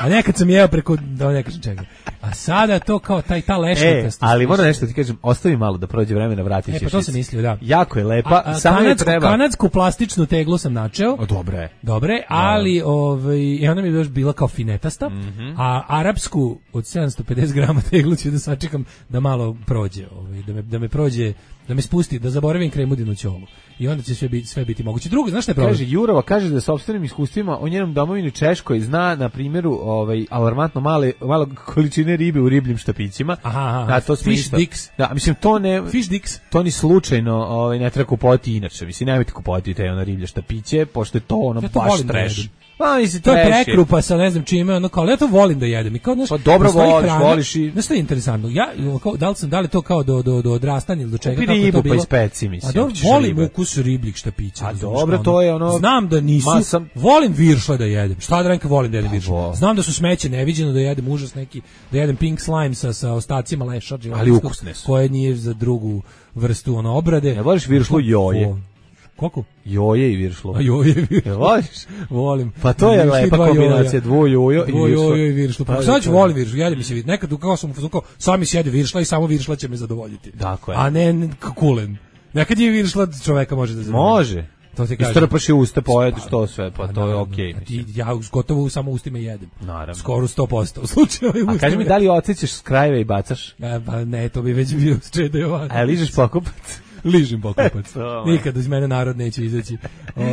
A nekad sam jeo preko, da ne kažem čega. A sada to kao taj, ta lešnika. E, ali moram nešto ti kažem, ostavi malo da prođe vremena, vratit ćeš. E, pa to sam mislio, da. Jako je lepa, a, a, samo kanadsku, je treba. Kanadsku plastičnu teglu sam načeo. O, dobre. Dobre, ali ovaj, i ona mi je još bila kao finetasta, mm -hmm. a arapsku od sedamsto pedeset grama teglu ću da sačekam da malo prođe, ovaj, da me, da me prođe, da me spusti, da zaboravim kremudinu ćolu. I onda će sve biti, sve biti moguće. Drugo, znaš šta je problem? Kaže, Jurova kaže da sopstvenim iskustvima o njenom domovini Češkoj zna na primjeru ovaj, alarmantno male, malo količine ribe u ribljim štapićima. Aha, aha. Da, to Fish isto. dicks. Da, mislim, to ne... Fish dicks. To ni slučajno ovaj, ne treba kupovati inače. Mislim, nemojte kupovati te ono riblje štapiće, pošto je to ono ja to baš trash. Pa, mislim, to je prekrupa sa ne znam čime, ono kao, ja to volim da jedem. I kao, znaš, pa dobro voliš, hrana, voliš i... Znaš što je interesantno? Ja, kao, da li sam, da li to kao do, do, do odrastanja ili do čega? Kupi ribu pa ispeci, mislim. A dobro, volim ribe. Ukus ribljih štapića. A dobro, to je ono... Znam da nisu, masam... volim viršle da jedem. Šta da renka volim da jedem viršle? Znam da su smeće neviđeno da jedem užas neki, da jedem pink slime sa, sa ostacima leša, ali ukusne su. Koje nije za drugu vrstu ono obrade. Ne voliš viršlu joje? Koliko? Joje i viršlo. A joje i viršlo. Voliš? Volim. Pa to je lepa kombinacija, dvo jojo i viršlo. Dvo jojo i viršlo. Pa sad ću volim viršlo, jede mi se vidi. Nekad kao sam u fazonu, sami sjede viršla i samo viršla će me zadovoljiti. Tako je. A ne kulen. Nekad je viršla čoveka može da zadovolji. Može. To ti kažem. Istrpaš je usta, pojedeš to sve, pa to je okej. Okay, ja gotovo samo ustima jedem. Naravno. Skoro sto posto u slučaju. A kaži mi, da li odsjećaš s krajeve i bacaš? A, pa ne, to bi već bio Čeda Jovanović. A ližeš pokupac? Ližim pokupac. Nikad iz mene narod neće izaći.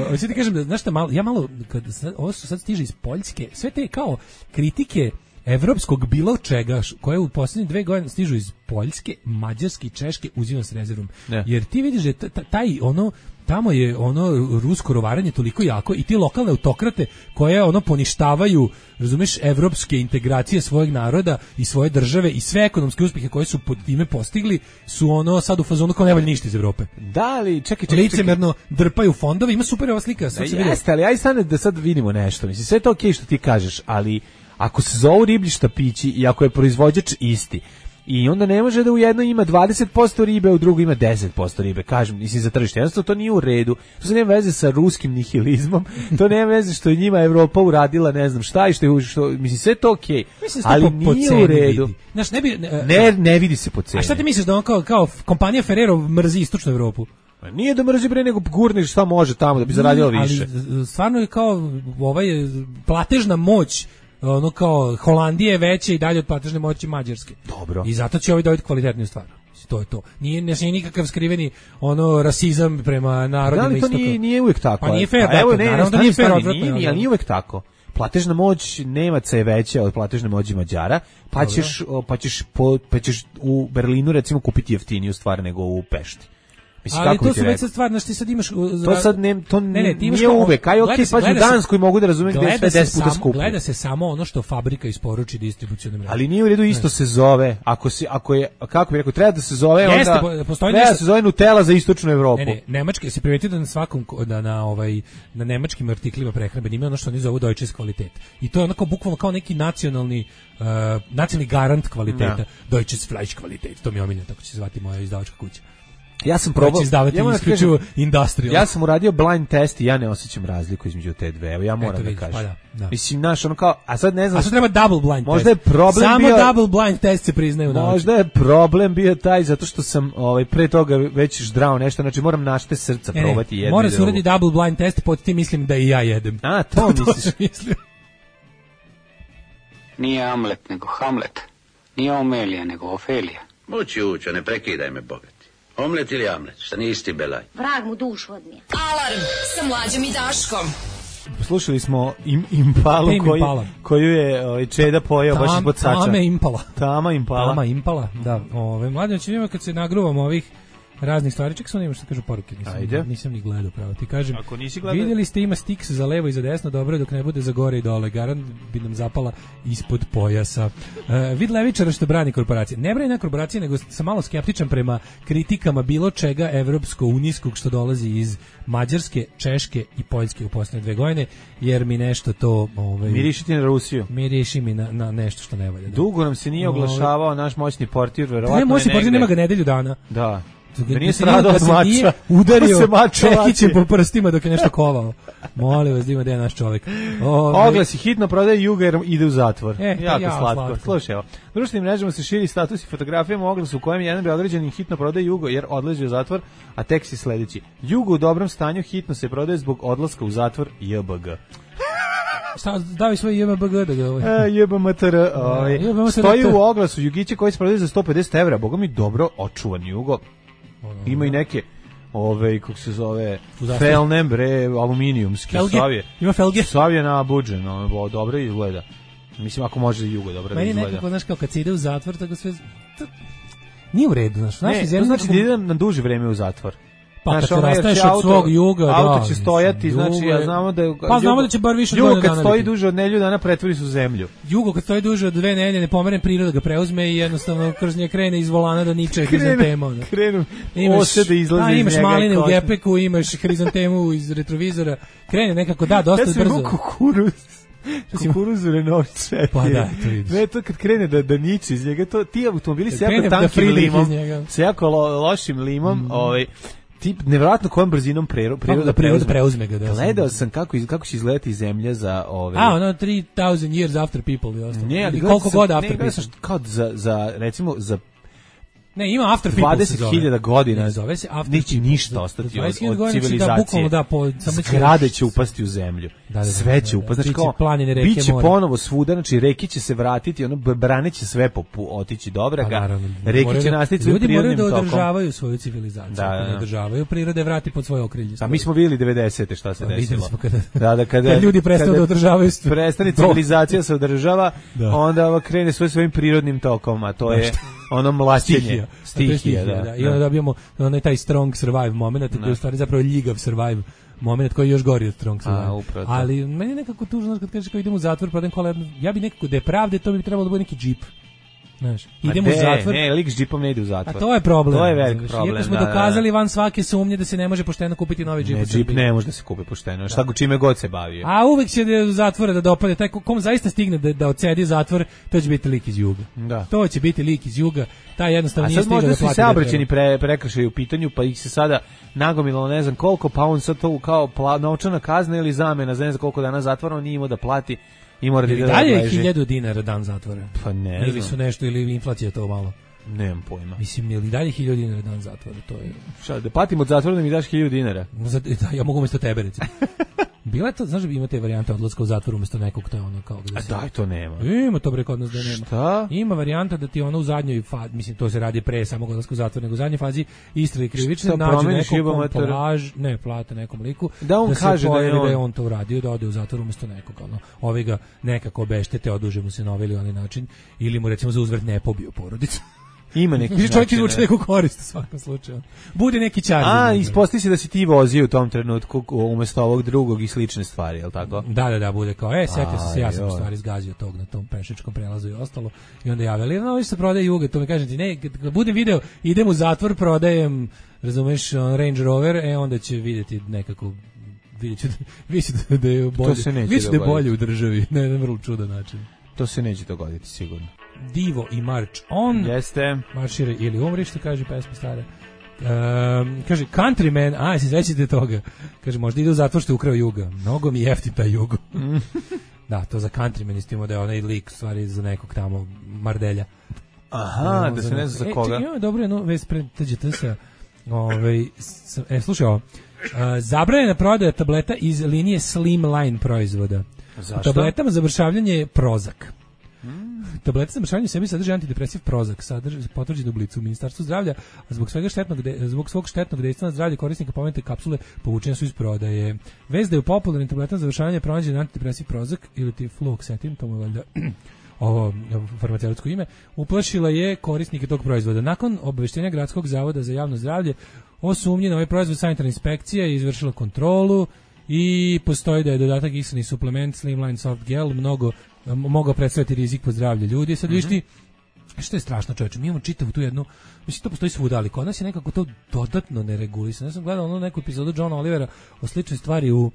Hoću ti kažem da, znaš šta, malo, ja malo, kad ovo su sad stiže iz Poljske, sve te kao kritike evropskog bilo čega, koje u posljednje dve godine stižu iz Poljske, Mađarske i Češke, uzimam s rezervom. Ne. Jer ti vidiš da taj ono, tamo je ono rusko rovaranje toliko jako i ti lokalne autokrate koje ono poništavaju, razumeš, evropske integracije svojeg naroda i svoje države i sve ekonomske uspjehe koje su pod time postigli su ono sad u fazonu kao ne valja ništa iz Evrope. Da li, čekaj, čekaj. Licemerno drpaju fondove, ima super ova slika. Sad se vidi. Jeste, ali aj stane da sad vidimo nešto. Mislim, sve je to okej što ti kažeš, ali ako se zovu riblji štapići i ako je proizvođač isti, i onda ne može da u jednoj ima dvadeset posto ribe, a u drugoj ima deset posto ribe, kažem, mislim za tržište. Jednostavno to nije u redu. To se nema veze sa ruskim nihilizmom, to nema veze što je njima Evropa uradila, ne znam šta i što je, što, mislim, sve to okej. Okay. Ali po, nije po u redu. Vidi. Znaš, ne, bi, ne, ne, ne vidi se po ceni. A šta ti misliš da on kao, kao kompanija Ferrero mrzi istočnu Evropu? Nije da mrzi bre, nego gurniš šta može tamo da bi zaradilo više. Ali stvarno je kao ovaj platežna moć ono kao Holandije je veće i dalje od platežne moći Mađarske. Dobro. I zato će ovi dobiti kvalitetniju stvar. To je to. Nije, nije nikakav skriveni ono rasizam prema narodima istoka. Da li to nije, nije uvijek tako? Pa nije fair, pa, evo, ne, naravno da nije fair odvratno. Nije, nije, ali nije uvijek tako. Platežna moć Nemaca je veća od platežne moći Mađara, pa Dobro. ćeš, pa ćeš, po, pa ćeš u Berlinu recimo kupiti jeftiniju stvar nego u Pešti. Mislim, ali to su već sad stvar, znaš ti sad imaš... To sad ne, to ne, ne, nije kao, uvek, aj okej, okay, pa u Danskoj mogu da razumijem gde je sve deset puta skuplje. Gleda se samo ono što fabrika isporuči distribucionom mrežom. Ali nije u redu, isto ne. se zove, ako, si, ako je, kako bi rekao, treba da se zove, Jeste, onda postoji treba nešto... da se zove Nutella za istočnu Evropu. Ne, ne, Nemački, se primetio da na svakom, da na, ovaj, na nemačkim artiklima prehrambeni ima ono što oni zovu Deutsches Qualität. I to je onako bukvalno kao neki nacionalni, uh, nacionalni garant kvaliteta. Ja. Deutsches Fleisch Qualität, to mi je omiljeno, tako će se zvati moja izdavačka kuća. Ja sam probao izdavati ja isključivo industrial. Ja sam uradio blind test i ja ne osjećam razliku između te dve. Evo ja moram Eto, vidiš, da kažem. Pa da, da. Mislim naš ono kao, a sad ne znam. A sad treba double blind možda test. Je problem Samo bio, double blind test se priznaju. Možda je problem bio taj zato što sam ovaj pre toga već ždrao nešto, znači moram našte srca ne, probati jedno. Mora se uraditi double blind test, pod tim mislim da i ja jedem. A, to misliš. Nije Amlet nego Hamlet. Nije Omelija nego Ofelija. Moći učo, ne prekidaj me, bogati. Omlet ili Amlet, šta nije isti belaj. Vrag mu dušu odnije. Alarm sa Mlađom i Daškom. Slušali smo im, Impalu koju, koju je ovaj, Čeda pojao Tam, baš ispod sača. Tame Impala. Tama Impala. Tama Impala, da. Ove, mlađe, ćemo kad se nagruvamo ovih raznih stvari, ček sam nima što kažu poruke, nisam, nisam ni gledao pravo. Ti kažem, ako nisi gledao... vidjeli ste ima stiks za levo i za desno, dobro dok ne bude za gore i dole, garant bi nam zapala ispod pojasa. Uh, vid levičara što brani korporacije. Ne brani na korporacije, nego sam malo skeptičan prema kritikama bilo čega evropsko-unijskog što dolazi iz Mađarske, Češke i Poljske u posljednje dve godine, jer mi nešto to... Ovaj, miriši ti na Rusiju. Miriši mi na, na nešto što ne valja. Da. Dugo nam se nije oglašavao ovaj, naš moćni portir, verovatno ne, moćni portir nema ga nedelju dana. Da. Da nije stradao od mača. Udario čekićem po prstima dok je nešto kovao. Molim vas da ima da je naš čovjek. Ove... Oglasi, hitno prodaje Juga jer ide u zatvor. E, jako ja, slatko. slatko. Slušaj, evo. Društvenim mrežama se širi status i fotografijama oglasu u kojem jedan beograđanin hitno prodaje Jugo jer odlazi u zatvor, a tekst je sledeći. Jugo u dobrom stanju hitno se prodaje zbog odlaska u zatvor J B G. Šta, davi svoj J B G da ga ovaj. E, J B M T R, ovaj. Stoji u oglasu Jugiće koji se prodaje za sto pedeset evra. Boga mi dobro očuvan Jugo. Ima i neke ove kako se zove felne bre aluminijumske savje. Ima felge. Savje na buđen, no, dobro izgleda. Mislim ako može i Jugo dobro da izgleda. Meni nekako znaš kao kad se ide u zatvor tako sve to, nije u redu, znaš. Ne, to znači da idem na duže vreme u zatvor. Pa znaš, kad se rastaješ od svog Juga, auto da, će stojati, mislim, znači ja znamo da je, pa znamo da će bar više od Jugo kad stoji duže od nedelju dana pretvori se u zemlju. Jugo kad stoji duže od dve nedelje ne pomere priroda ga preuzme i jednostavno kroz nje krene iz volana do niče hrizantema. Krenu ose da izlaze iz njega. Imaš maline u gepeku, imaš hrizantemu iz retrovizora. Krene nekako da dosta ja brzo. Kukuruz. Kukuruz u Renault četiri. Pa da, to vidiš. Ne, to kad krene da, da niče iz njega, to, ti automobili se jako tankim limom, se jako lo, lošim limom, mm. ovaj, tip nevjerojatno kojom brzinom prero, priroda da priroda preuzme ga. Da, gledao sam kako, kako će izgledati zemlja za ove... A, ono, three thousand years after people. I ne, ali koliko god after ne, people. Kao za, za, recimo, za ne, ima after people dvadeset hiljada godina. Ne zove se after neće people. Ništa ostati od, od civilizacije. Da, bukvalno da, po, samo zgrade će upasti u zemlju. Da, da, sve će upasti. Znači, kao, planine, reke, biće more. Ponovo svuda, znači, reke će se vratiti, ono, brane će sve popu, otići dobra ga. Pa, reke će nastaviti svojim prirodnim tokom. Ljudi moraju da održavaju svoju civilizaciju. Da, da, da. Ne održavaju, prirode vrati pod svoje okrilje. A mi smo vidjeli devedesete šta se pa, desilo. Smo kada, da, da, kada, kada ljudi prestanu da održavaju. Prestane civilizacija se održava, onda krene svoj svojim prirodnim tokom, a to je ono mlaćenje. Stihija. Stihija, Stihija, da, da. I onda dobijemo onaj taj strong survive moment, koji je u stvari zapravo ljigav survive moment koji je još gori od strong survive. A, upravo. Ali meni je nekako tužno kad kažeš kao idem u zatvor, prodajem kola, ja bi nekako da je pravde, to bi trebalo da bude neki džip. Znaš, idemo u zatvor. Ne, lik s džipom ne ide u zatvor. A to je problem. To je veliki problem. Iako smo da, dokazali da, da. van svake sumnje da se ne može pošteno kupiti novi džip. Ne, džip ne može da se kupi pošteno. Šta go čime god se bavio. A uvek će da u zatvora da dopade taj kom zaista stigne da da odsedi zatvor, to će biti lik iz Juga. Da. To će biti lik iz Juga. Taj jednostavno nije stigao da plati. A sad možda su se saobraćajni pre, prekršaji u pitanju, pa ih se sada nagomilalo ne znam koliko, pa on sad to kao pla, novčana kazna ili zamena za ne znam koliko dana zatvora, on nije imao da plati. I mora da ide da dalje je hiljadu dinara dan zatvora. Pa ne ili znam. su nešto, ili inflacija to malo. Nemam pojma. Mislim, ili dalje hiljadu dinara dan zatvora, to je... Šta, da patim od zatvora da mi daš hiljadu dinara? Da, ja mogu umjesto tebe, recimo. Bila je to, znaš da ima te varijante odlaska u zatvor umjesto nekog, to je ono kao... A daj, to nema. Ima to bre kod nas da nema. Šta? Ima varijanta da ti ono u zadnjoj fazi, mislim, to se radi pre samog odlaska u zatvor, nego u zadnjoj fazi istrage krivične, nađe nekom plaž, ne, plate nekom liku, da on da kaže se pojavi da je on, da je on to uradio, da ode u zatvor umjesto nekog, ono, ovi ga nekako obeštete, oduže mu se na ovaj ili onaj način, ili mu recimo za uzvrt ne pobio porodicu. Ima neki način. Čovjek izvuče neku korist u svakom slučaju. Bude neki čar. A, ispostavi se da si ti vozio u tom trenutku umjesto ovog drugog i slične stvari, je li tako? Da, da, da, bude kao, e, setio sam se, ja sam u stvari izgazio tog na tom pešičkom prelazu i ostalo. I onda javili, no, više se prodaje Juga, to mi kažem ti, ne, kad budem video, idem u zatvor, prodajem, razumeš, Range Rover, e, onda će vidjeti nekako, vidjet ću da, vidjet ću da je bolje, vidjet ću da je bolje u državi, na jedan vrlo čudan način. To se neće dogoditi, sigurno. Divo i March On. Jeste. Maršira ili umri, što kaže pesma stara. Um, kaže, Countryman, a, se sećate toga. Kaže, možda ide u zatvor što je ukrao Juga. Mnogo mi jeftin taj Jugo. Da, to za Countryman istimo da je onaj lik stvari za nekog tamo Mardelja. Aha, da se ne zna za koga. E, čekaj, dobro, no, već pred T G T S-a. Ovaj, e, slušaj ovo. Uh, zabranjena prodaja tableta iz linije Slimline proizvoda. Zašto? U tabletama za mršavljanje je Prozac. Mm. Tablete za mršavljanje u sebi sadrže antidepresiv Prozac, sadrži potvrđenu blicu u Ministarstvu zdravlja, a zbog svega štetnog de, zbog svog štetnog dejstva na zdravlje korisnika pomenute kapsule povučene su iz prodaje. Vez da je u popularnim tabletama za mršavljanje pronađen antidepresiv Prozac ili ti fluoxetin, to mu je valjda ovo farmaceutsko ime, uplašila je korisnike tog proizvoda. Nakon obaveštenja Gradskog zavoda za javno zdravlje o sumnji na ovaj proizvod, sanitarna inspekcija je izvršila kontrolu i postoji da je dodatak iksani suplement Slimline Soft Gel mnogo mogao predstaviti rizik po zdravlje ljudi. Sad vidiš ti, što je strašno, čovječe, mi imamo čitavu tu jednu, mislim, to postoji svuda, ali kod nas je nekako to dodatno neregulisano. Ja sam gledao ono neku epizodu Johna Olivera o sličnoj stvari u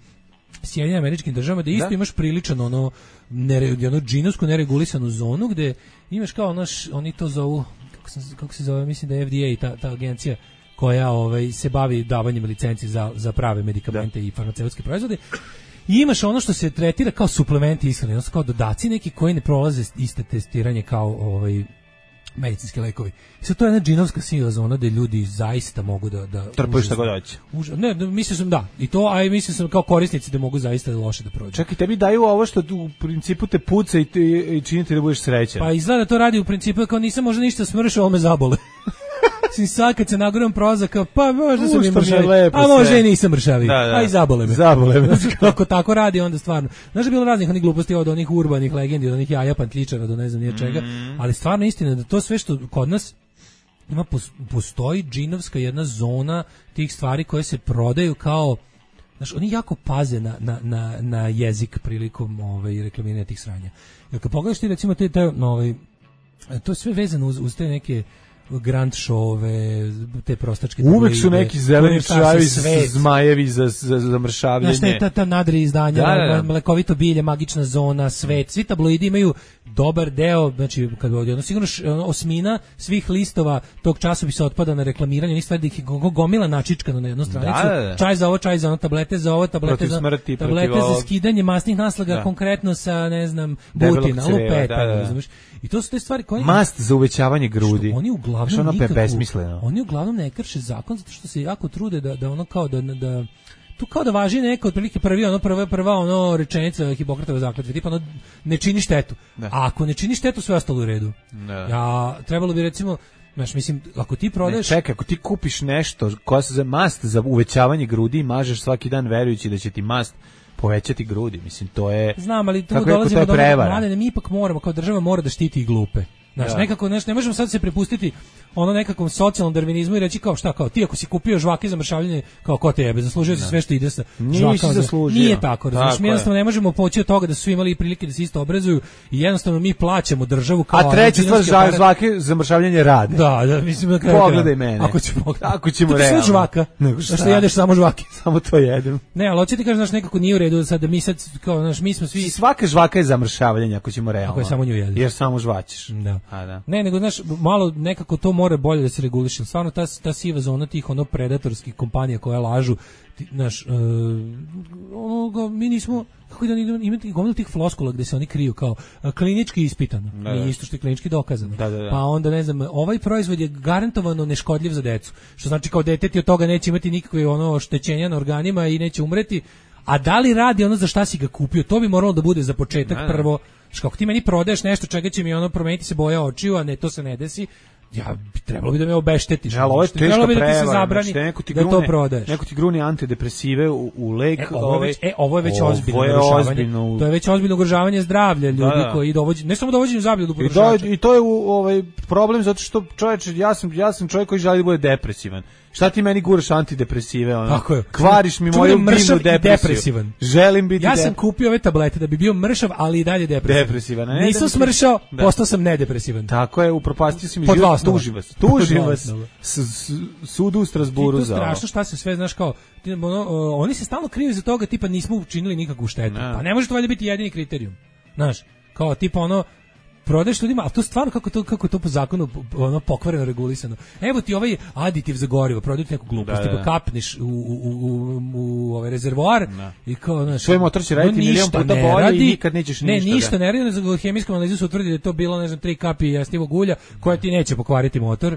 Sjedinjenim Američkim Državama, da isto da? imaš priličan ono, nere, ono džinovsku neregulisanu zonu, gde imaš kao naš, oni to zovu, kako, sam, kako se zove, mislim da je F D A, ta, ta agencija koja ovaj, se bavi davanjem licenci za, za prave medikamente da. i farmaceutske proizvode. I imaš ono što se tretira kao suplementi ishrane, odnosno kao dodaci neki koji ne prolaze iste testiranje kao ovaj medicinski lekovi. I sad to je jedna džinovska siva zona gde ljudi zaista mogu da... da trpuju šta god hoće. Ne, mislio sam da. I to, a i mislio sam kao korisnici da mogu zaista loše da prođu. Čekaj, tebi daju ovo što u principu te puca i, i čini ti da budeš srećan. Pa izgleda to radi u principu kao nisam možda ništa smršao, ovo me zabole. Sin sad kad se nagoram Prozaka, pa možda sam i mršavi, a može i nisam mršavi, da, da. a i zabole me. Zabole me. Kako tako radi, onda stvarno. Znaš da je bilo raznih onih gluposti od onih urbanih legendi, od onih jaja pantličara, do ne znam nije čega, mm. ali stvarno istina da to sve što kod nas ima, postoji džinovska jedna zona tih stvari koje se prodaju kao, znaš, oni jako paze na, na, na, na jezik prilikom ovaj, reklamiranja tih sranja. Jer kad pogledaš ti recimo te, te ovaj, to je sve vezano uz, uz te neke grand showove, te prostačke tabloide. Uvek su neki zeleni čajevi, zmajevi za, za, za mršavljenje. Znaš, ta, ta nadri izdanja, da, da, da. Mlekovito bilje, magična zona, svet. Svi tabloidi imaju dobar deo, znači, kad bi odjedno, sigurno osmina svih listova tog časopisa otpada na reklamiranje, nisu stvari da ih gomila načičkano na jednu stranicu. Da, da, da. Čaj za ovo, čaj za ono, tablete za ovo, tablete, za, smrti, tablete za skidanje masnih naslaga, da. Konkretno sa, ne znam, butina, lupeta, da, da. Znaš. I to su te stvari koje... Mast za uvećavanje grudi. Što oni uglavnom nikako... Oni uglavnom ne krše zakon, zato što se jako trude da, da ono kao da... da tu kao da važi neko otprilike prvi ono prva prva ono rečenica Hipokratove zakletve, tipa ono ne čini štetu. Da. A ako ne čini štetu, sve ostalo u redu. Da. Ja trebalo bi recimo, znaš, mislim, ako ti prodaješ, ne, čekaj, ako ti kupiš nešto koja se za mast za uvećavanje grudi i mažeš svaki dan verujući da će ti mast povećati grudi, mislim, to je... Znam, ali tu dolazimo do prevara. Mi ipak moramo, kao država mora da štiti i glupe. Znaš, da. nekako, znaš, ne možemo sad se prepustiti ono nekakvom socijalnom darvinizmu i reći kao šta, kao ti ako si kupio žvake za mršavljenje, kao ko te jebe, zaslužio si sve što ide sa žvakama. Zaslužio. Nije tako, razumiješ, mi jednostavno je. ne možemo poći od toga da su svi imali prilike da se isto obrazuju i jednostavno mi plaćamo državu kao... A treća stvar, žvake za mršavljenje rade. Da, da, mislim da kraju. Pogledaj mene. Ako ćemo, ako ćemo realno. Sve žvaka, što šta jedeš samo žvake. Samo to jedem. Ne, ali hoće ti kažeš, znaš, nekako nije u redu sad da mi sad, kao, znaš, mi smo svi... Svaka žvaka je za mršavljenje, ako ćemo realno. Ako je samo nju jedeš. Jer samo žvaćeš. Da. A, da. Ne, nego, znaš, malo nekako to mora bolje da se reguliše. Stvarno, ta, ta siva zona tih ono predatorskih kompanija koja lažu, ti, znaš, uh, onoga, mi nismo, kako da imate gomilu tih floskula gde se oni kriju kao uh, klinički ispitano, da, nije isto što je klinički dokazano. Da, da, da. Pa onda, ne znam, ovaj proizvod je garantovano neškodljiv za decu, što znači kao dete ti od toga neće imati nikakve ono oštećenja na organima i neće umreti, a da li radi ono za šta si ga kupio, to bi moralo da bude za početak da, prvo, što ako ti meni prodaješ nešto čega će mi ono promeniti se boja očiju, a ne, to se ne desi, ja bi trebalo bi da me obeštetiš. Ja, ovo je teška bi da prevara, ti se zabrani znači, neko ti da grune, to prodaješ. Neko ti gruni antidepresive u, u lek. E, ovo, ovaj, je već, e, ovo je već ovo ozbiljno je narušavanje. ozbiljno. To je već ozbiljno ugrožavanje zdravlja ljudi da, da. koji dovođenju, ne samo dovođenju zdravlja do potrošača. I, I to je u, ovaj problem zato što čoveče, ja sam ja sam čovjek koji želi da bude depresivan. Šta ti meni guraš antidepresive, ono? Tako je. Kvariš mi moju biljnu depresiju. Želim biti Ja sam dep... kupio ove tablete da bi bio mršav, ali i dalje depresivan. Depresivan. Ne, Nisam da smršao, da. Postao sam nedepresivan. Tako je, upropastio si mi život, tuži vas. Tuži vas. Sudu u Strasburu za ovo. To je strašno šta se sve, znaš kao, ono, oni se stalno kriju za toga, tipa nismo učinili nikakvu štetu. Pa ne može to valjda biti jedini kriterijum. Znaš, kao tipa ono, prodaješ ljudima, ali to stvarno kako to kako to po zakonu ono pokvareno regulisano. Evo ti ovaj aditiv za gorivo, prodaju neku glupost, da, da. Tipa kapneš u u u, u ovaj rezervoar da. I kao znaš, svoj motor će raditi milion puta bolje i nikad nećeš ništa. Ne, ništa da. ne radi, za hemijskom analizu se utvrdi da je to bilo ne znam tri kapi jestivog ulja koja ti neće pokvariti motor,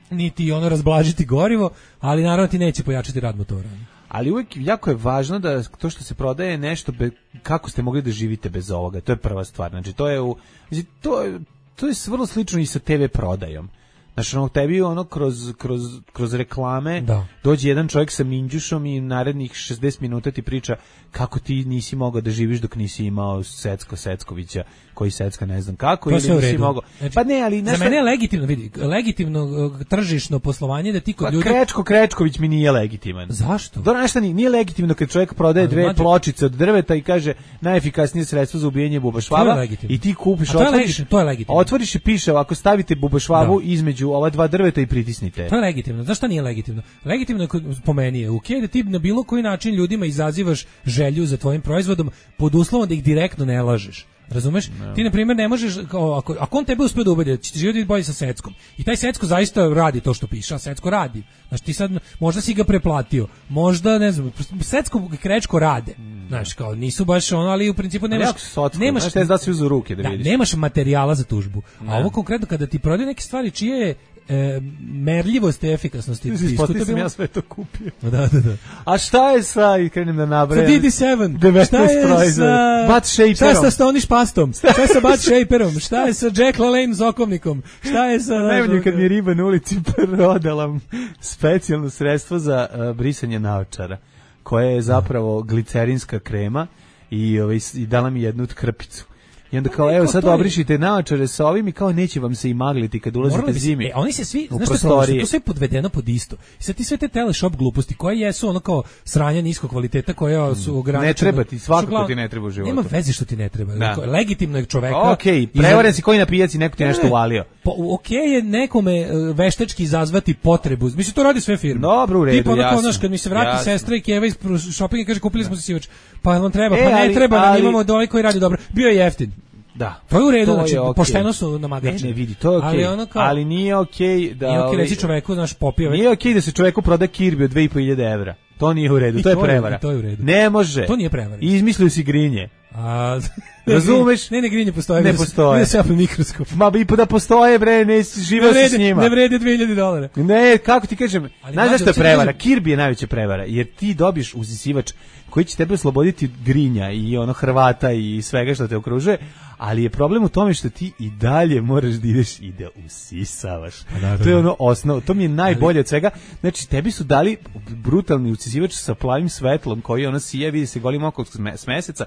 niti ono razblažiti gorivo, ali naravno ti neće pojačati rad motora. Ali uvijek jako je važno da to što se prodaje nešto be, kako ste mogli da živite bez ovoga. To je prva stvar. Znači to je u znači, to je to je vrlo slično i sa te ve prodajom. Znači ono tebi ono kroz kroz kroz reklame da. Dođe jedan čovjek sa minđušom i narednih šezdeset minuta ti priča kako ti nisi mogao da živiš dok nisi imao Secko Seckovića, koji Secka ne znam kako, ili nisi mogao. Znači, pa ne, ali za mene je legitimno, vidi, legitimno uh, tržišno poslovanje da ti kod pa ljudi... Krečko Krečković mi nije legitiman. Zašto? Dobro, nešto nije, nije legitimno kad čovjek prodaje dve mađu... pločice od drveta i kaže najefikasnije sredstvo za ubijanje bubašvaba i ti kupiš, to je otvoriš, legitimno, to je legitimno. Otvoriš i piše ako stavite bubašvabu da. Između ova dva drveta i pritisnite. To je legitimno. Zašto nije legitimno? Legitimno je po meni je okej da ti na bilo koji način ljudima izazivaš želju za tvojim proizvodom pod uslovom da ih direktno ne lažeš. Razumeš? No. Ti na primjer ne možeš kao, ako ako on tebe uspe da ubedi da će živjeti bolje sa Seckom. I taj Secko zaista radi to što piše, a Secko radi. Znači ti sad možda si ga preplatio. Možda ne znam, Secko i Krečko rade. Mm. Znaš, kao nisu baš ono, ali u principu nemaš sotko, nemaš znaš, da se uzu ruke da, da vidiš. Nemaš materijala za tužbu. Ne. A ovo konkretno kada ti prodaju neke stvari čije je E, merljivost i efikasnosti diskutabilno. Sam ja sve to kupio. Da, da, da. A šta je sa, i krenem da nabrajam, sa D D sedam, šta je sa Butt Shaperom, šta je sa Stonish pastom, šta je sa Butt Shaperom, šta je sa Jack LaLanne zokovnikom, šta je sa... Najbolje kad mi je riba na ulici prodala specijalno sredstvo za uh, brisanje naočara, koja je zapravo glicerinska krema i, ovaj, i dala mi jednu krpicu. I onda kao, evo sad obrišite naočare sa ovim i kao neće vam se i magliti kad ulazite zimi. E, oni se svi, znaš što je to sve podvedeno pod isto. I sad ti sve te teleshop gluposti koje jesu ono kao sranja niskog kvaliteta koja su ograničena. Ne treba ti, svakako ti ne treba u životu. Nema veze što ti ne treba. Da. Legitimno je čoveka. Okej, okay, prevaren si koji na pijaci neko ti nešto uvalio. Pa okej okay je nekome veštački izazvati potrebu. Mislim, to radi sve firme. Dobro, u redu, Tipa, jasno. Znaš, kad mi se vrati jasno. Sestra i Keva iz shoppinga kaže kupili smo se sivač. Pa vam treba, e, pa ne ali, treba, ali, imamo da ovaj koji radi dobro. Bio je jeftin. Da. To je u redu, znači okay. Pošteno su namagači. Ne, ne vidi, to je okej. Okay. Ali, ono kao, ali nije okej okay da... Nije okej okay reći čoveku, znaš, popio... Nije okej okay da se čoveku proda Kirby od dve hiljade pet evra. To nije u redu, to, to je prevara. To je u redu. Ne može. To nije prevara. Izmislio si grinje. A... Razumeš? Ne, ne, grinje postoje. Ne postoje. Ne se apel mikroskop. Ma i da postoje, bre, ne živeo se s njima. Ne vrede dve hiljade dolara. Ne, kako ti kažem, znaš zašto je prevara? Kirby je najveća prevara, jer ti dobiješ uzisivač koji će tebe osloboditi grinja i ono Hrvata i svega što te okružuje, ali je problem u tome što ti i dalje moraš da ideš i da usisavaš. Da, to je ono osnovno, to mi je najbolje ali... od svega. Znači, tebi su dali brutalni usisivač sa plavim svetlom koji ono sija, vidi se golim oko s meseca,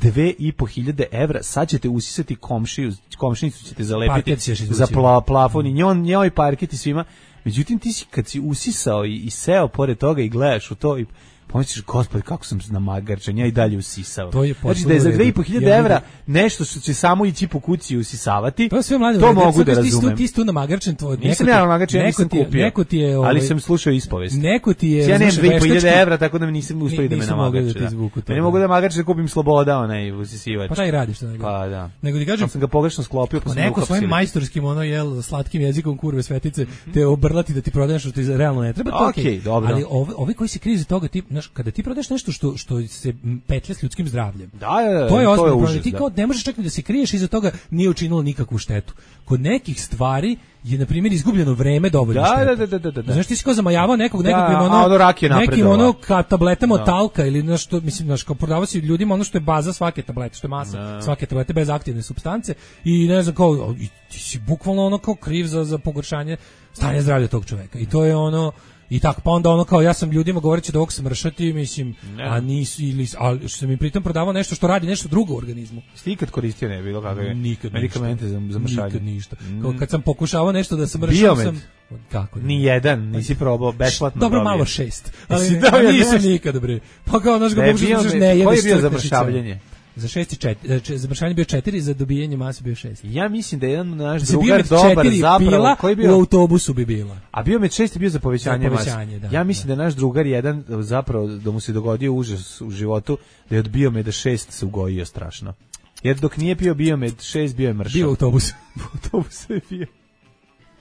dve i po hiljade evra, sad ćete usisati komšiju, komšinicu ćete zalepiti za za pla, plafon i njoj, njoj parket i svima. Međutim, ti si kad si usisao i, i seo pored toga i gledaš u to i pomisliš, gospod, kako sam namagarčan, ja i dalje usisao. To je znači da je za dve i po hiljade evra nešto što će samo ići po kući i usisavati, to, sve mlade, to mogu da razumem. Ti si tu namagarčan, tvoj, nisam ja namagarčan, ja nisam kupio, neko ti je, ovaj, ali sam slušao ispovest. Neko ti je... Ja nemam dve i po hiljade evra, tako da mi nisam uspio da me namagarče. Da. Da. Ne mogu da namagarče da kupim sloboda, onaj usisivač. Pa šta i radiš? To pa da. Nego ti kažem, sam ga pogrešno sklopio, pa, pa sam neko svojim majstorskim, ono, jel, slatkim jezikom kurve svetice, te obrlati da ti prodaješ što ti realno ne treba, to okej. Ali ovi koji se kriju za toga, ti, znaš, kada ti prodaješ nešto što što se petlja s ljudskim zdravljem. Da, da, to je ozbiljno problem. Ti kao ne možeš čak ni da se kriješ iza toga, nije učinilo nikakvu štetu. Kod nekih stvari je na primjer izgubljeno vreme dovoljno da, šteta. Da, da, da, da, da. Znaš, ti si kao zamajavao nekog, nekakvim da, ono, ono nekim ono ka tabletama od talka ili znaš što, mislim, znaš, kao prodavao si ljudima ono što je baza svake tablete, što je masa da. svake tablete bez aktivne supstance i ne znam kao, i ti si bukvalno ono kao kriv za, za pogoršanje stanja zdravlja tog čoveka. I to je ono, i tako, pa onda ono kao ja sam ljudima govoreći da ovog smršati, mislim, ne. a nisu, ili, ali što sam im pritom prodavao nešto što radi nešto drugo u organizmu. Ste ikad koristio ne bilo kakve nikad medikamente za, za mršanje? Nikad ništa. Kao kad sam pokušavao nešto da smršam sam... Kako? Ni jedan, nisi probao, besplatno. Dobro, dobio. Malo šest. Ali ne, nisam nikad, bre. Pa kao, znaš, ga pokušaš ne jedeš. Koji je bio za mršavljenje? Za šest i četiri, za mršavanje bio četiri, za dobijanje mase bio šest. Ja mislim da jedan naš drugar dobar zapravo, koji bio u autobusu bi bila. A bio med šest je bio za povećanje, za povećanje mase. Da, ja mislim da. da naš drugar jedan zapravo da mu se dogodio užas u životu, da je od biomeda šest se ugojio strašno. Jer dok nije pio biomed šest bio je mršav. Bio autobus. U autobusu je bio.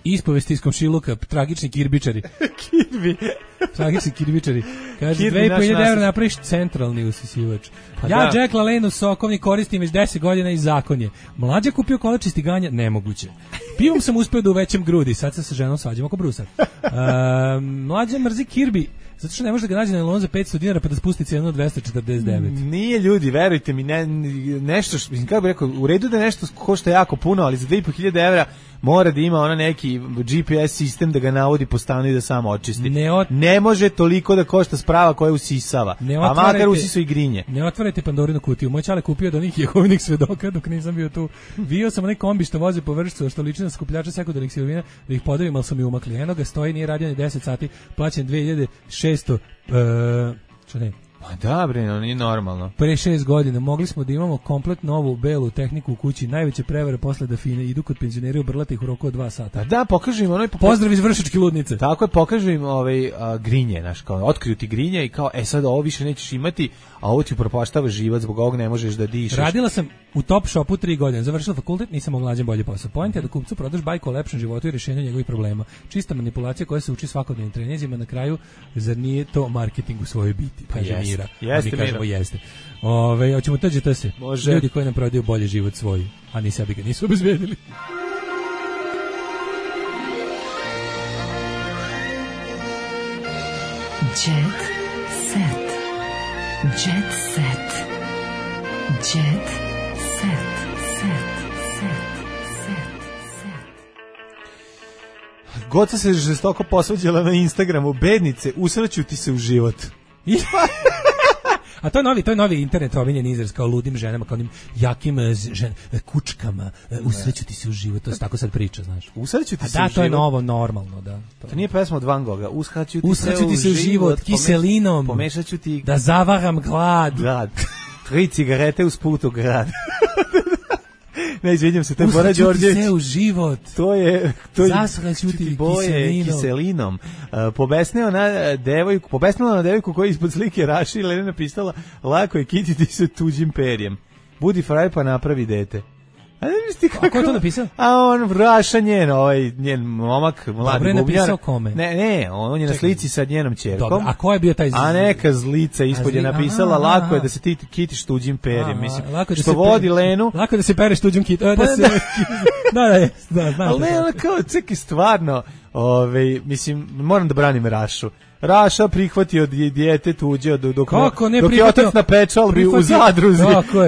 Ispovesti iz komšiluka, tragični kirbičari. Kirbi. Tragični kirbičari. Kaže, dve i po hiljade evra napraviš centralni usisivač. Pa ja da. Jack LaLanne u sokovnik koristim već deset godina i zakon je. Mlađa kupio kolačisti ganja, nemoguće. Pivom sam uspio da uvećam grudi, sad se sa ženom svađam oko brusa. Uh, mlađa mrzi Kirby, zato što ne može da ga nađe na nailon za petsto dinara pa da spusti cijenu od dvesta četrdeset devet. Nije ljudi, verujte mi, ne, nešto, kako bih rekao, u redu da nešto košta jako puno, ali za dve i po hiljade evra mora da ima ona neki G P S sistem da ga navodi po stanu i da samo očisti. Ne, ot... ne može toliko da košta sprava koja usisava, a makar usisu i grinje. Ne otvarajte Pandorinu kutiju. Moj čale kupio od onih Jehovinih svedoka dok nisam bio tu. Bio sam onaj kombi što vozi po Vršcu, što liči na skupljača sekundarnih sirovina, da ih podelim, ali sam i umakli. Eno ga stoji, nije radio ni deset sati, plaćen dve hiljade šesto, uh, što ne, pa da, bre, no, nije normalno. Pre šest godina mogli smo da imamo komplet novu belu tehniku u kući, najveće prevare posle da fine idu kod penzioneri obrlati ih u roku od dva sata. Da, pokažu im onaj... Pozdrav iz Vršačke ludnice. Tako je, pokažu im ovaj, a, grinje, znaš, kao, otkriju ti grinje i kao, e sad ovo više nećeš imati, a ovo ti upropaštava život, zbog ovog ne možeš da dišeš. Radila sam u Top Shopu tri godine, završila fakultet, nisam mogla nađem bolji posao. Point je da kupcu prodaš bajku o lepšem životu i rješenju njegovih problema. Čista manipulacija koja se uči svakodnevnim treninzima, na kraju, zar nije to marketing u svojoj biti? Pa kaže jeste, Mira. jeste, Mira. Kažemo jeste. Ove, hoćemo tađe to se. Može. Ljudi koji nam prodaju bolji život svoj, a ni sebi ga nisu obezbedili. Jet set. Jet set. Jet set. Set. Set. Set. Set. Goca se žestoko posvađala na Instagramu. Bednice, usreću ti se u život. A to je novi, to je novi internet ovinjen izraz kao ludim ženama, kao onim jakim žen, kučkama, usreću ti se u život, to se tako sad priča, znaš. Usreću ti A se da, u to je život. novo, normalno, da. To, to nije pesma od Van Gogha. Usreću ti, usreću ti se u život, kiselinom, pomešaću ti... da zavaram glad. Glad. Tri cigarete uz put u grad. Ne, izvinjam se, to je Bora Đorđević. Usreću ti se u život. To je... To je Zasreću ti kiselinom. kiselinom. Uh, pobesneo na devojku, pobesnela na devojku koja ispod slike Raši i Lena napisala, lako je kititi se tuđim perjem. Budi fraj pa napravi dete. A ne misli kako... A ko je to napisao? A on Raša njen, ovaj, njen momak, mladi Dobre, bubnjar. napisao kome? Ne, ne, on je na slici sa njenom ćerkom. Dobro, a ko je bio taj... A neka zlica ispod je napisala, aha, lako je da se ti kitiš tuđim perjem. Mislim, što vodi pe... Lenu... Lako da se pereš tuđim kit... Da, se... da, da, da, znam. Ali ne, ona kao, ceki, stvarno, ovaj, mislim, moram da branim Rašu. Raša prihvatio dijete tuđe dok, dok, dok je otac na pečalbi u Zadruzi.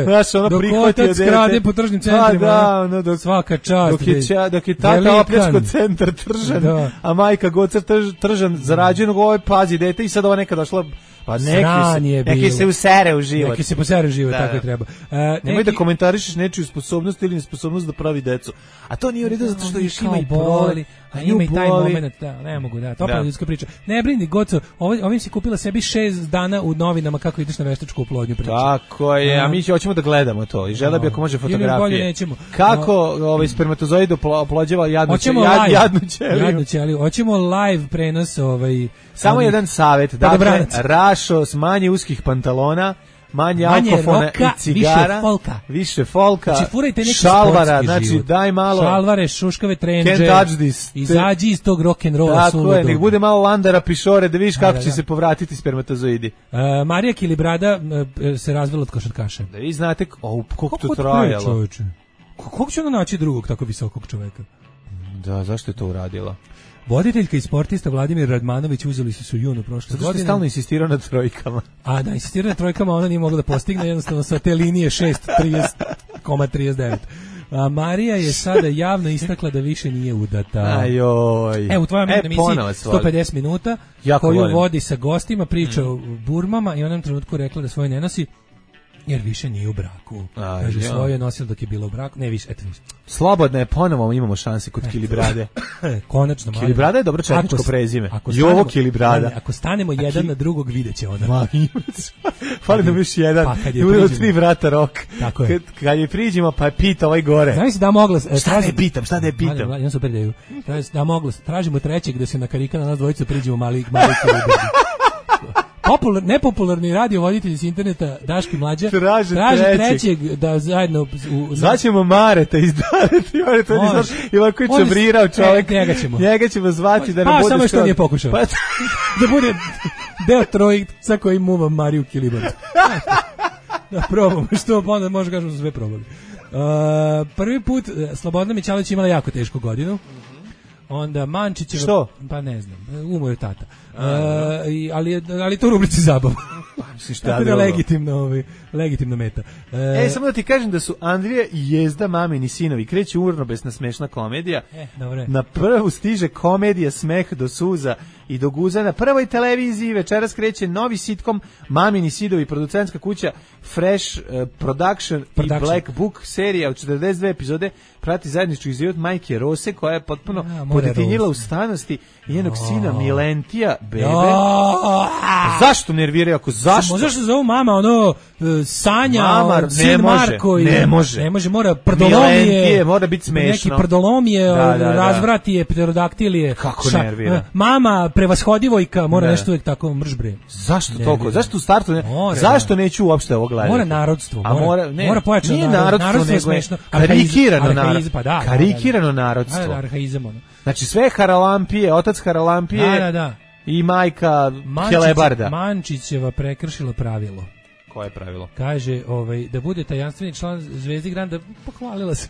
Raša ono dok prihvatio otac krade po tržnim centrima. Da, ono, dok, svaka čast. Dok je, ča, dok je tata opljačko centar Tržan, da. A majka Gocar trž, Tržan zarađenog, ovaj pazi dete i sad ova neka došla Pa neki se, neki se usere u život. Neki se posere u život, da, tako je treba. Uh, Nemoj neki... da komentarišeš nečiju sposobnost ili nesposobnost da pravi decu. A to nije u redu zato što još ima i boli. A ima i taj moment, da, ne mogu, da, to je ljudska priča. Ne brini, Goco, ovim, ovim si kupila sebi šest dana u novinama kako ideš na veštačku oplodnju priču. Tako je, a mi hoćemo da gledamo to i žele bi ako može fotografije. Bolje nećemo. Kako ovaj spermatozoid oplođava jadnu ćeliju, jad, jadnu ćeliju. Jadnu ćeliju. Hoćemo live prenos ovaj. Samo ovaj, jedan savjet, dakle, Rašo s manje uskih pantalona, manje, manje alkofona roka, i cigara, više folka, više folka, znači, furajte neki šalvara, znači život. Daj malo šalvare, šuškave trendže, izađi iz tog rock'n'rolla. Tako je, nek bude malo landara pišore da vidiš kako da, će da. se povratiti spermatozoidi. Uh, Marija Kilibrada uh, se razvela od košarkaša. Da vi znate oh, koliko to trajalo. Kako će ona naći drugog tako visokog čoveka? Da, zašto je to uradila? Voditeljka i sportista Vladimir Radmanović uzeli su se u junu prošle godine. Zato što je stalno insistirao na trojkama. A da, insistirao na trojkama, ona nije mogla da postigne, jednostavno sa te linije šest trideset zarez trideset devet. A Marija je sada javno istakla da više nije udata. Ajoj. E, u tvojom e, emisiji sto pedeset minuta, jako koju volim. Vodi sa gostima, priča mm. o burmama i onom trenutku rekla da svoje ne nosi, jer više nije u braku. A, kaže, ja. Svoje je nosila dok je bilo u braku. Ne, više, eto više. Slobodno je, ponovo imamo šanse kod Kilibrade. Konačno. Kilibrada je dobro četničko ako, prezime. Ako Jovo Kilibrada. Ako stanemo jedan ki... na drugog, vidjet će ona. Ma, fali nam još jedan. Pa, kad je priđemo. Tri vrata rok. Tako je. Kad, kad je priđemo, pa pita ovaj gore. Znaš da mogla... Šta traži... ne pitam, šta ne pitam? Ja sam predaju. Da mogla, tražimo trećeg da se na karika na nas dvojicu priđemo mali, mali Kilibradi. Popular, nepopularni radiovoditelji s interneta Daški Mlađa traže, traže trećeg. trećeg da zajedno u, zvaćemo Mareta iz Dareta Mareta on je znaš i ovako je čabrirao čovjek e, njega ćemo njega ćemo zvati da ne pa, bude samo što nije pokušao pa, da bude deo trojica koji muva Mariju Kilibar da probamo što onda može kažemo da sve probali uh, prvi put Slobodna Mićalović imala jako tešku godinu. Onda Mančićeva... Što? Pa ne znam, umro je tata. A, e, i, ali, ali to u rubrici zabava. Mislim šta tako da legitimno, ovaj, legitimno meta. E, e, samo da ti kažem da su Andrija i Jezda, mamini sinovi, kreće urnobesna smešna komedija. E, dobre. Na prvu stiže komedija Smeh do suza i do guza. Na prvoj televiziji večeras kreće novi sitkom Mamini sidovi, producentska kuća Fresh uh, Production, Production i Black Book serija od četrdeset dve epizode prati zajednički život majke Rose koja je potpuno ja, podetinjila u stanosti i njenog oh. sina Milentija bebe. Oh. Zašto nerviraju ako zašto? Zašto se zove mama ono Sanja, mama, on, sin Marko i ne može. Ne može, mora prdolomije. Milentije, mora biti smešno. Neki prdolomije, da, da, razvratije, pterodaktilije. Kako ša, nervira? Mama prevashodivojka, mora ne. nešto uvijek tako mržbre. Zašto toliko? Zašto u startu ne? Mora, zašto neću uopšte ovo gledati? Mora narodstvo, a mora, mora, ne, mora pojačano nije narodstvo, narodstvo, narodstvo je smešno. Karikirano narodstvo. Pa da, karikirano narodstvo. Da, da, arhaizam ono. Znači sve Haralampije, otac Haralampije da, da, da. i majka Helebarda. Mančićeva prekršila pravilo. Koje pravilo? Kaže, ovaj, da bude tajanstveni član Zvezdi Granda, pohvalila se.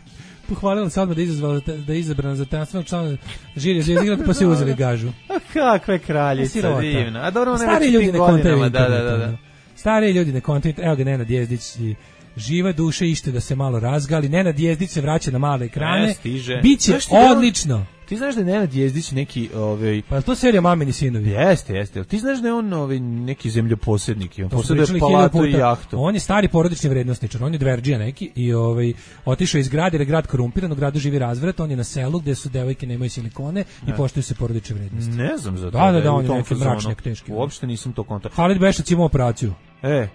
Pohvalila se odmah da izazvala da je izabrana za tajanstvenog člana žirija Zvezdi Granda, pa se uzeli gažu. A kakve kraljica divna. A dobro, ona stari ljudi ne kontaju. Da, da, da, da. Stari ljudi ne kontaju. Evo ga Nenad Jezdić i živa duša ište da se malo razgali. Nenad Jezdić se vraća na male ekrane. Ne, stiže. Biće odlično. Ti znaš da je Nenad Jezdić neki ovaj pa to serija Mamini sinovi. Jeste, jeste. Ti znaš da je on ovaj neki zemljoposednik i on posjeduje palatu i jahtu. On je stari porodični vrednosničar, on je dverdžija neki i ovaj otišao iz grada, jer je grad korumpiran, u gradu živi razvrat, on je na selu gde su devojke nemaju silikone ne. i poštuju se porodične vrednosti. Ne znam za to. Da, da, da, on je neki mračnjak teški. Uopšte nisam to kontakt. Halid Bešac ima operaciju. E.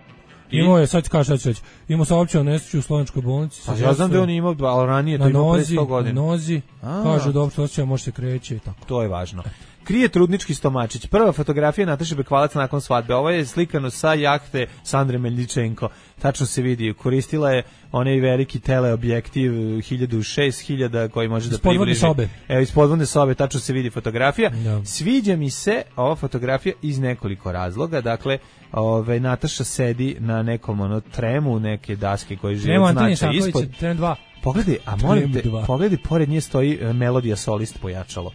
Imao je, sad kaže, sad će, imao saopćao nesreću u Slovenskoj bolnici. Pa ja znam da on imao, ali ranije to imao pre sto godina. Na nozi, kažu da uopšte osjećaj može se kreće i tako. To je važno. Krije trudnički stomačić. Prva fotografija Nataše Bekvalac nakon svadbe. Ovo je slikano sa jahte Sandre Meljičenko. Tačno se vidi, koristila je onaj veliki teleobjektiv hiljadu šest hiljada koji može da približi. Sobe. Evo, iz podvodne sobe, tačno se vidi fotografija. No. Sviđa mi se ova fotografija iz nekoliko razloga. Dakle, ove, Nataša sedi na nekom ono, tremu, neke daske koje žive od značaja ispod. Trem dva. Pogledaj, a molim te, pogledaj, pored nje stoji Melodija Solist pojačalo.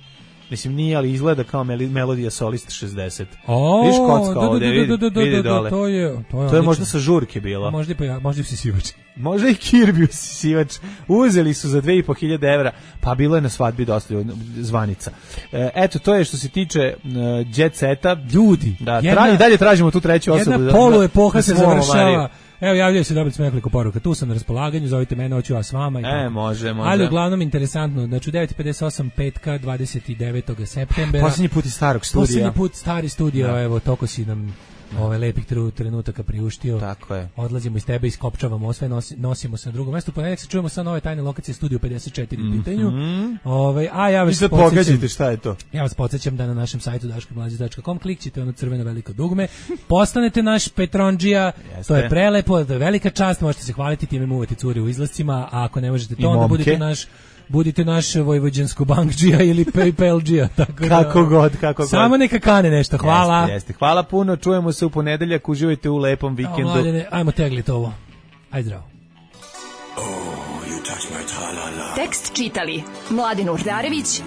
Mislim, nije, ali izgleda kao mel Melodija Solist šezdeset. O, viš kocka da, ovde, da, vidi, da, da, da, vidi da, dole. to je, to je, to je možda sa žurke bilo. Možda i pa ja, možda i sisivač. Možda i Kirby usisivač. Uzeli su za dve i po hiljade evra, pa bilo je na svadbi dosta zvanica. E, eto, to je što se tiče uh, jet seta. Ljudi, da, jedna, tra, i dalje tražimo tu treću osobu. Jedna da, polu epoha se završava. Mariju. Evo, javljaju se dobiti nekoliko poruka. Tu sam na raspolaganju, zovite mene, hoću ja s vama. I e, može, može. Ali uglavnom interesantno, znači u devet pedeset osam petka dvadeset devetog septembra. Posljednji put iz starog studija. Posljednji put stari studio, da. Evo, toko si nam ove lepih trenutaka priuštio. Tako je. Odlazimo iz tebe, iskopčavamo sve, nosi, nosimo se na drugo mesto. Ponedjeljak se čujemo sa nove tajne lokacije Studio pedeset četiri u pitanju. Mm-hmm. Ove, a ja vas podsjećam, šta je to? Ja vas podsjećam da na našem sajtu daško mlađe tačka com klikćete ono crveno veliko dugme, postanete naš Petronđija, to je prelepo, to je velika čast, možete se hvaliti time muvati curi u izlascima, a ako ne možete to, onda budete naš budite naš vojvođansko bankđija ili PayPal-đija. Tako kako da, god, kako god. Samo neka kane nešto, hvala. Jeste, jeste. Hvala puno, čujemo se u ponedeljak, uživajte u lepom vikendu. No, mladene, ajmo teglit ovo. Ajde zdravo. Oh, you touch my tra-la-la. Tekst čitali Mladin Urdarević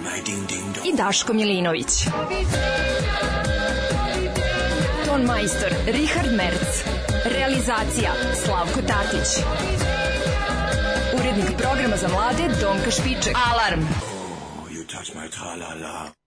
i Daško Milinović. Ton majstor Richard Merc. Realizacija Slavko Tatić. Urednik programa za mlade Donka Špiček. Alarm! Oh, you touch my tra-la-la.